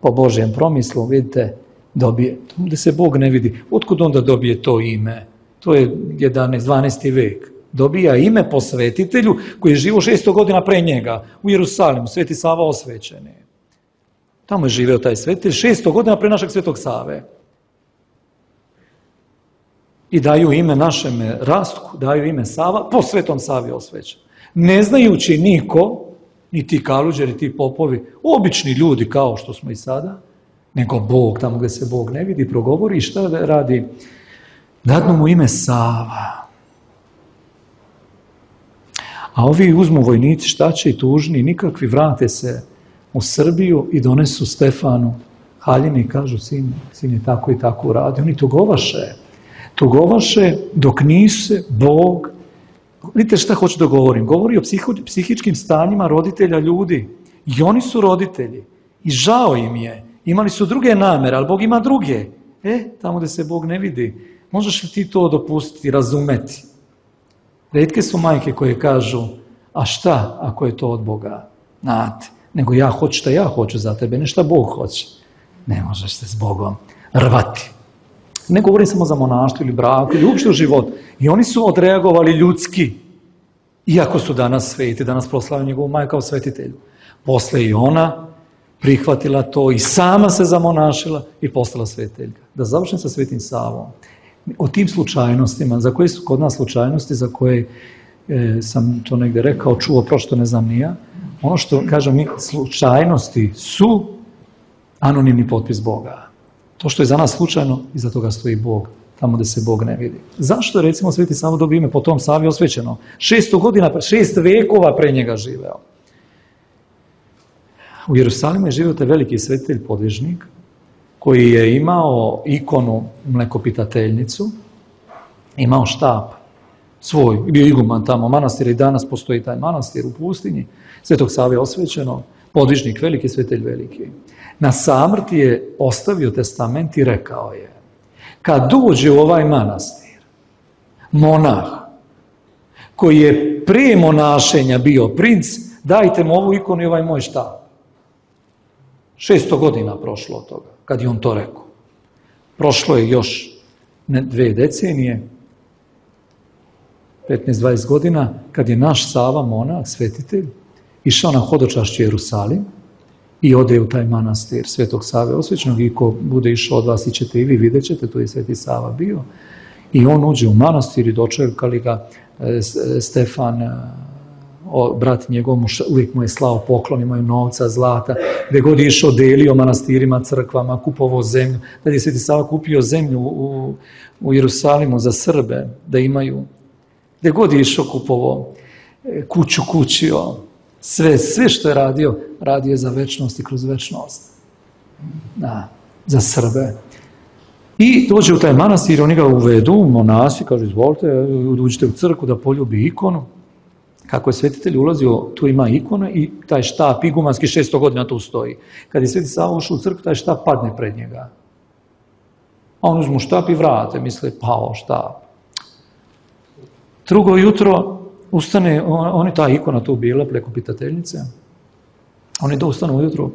Po Božjem promislu, vidite, dobije, gdje se Bog ne vidi. Otkud onda dobije to ime? To je jedanaesti dvanaesti vek. Dobija ime po svetitelju koji je živo šesto godina pre njega u Jerusalimu, Sveti Sava osvećeni. Tamo je živeo taj svetitelj šesto godina pre našeg Svetog Save. I daju ime našem Rastku, daju ime Sava, po Svetom Savi osvećen. Ne znajući niko, ni ti kaluđeri, ni ti popovi, obični ljudi kao što smo i sada, nego Bog, tamo gdje se Bog ne vidi, progovori i šta radi? Dadnu mu ime Sava. A ovi uzmu vojnici, šta će i tužni, nikakvi, vrate se u Srbiju i donesu Stefanu haljine i kažu, sin, sin je tako i tako uradio. Oni tugovaše. Tugovaše dok nisu Bog. Vidite šta hoću da govorim. Govori o psiho, psihičkim stanjima roditelja ljudi. I oni su roditelji. I žao im je. Imali su druge namere, ali Bog ima druge. E, tamo gdje se Bog ne vidi. Možeš li ti to dopustiti, razumeti? Retke su majke koje kažu, a šta ako je to od Boga? Znate, nego ja hoću šta ja hoću za tebe, ne šta Bog hoće. Ne možeš se s Bogom rvati. Ne govorim samo za monaštvo ili braku ili uopšte u životu. I oni su odreagovali ljudski. Iako su danas sveti, danas proslavljaju njegovu majku kao svetitelju. Posle i ona prihvatila to i sama se zamonašila i postala svetiteljka. Da završim sa Svetim Savom. O tim slučajnostima, za koje su kod nas slučajnosti, za koje e, sam to negde rekao, čuo, prošto ne znam ni ja, ono što, kažem mi, slučajnosti su anonimni potpis Boga. To što je za nas slučajno, iza toga stoji Bog, tamo gde se Bog ne vidi. Zašto, recimo, Sveti Sava dobio ime po tom Savi osvećeno? Šesto godina, šest vekova pre njega živeo. U Jerusalimu je živio taj veliki svetitelj podvižnik, koji je imao ikonu mlekopitateljnicu, imao štap svoj, bio iguman tamo manastir i danas postoji taj manastir u pustinji, Svetog Save osvećeno, podvižnik veliki, svetitelj veliki. Na samrti je ostavio testament i rekao je, kad dođe u ovaj manastir monah koji je prije monašenja bio princ, dajte mu ovu ikonu i ovaj moj štap. Šesto godina prošlo od toga, kad je on to rekao. Prošlo je još ne, dve decenije, petnaest dvadeset godina, kad je naš Sava, monah, svetitelj, išao na hodočašće Jerusalim i ode u taj manastir Svetog Save osvećenog i ko bude išao od vas, ićete i vi, vidjet ćete, tu je Sveti Sava bio. I on uđe u manastir i dočekali ga Stefan, o, brat njegov, uvijek mu je slao poklon, imaju novca, zlata, gdje god je išao delio manastirima, crkvama, kupovao zemlju. Tad je Sveti Sava kupio zemlju u, u Jerusalimu za Srbe, da imaju. Gdje god je išao kupovao, kuću kućio, sve, sve što je radio, radio je za večnost i kroz večnost. Da, za Srbe. I dođe u taj manastir, oni ga uvedu, monasi, kažu, izvolite, uđite u crkvu da poljubi ikonu. Kako je svetitelj ulazio, tu ima ikona i taj štap igumanski šesto godina tu stoji. Kad je Sveti Sava ušao u crkvu, taj štap padne pred njega. A on uzmu štap i vrate, misle, pao štap. Drugo jutro ustane, on, on je ta ikona tu bila, mlekopitateljnice, oni da ustanu ujutro,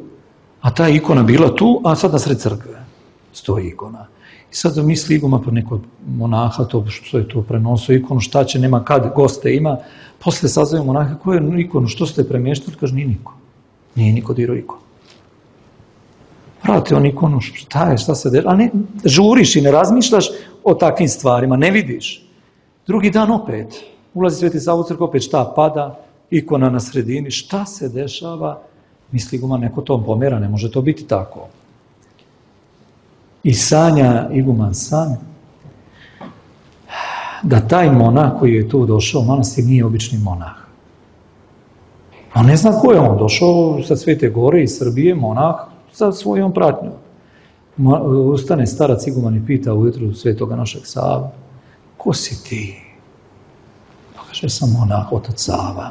a ta ikona bila tu, a sad na sred crkve stoji ikona. I sad misli iguman, pa neko monaha, to što je to prenosio ikonu, šta će, nema kad, goste ima, posle sazove monaha, koju je ikonu, što ste premještali, kaže, nije niko. Nije niko dirao ikonu. Vrati on ikonu, šta je, šta se dela, a ne, žuriš i ne razmišljaš o takvim stvarima, ne vidiš. Drugi dan opet, ulazi Sveti Sava u crkvu, opet šta pada, ikona na sredini, šta se dešava, misli iguman, neko to pomera, ne može to biti tako. I sanja iguman san da taj monah koji je tu došao u manastir nije obični monah. On ne zna ko je on, došao sa Svete Gore iz Srbije, monah sa svojom pratnjom. Ustane starac iguman i pita ujutru Svetoga našeg Sava, ko si ti? Pa kaže, sam monah, otac Sava.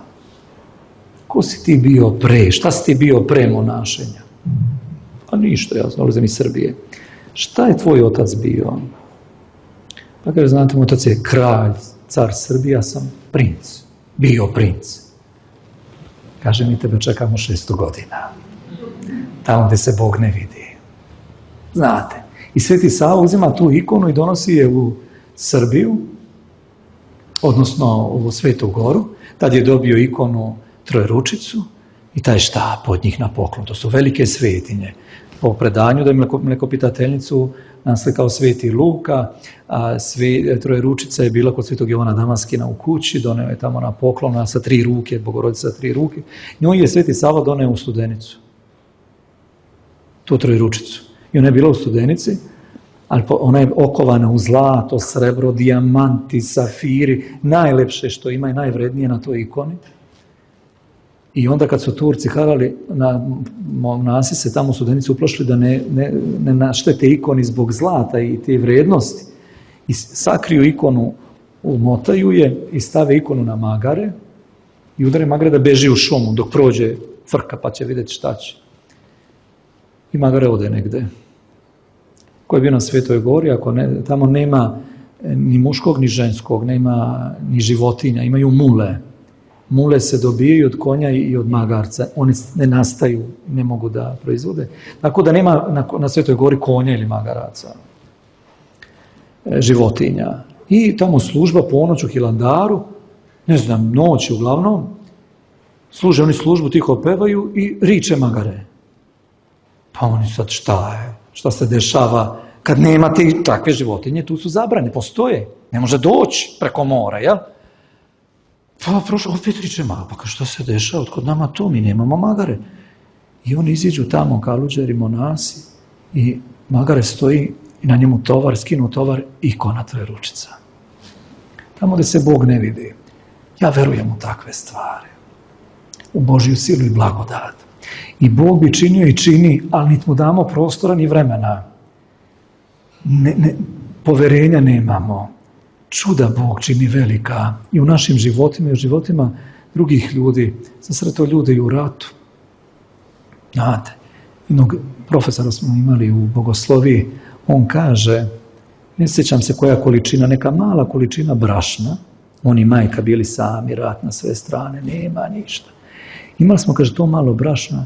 Ko si ti bio pre? Šta si ti bio pre monašenja? Pa ništa, ja dolazim iz Srbije. Šta je tvoj otac bio? Pa kaže, znate, moj otac je kralj, car Srbije, ja sam princ, bio princ. Kaže, mi tebe čekamo šesto godina, tamo gde se Bog ne vidi. Znate, i Sveti Sava uzima tu ikonu i donosi je u Srbiju, odnosno u Svetu Goru, tad je dobio ikonu Trojeručicu i taj štap od njih na poklon. To su velike svetinje. Po predanju da je mlekopitateljnicu naslikao Sveti Luka, a sve, Trojeručica je bila kod Svetog Jovana Damaskina u kući, doneo je tamo na poklon sa tri ruke, Bogorodica sa tri ruke. Njoj je Sveti Sava doneo u Studenicu, tu Trojeručicu. I ona je bila u Studenici, ali ona je okovana u zlato, srebro, dijamanti, safiri, najlepše što ima i najvrednije na toj ikoni. I onda kad su Turci harali, na, monasi se tamo u Studenici uplašili da ne, ne, ne naštete ikoni zbog zlata i te vrednosti. I sakriju ikonu, umotaju je i stave ikonu na magare i udare magare da beži u šumu dok prođe frka pa će vidjeti šta će. I magare ode negde. Ko je bio na Svetoj Gori, ako ne, tamo nema ni muškog ni ženskog, nema ni životinja, imaju mule. Mule se dobijaju od konja i od magarca, one ne nastaju, ne mogu da proizvode. Tako da nema na, na Svetoj Gori konja ili magaraca, životinja. I tamo služba ponoć u Hilandaru, ne znam, noć uglavnom, služe oni službu, tiho pevaju i riče magare. Pa oni sad šta je, šta se dešava, kad nema te takve životinje, tu su zabrane, postoje, ne može doći preko mora, jel? Pa prošlo, opet riče, ma, pa što se dešava, kod nama to, mi nemamo magare. I oni iziđu tamo, kaluđeri, monasi, i magare stoji i na njemu tovar, skinu tovar i ikona trojeručica. Tamo gde se Bog ne vidi. Ja verujem u takve stvari. U Božju silu i blagodat. I Bog bi činio i čini, ali niti mu damo prostora ni vremena. Ne, ne, poverenja nemamo. Čuda Bog čini velika i u našim životima i u životima drugih ljudi. Sasreto ljude i u ratu. Znate, jednog profesora smo imali u bogosloviji, on kaže, ne sjećam se koja količina, neka mala količina brašna, on i majka bili sami, rat na sve strane, nema ništa. Imali smo, kaže, to malo brašna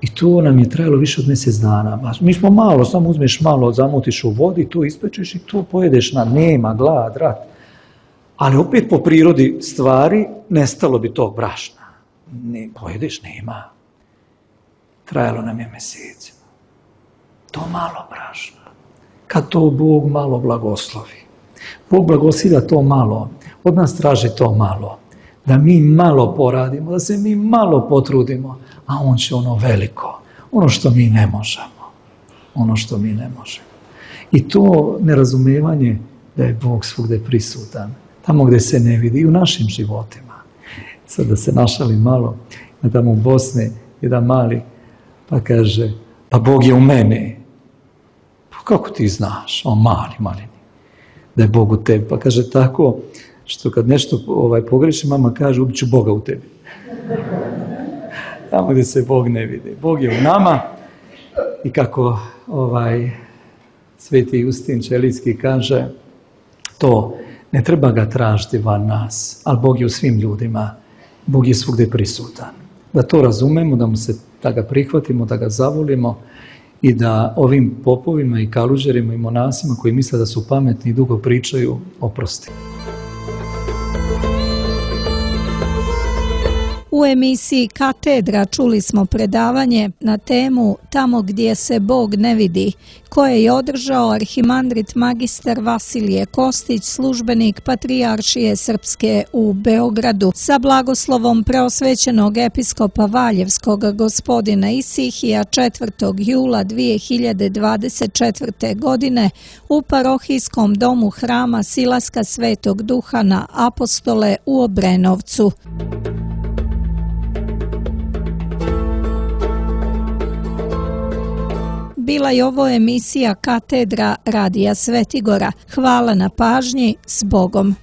i to nam je trajalo više od mjesec dana. Mi smo malo, samo uzmeš malo, zamutiš u vodi, to ispečeš i to pojedeš na nema, glad, rat. Ali opet po prirodi stvari nestalo bi tog brašna. Ne, pojedeš, nema. Trajalo nam je mjesecima. To malo brašna. Kad to Bog malo blagoslovi. Bog blagoslivlja to malo. Od nas traži to malo. Da mi malo poradimo, da se mi malo potrudimo, a on će ono veliko. Ono što mi ne možemo. Ono što mi ne možemo. I to nerazumevanje da je Bog svugde prisutan. Tamo gde se ne vidi, i u našim životima. Sad da se našali malo, na tamo u Bosni, jedan mali, pa kaže, pa Bog je u meni. Pa kako ti znaš? On mali, mali. Da je Bog u tebi. Pa kaže tako, što kad nešto ovaj, pogreši, mama kaže, ubit ću Boga u tebi. Tamo gdje se Bog ne vidi. Bog je u nama i kako ovaj, Sveti Justin Čelijski kaže, to ne treba ga tražiti van nas, ali Bog je u svim ljudima. Bog je svugdje prisutan. Da to razumemo, da, mu se, da ga prihvatimo, da ga zavolimo i da ovim popovima i kaluđerima i monasima koji misle da su pametni i dugo pričaju, oprosti.
U emisiji Katedra čuli smo predavanje na temu Tamo gdje se Bog ne vidi, koje je održao arhimandrit magistar Vasilije Kostić, službenik Patrijaršije Srpske u Beogradu, sa blagoslovom preosvećenog episkopa Valjevskog gospodina Isihija četvrtog jula dvije hiljade dvadeset četvrte. godine u parohijskom domu hrama Silaska Svetog Duha na Apostole u Obrenovcu. Bila je ovo emisija Katedra Radija Svetigora. Hvala na pažnji, s Bogom.